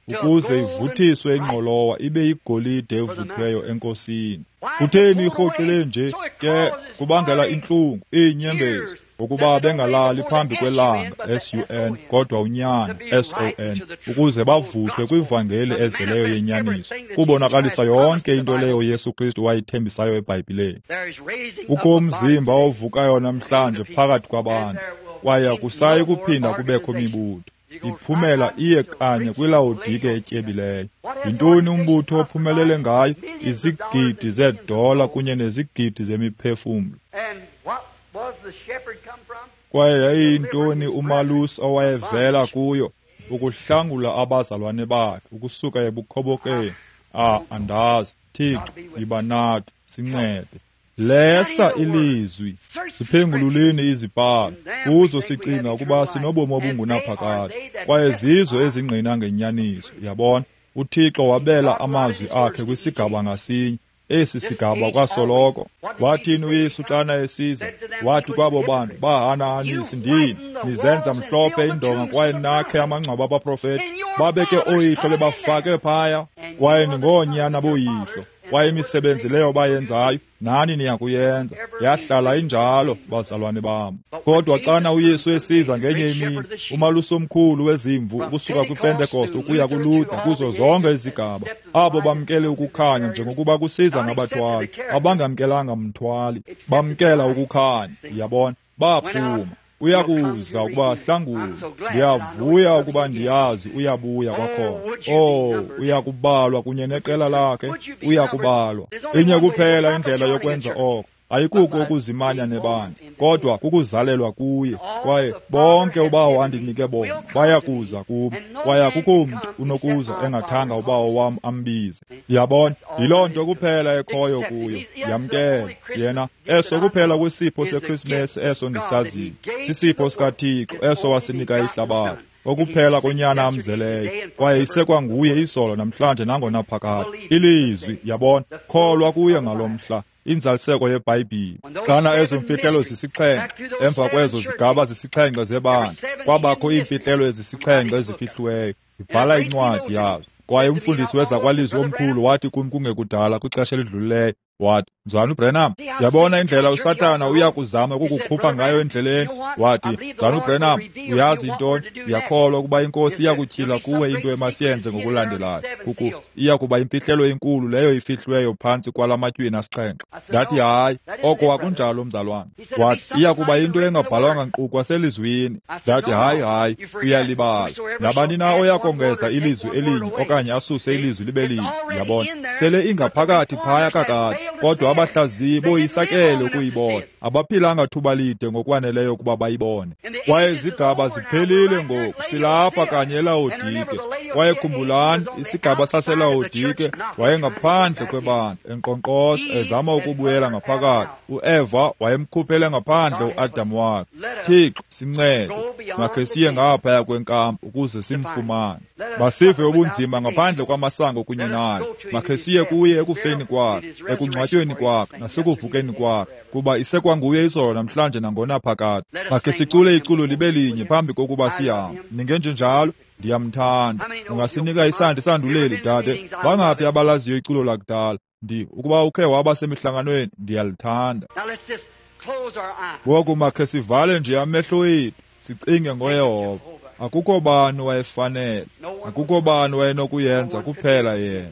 ukuze ivuthiswe ingqolowa ibe yigolide evuthweyo enkosini. Kutheni irhoxile nje? Ke kubangela intlungu, iinyembezi, ngokuba bengalali phambi kwelanga SUN, kodwa unyana SON, ukuze bavuthwe kwivangeli ezeleyo yenyaniso, kubonakalisa yonke into leyo Yesu Kristu wayithembisayo eBhayibhileni. Kukho umzimba ovukayo namhlanje phakathi kwabantu, kwaye akusayi kuphinda kubekho mibutho. Iphumela iye kanye kwiLawodike etyebileyo. Yintoni umbutho ophumelele ngayo? Izigidi zeedola kunye nezigidi zemiphefumlo. Kwaye yayiyintoni umalusi owayevela kuyo? Ukuhlangula abazalwane bakhe ukusuka ebukhobokeni. Andazi. Thixo, yiba nathi, sincede. Lesa ilizwi, siphengululeni izibhalo, kuzo sicinga ukuba sinobomi obungunaphakade, kwaye zizo ezingqina ngenyaniso. Yabona, uThixo wabela amazwi akhe kwisigaba ngasinye. Esi sigaba kwasoloko. Wathini uYesu xana esiza? Wathi kwabo bantu bahanahanisi ndini, nizenza mhlophe indonga kwaye nakhe amangcwaba abaprofeti, babeke ooyihlo bebafake phaya, kwaye ningoonyana boyihlo, kwaye imisebenzi leyo bayenzayo nani niyakuyenza. Yahlala injalo, bazalwane bam. Kodwa xana uYesu esiza ngenye imini, umalusi omkhulu wezimvu ukusuka kwiPentekoste ukuya kuLuther, kuzo zonke izigaba, abo bamkele ukukhanya njengokuba kusiza ngabathwali, abangamkelanga mthwali, bamkela ukukhanya. Yabona, baphuma. Uyakuza ukuba hlangule. Ndiyavuya ukuba ndiyazi uyabuya kwakhona. Oh, uyakubalwa kunye neqela lakhe, uyakubalwa. Inye kuphela indlela yokwenza oko, ayikuko ukuzimanya nebandla, kodwa kukuzalelwa kuye. Kwaye bonke uBawo andinike bona bayakuza kum, kwaye akukho mntu unokuza engathanga uBawo wam ambize. Yabona, yiloo nto kuphela ekhoyo kuyo. Yamkele yena. Eso kuphela kwisipho seKrismesi eso ndisaziyo, sisipho sikaThixo eso wasinika ihlabathi, okuphela konyana amzeleyo, kwaye isekwanguye izolo, namhlanje, nangonaphakade. Ilizwi, yabona, kholwa kuye ngalo mhla, inzaliseko yeBhayibhile. Xana ezo mfihlelo zisixhenxe, emva kwezo zigaba zisixhenxe zebandla, kwabakho iimfihlelo ezisixhenxe ezifihliweyo. Ibhala incwadi yazo. Kwaye umfundisi wezakwalizwi omkhulu wathi kum kungekudala kwixesha elidlulileyo, wathi, Mzalwana uBrenham, yabona indlela uSathana uya kuzama ukukukhupha ngayo endleleni. Wathi, Mzalwana uBrenham, uyazi intoni? Ndiyakholwa ukuba iNkosi iya kutyhila kuwe into emasiyenze ngokulandelayo. Iya kuba imfihlelo enkulu leyo ifihliweyo phantsi kwala matywina asixhenxe. Ndathi, hayi, oko akunjalo, mzalwana. Wathi, iya kuba into engabhalwanga nkqu kwaselizwini. Ndathi, hayi, hayi, uyalibala. Nabani na oya kongeza ilizwi elinye okanye asuse ilizwi libe linye, yabona, sele ingaphakathi phaya kakade. Kodwa abahlaziyi boyisakele ukuyibona, abaphilanga thuba lide ngokwaneleyo ukuba bayibone. Kwaye izigaba ziphelile ngoku, silapha kanye eLawodike. Kwaye khumbulani, isigaba saseLawodike wayengaphandle kwebandla, enkqonkqoza, ezama ukubuyela ngaphakathi. UEva wayemkhuphele ngaphandle uAdam wakhe. Thixo, sincede, makhe siye ngaphaya kwenkampu ukuze simfumane. Masive ubunzima ngaphandle kwamasango kunye naye. Makhe siye kuye ekufeni kwakhe, ekungcwatyweni kwakhe, nasekuvukeni kwakhe, kuba isekwanguye izolo, namhlanje, nangonaphakade. Makhe sicule iculo libe linye phambi kokuba sihambe. Ningenjenjalo? Ndiyamthanda. Ungasinika isandi sanduleli, dade? Bangaphi abalaziyo iculo lakudala? Ukuba ukhe waba semihlanganweni, ndiyalithanda. Ngoku makhe sivale nje amehlo ethu, sicinge ngoYehova. Akukho bani wayefanele, akukho bani wayenokuyenza kuphela yena.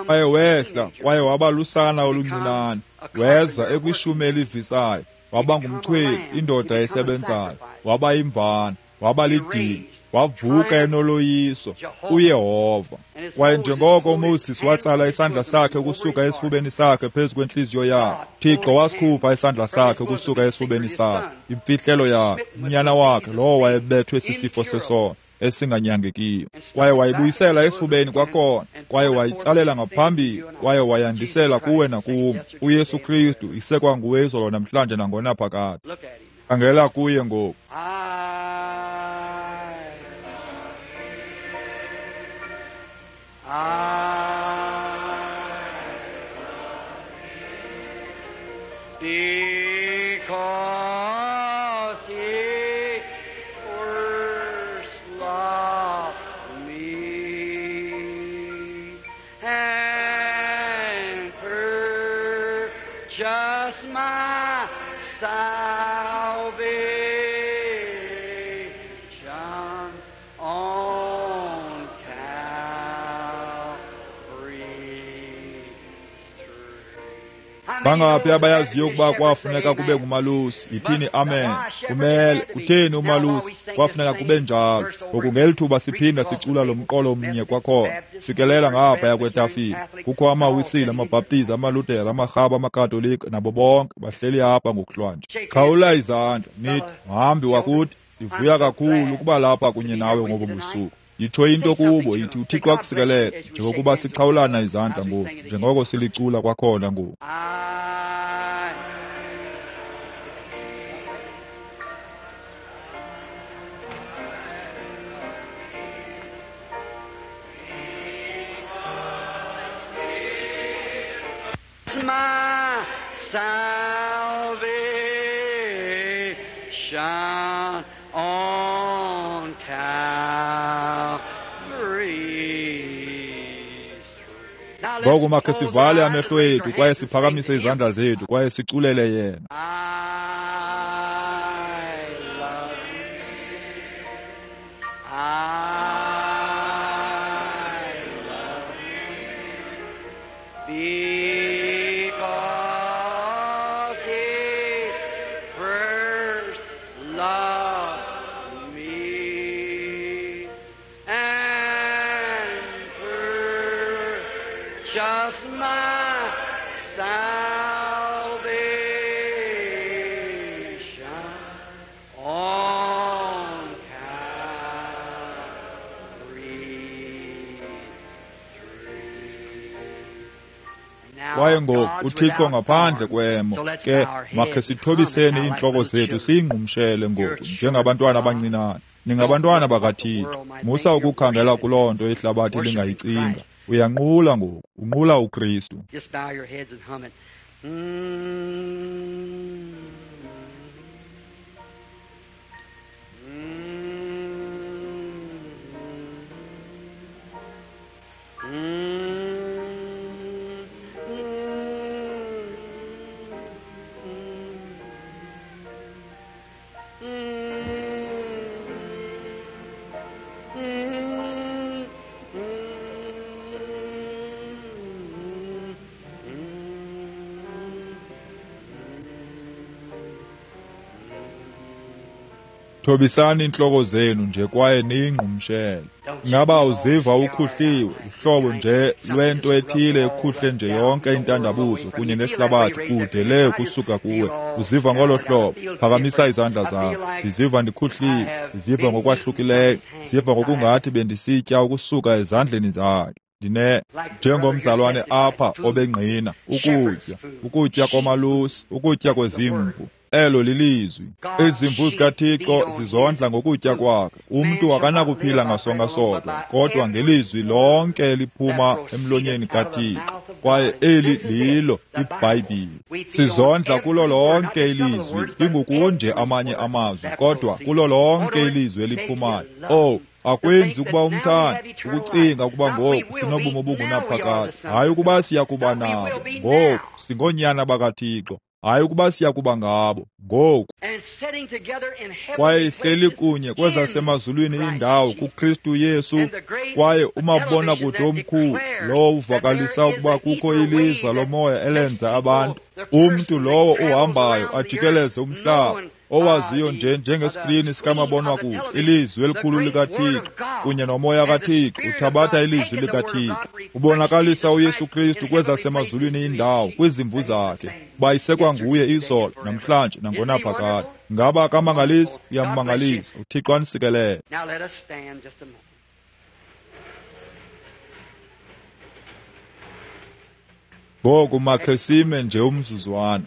Kwaye wehla, kwaye waba lusana oluncinane, weza ekwishumi elivisayo, Waba ngumchweli, indoda esebenzayo. Waba yimvana, waba lidini, wavuka enoloyiso, uYehova. Kwaye njengoko uMoses watsala isandla sakhe ukusuka esifubeni sakhe phezu kwentliziyo yakhe, Thixo wasikhupha isandla sakhe ukusuka esifubeni sakhe, imfihlelo yakhe, unyana wakhe lowo wayebethwe sisifo sesono esinganyangekiyo. Kwaye wayibuyisela esifubeni kwakhona, kwaye wayitsalela ngaphambili, kwaye wayandisela kuwe nakum. uYesu Kristu isekwanguye izolo namhlanje nangonaphakade. Khangela kuye ngoku. Because he first loved me and purchased my salvation on Calvary's tree. Bangaphi abayaziyo ukuba kwafuneka kube ngumalusi? Yithini amen. Kumele kutheni umalusi? Kwafuneka kube njalo. Ngoku ngeli thuba siphinda sicula lo mqolo mnye kwakhona, fikelela ngaphaya kwetafile. Kukho amaWisile, amaBhaptizi, amaLuthere, amaRhaba, amaKatolika nabo bonke bahleli apha ngokuhlwanje. Qhawula izandla nithi, mhambi wakuthi, ndivuya kakhulu ukuba lapha kunye nawe ngobu busuku. Yitsho into kubo, yithi uThixo akusikelele, njengokuba siqhawulana izandla ngoku, njengoko silicula kwakhona ngoku. My salvation on Calvary's tree. Now let's Ngoku makhe close our sivale eyes amehlo and raise ethu our kwaye hands and sing siphakamise to him. izandla zethu kwaye siculele yena. I love you. I love you. Because he first loved me and purchased my salvation on Calvary's tree. Now Kwaye ngoku God's uThixo without ngaphandle form. kwemo. So let's Ke bow our makhe heads and sithobiseni hum it now like iintloko little zethu children. siyingqumshele ngoku njengabantwana abancinane. Ningabantwana bakaThixo. Musa ukukhangela kuloo nto ihlabathi lingayicinga. Uyanqula ngoku, unqula uKristu. Just bow your heads and hum it. Mm. Mm. Mm. Mm. Mm. Thobisani iintloko zenu nje kwaye niyingqumshele. Ngaba uziva ukhuhliwe, uhlobo nje lwento ethile ekhuhle nje yonke intandabuzo kunye nehlabathi kude le kusuka kuwe. Uziva ngolo hlobo, phakamisa izandla zakho. Ndiziva ndikhuhliwe, ndiziva ngokwahlukileyo, ndiziva ngokungathi bendisitya ukusuka ezandleni zakhe. Ndine njengomzalwane apha obengqina ukutya, ukutya komalusi, ukutya kwezimvu. Elo lilizwi. Izimvu zikaThixo zizondla ngokutya kwakhe. Umntu akanakuphila ngasonka sodwa, kodwa ngelizwi lonke eliphuma emlonyeni kaThixo. Kwaye eli lilo iBhayibhile. Sizondla kulo lonke ilizwi, ingukunje amanye amazwi, kodwa kulo lonke ilizwi eliphumayo. Oh, akwenzi ukuba umthande, ukucinga ukuba ngoku sinobomi obungunaphakade. Hayi ukuba siya kuba nabo, ngoku singoonyana bakaThixo. Hayi ukuba siya kuba ngabo ngoku. Kwaye ihleli kunye kwezasemazulwini indawo kuKristu Yesu, kwaye umabonakude omkhulu lowo uvakalisa ukuba kukho iliza lomoya elenza abantu, umntu lowo uhambayo ajikeleze umhlaba, owaziyo nje njengeskrini sikamabonwakude ilizwi elikhulu likaThixo kunye nomoya kaThixo uthabatha ilizwi likaThixo ubonakalisa uYesu Kristu kwezasemazulwini indawo kwizimvu zakhe, bayisekwa nguye izolo namhlanje nangonaphakade. Ngaba akamangalisi? Uyammangalisa. UThixo anisikelele. Ngoku makhe sime nje umzuzwana.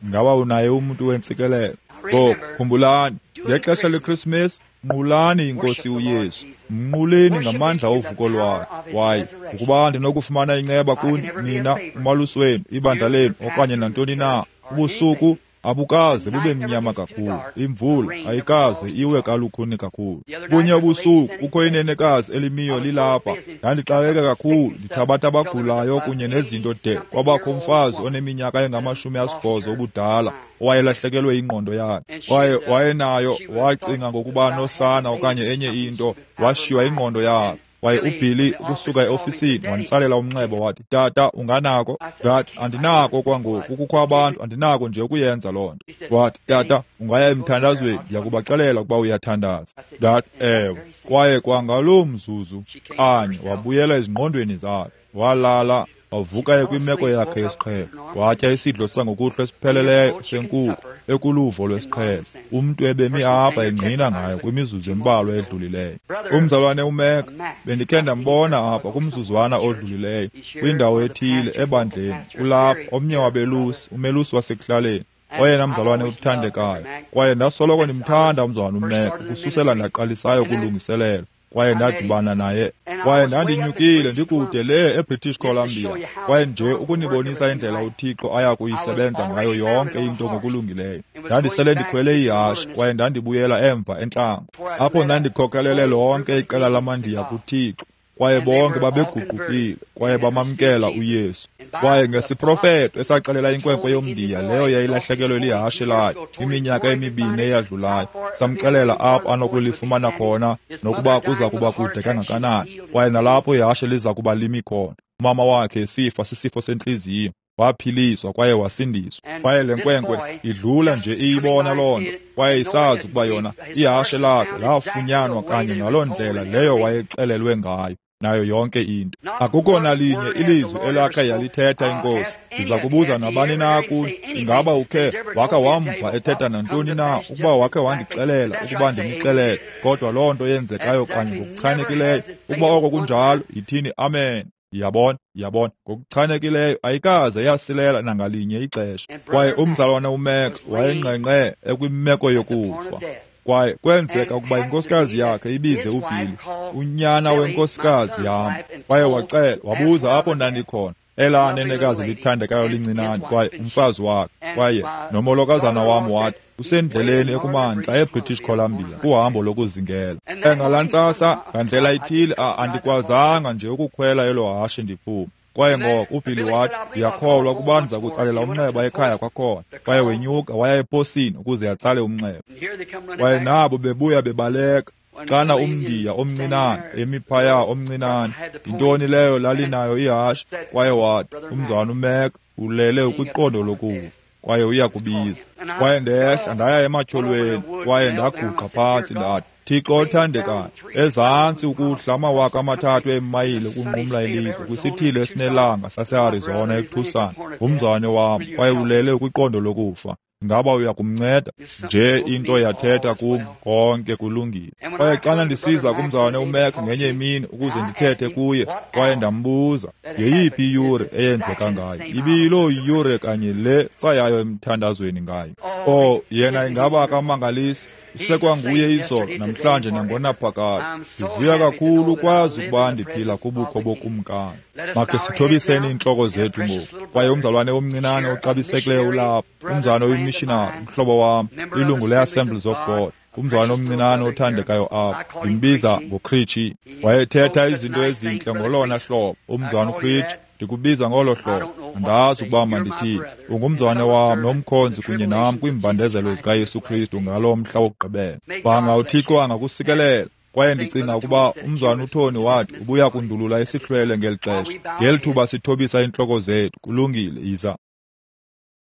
Ngaba unaye umuntu wentsikelelo? Ngoku khumbulani, ngexesha leKrismesi nqulani iNkosi uYesu, mnquleni ngamandla ovuko lwakhe. Kwaye ukuba ndinokufumana inceba kuni nina, umalusi wenu, ibandla lenu, okanye nantoni na, ubusuku abukaze bube mnyama kakhulu, imvula ayikaze iwe kalukhuni kakhulu. Kunye ubusuku kukho inenekazi elimiyo lilapha, ndandixakeke kakhulu ndithabatha abagulayo kunye nezinto de kwabakho umfazi oneminyaka engama-80 ubudala owayelahlekelwe ingqondo yakhe, kwaye wayenayo, wacinga ngokuba nosana okanye enye into, washiywa ingqondo yakhe. Kwaye uBilly ukusuka eofisini wanditsalela umnxeba wathi, "Tata, unganako?" Ndathi, "Andinako kwangoku, kukho abantu, andinako nje ukuyenza loo nto." Wathi, "Tata, ungaya emthandazweni, ndiyakubaxelela ukuba uyathandaza." Ndathi, "Ewe." Kwaye kwangaloo mzuzu kanye wabuyela ezingqondweni zakhe, walala, wavuka ekwimeko yakhe yesiqhelo, watya isidlo sangokuhlwa esipheleleyo senkukhu ekuluvo lwesiqhelo, umntu ebemi apha engqina ngayo kwimizuzu embalwa edlulileyo. Umzalwane uMeka bendikhe ndambona apha kumzuzwana odlulileyo kwindawo ethile ebandleni, ulapha omnye wabelusi, umelusi wasekuhlaleni, oyena mzalwane uthandekayo. Kwaye ndasoloko ndimthanda umzalwane uMeka ukususela ndaqalisayo ukulungiselela. Kwaye ndadibana naye, kwaye ndandinyukile ndikude le eBritish Columbia, kwaye nje ukunibonisa indlela uThixo aya kuyisebenza ngayo yonke into ngokulungileyo. Ndandisele ndikhwele ihashe, kwaye ndandibuyela emva entlango, apho ndandikhokelele lonke iqela lamaNdiya kuThixo, kwaye bonke babeguqukile kwaye bamamkela uYesu. Kwaye ngesiprofeto esaxelela inkwenkwe yomNdiya leyo yayilahlekelwe lihashe layo iminyaka emibini eyadlulayo, samxelela apho anokulifumana khona nokuba kuza kuba kude kangakanani, kwaye nalapho ihashe liza kuba limi khona. Umama wakhe esifa sisifo sentliziyo, waphiliswa kwaye wasindiswa. Kwaye le nkwenkwe idlula nje iyibona loo nto, kwaye isazi ukuba yona ihashe lakhe lafunyanwa kanye ngaloo ndlela leyo wayexelelwe ngayo, nayo yonke into. Akukho nalinye ilizwi elakhe yalithetha iNkosi. Ndiza kubuza nabani na kuni, ingaba ukhe wakha wamva ethetha nantoni na, ukuba wakhe wandixelela ukuba ndinixelele, kodwa loo nto yenzekayo kanye ngokuchanekileyo. Ukuba oko kunjalo, yithini amen. Yabona, yabona, ngokuchanekileyo ayikaze yasilela nangalinye ixesha. Kwaye umzalwane uMeka wayengqengqe ekwimeko yokufa. Kwaye kwenzeka ukuba inkosikazi yakhe ibize uBilly, unyana wenkosikazi yam, kwaye waxela, wabuza apho ndandikhona, elaa nenekazi lithandekayo lincinane, kwaye umfazi wakhe, kwaye nomolokazana wam wathi, usendleleni ekumantla eBritish Columbia kuhambo lokuzingela. Ngalaa ntsasa ngandlela ithile andikwazanga nje ukukhwela elo hashe ndiphume. Kwaye ngoko uBilly wathi, "Ndiyakholwa ukuba ndiza kutsalela umnxeba ekhaya kwakhona." Kwaye wenyuka waya eposini ukuze atsale umnxeba. Kwaye nabo bebuya bebaleka, xana umNdiya omncinane emi phaya omncinane, yintoni leyo lalinayo ihashe? Kwaye wathi, "Umzalwana uMeka ulele kwiqondo lokufa, kwaye uyakubiza." Kwaye ndehla ndaya ematyholweni, kwaye ndaguqa phantsi ndathi, "Thixo othandekayo, ezantsi ukuhla 3,000 eemayile ukunqumla ilizwe kwisithili esinelanga saseArizona eTucson, ngumzalwane wam, kwaye ulele kwiqondo lokufa. Ngaba uyakumnceda?" Nje into yathetha kum, konke kulungile. Kwaye xana ndisiza kumzalwane uMek ngenye imini ukuze ndithethe kuye, kwaye ndambuza yeyiphi iyure eyenzeka ngayo, ibiyiloo yure kanye le sayayo emthandazweni ngayo. Oh, yena ingaba akamangalisi? Usekwanguye izolo, namhlanje nangonaphakade. Ndivuya kakhulu ukwazi ukuba ndiphila kubukho bokumkani. Makhe sithobiseni iintloko zethu ngoku. Kwaye umzalwane omncinane oxabisekileyo ulapha, umzalwane oyimishinari, umhlobo wam, ilungu le-Assemblies of God. Umzalwana omncinane othandekayo apha, ndimbiza ngoCritchie. Wayethetha izinto ezintle ngolona hlobo. Umzalwana uCritchie, ndikubiza ngolo hlobo. Andazi ukuba mandithini. Ungumzalwane wam nomkhonzi kunye nam kwiimbandezelo zikaYesu Kristu ngalo mhla wokugqibela. Banga uThixo angakusikelela. Kwaye ndicinga ukuba umzalwana uTony wathi ubuya kundulula isihlwele ngeli xesha. Ngeli thuba sithobisa iintloko zethu. Kulungile, yiza.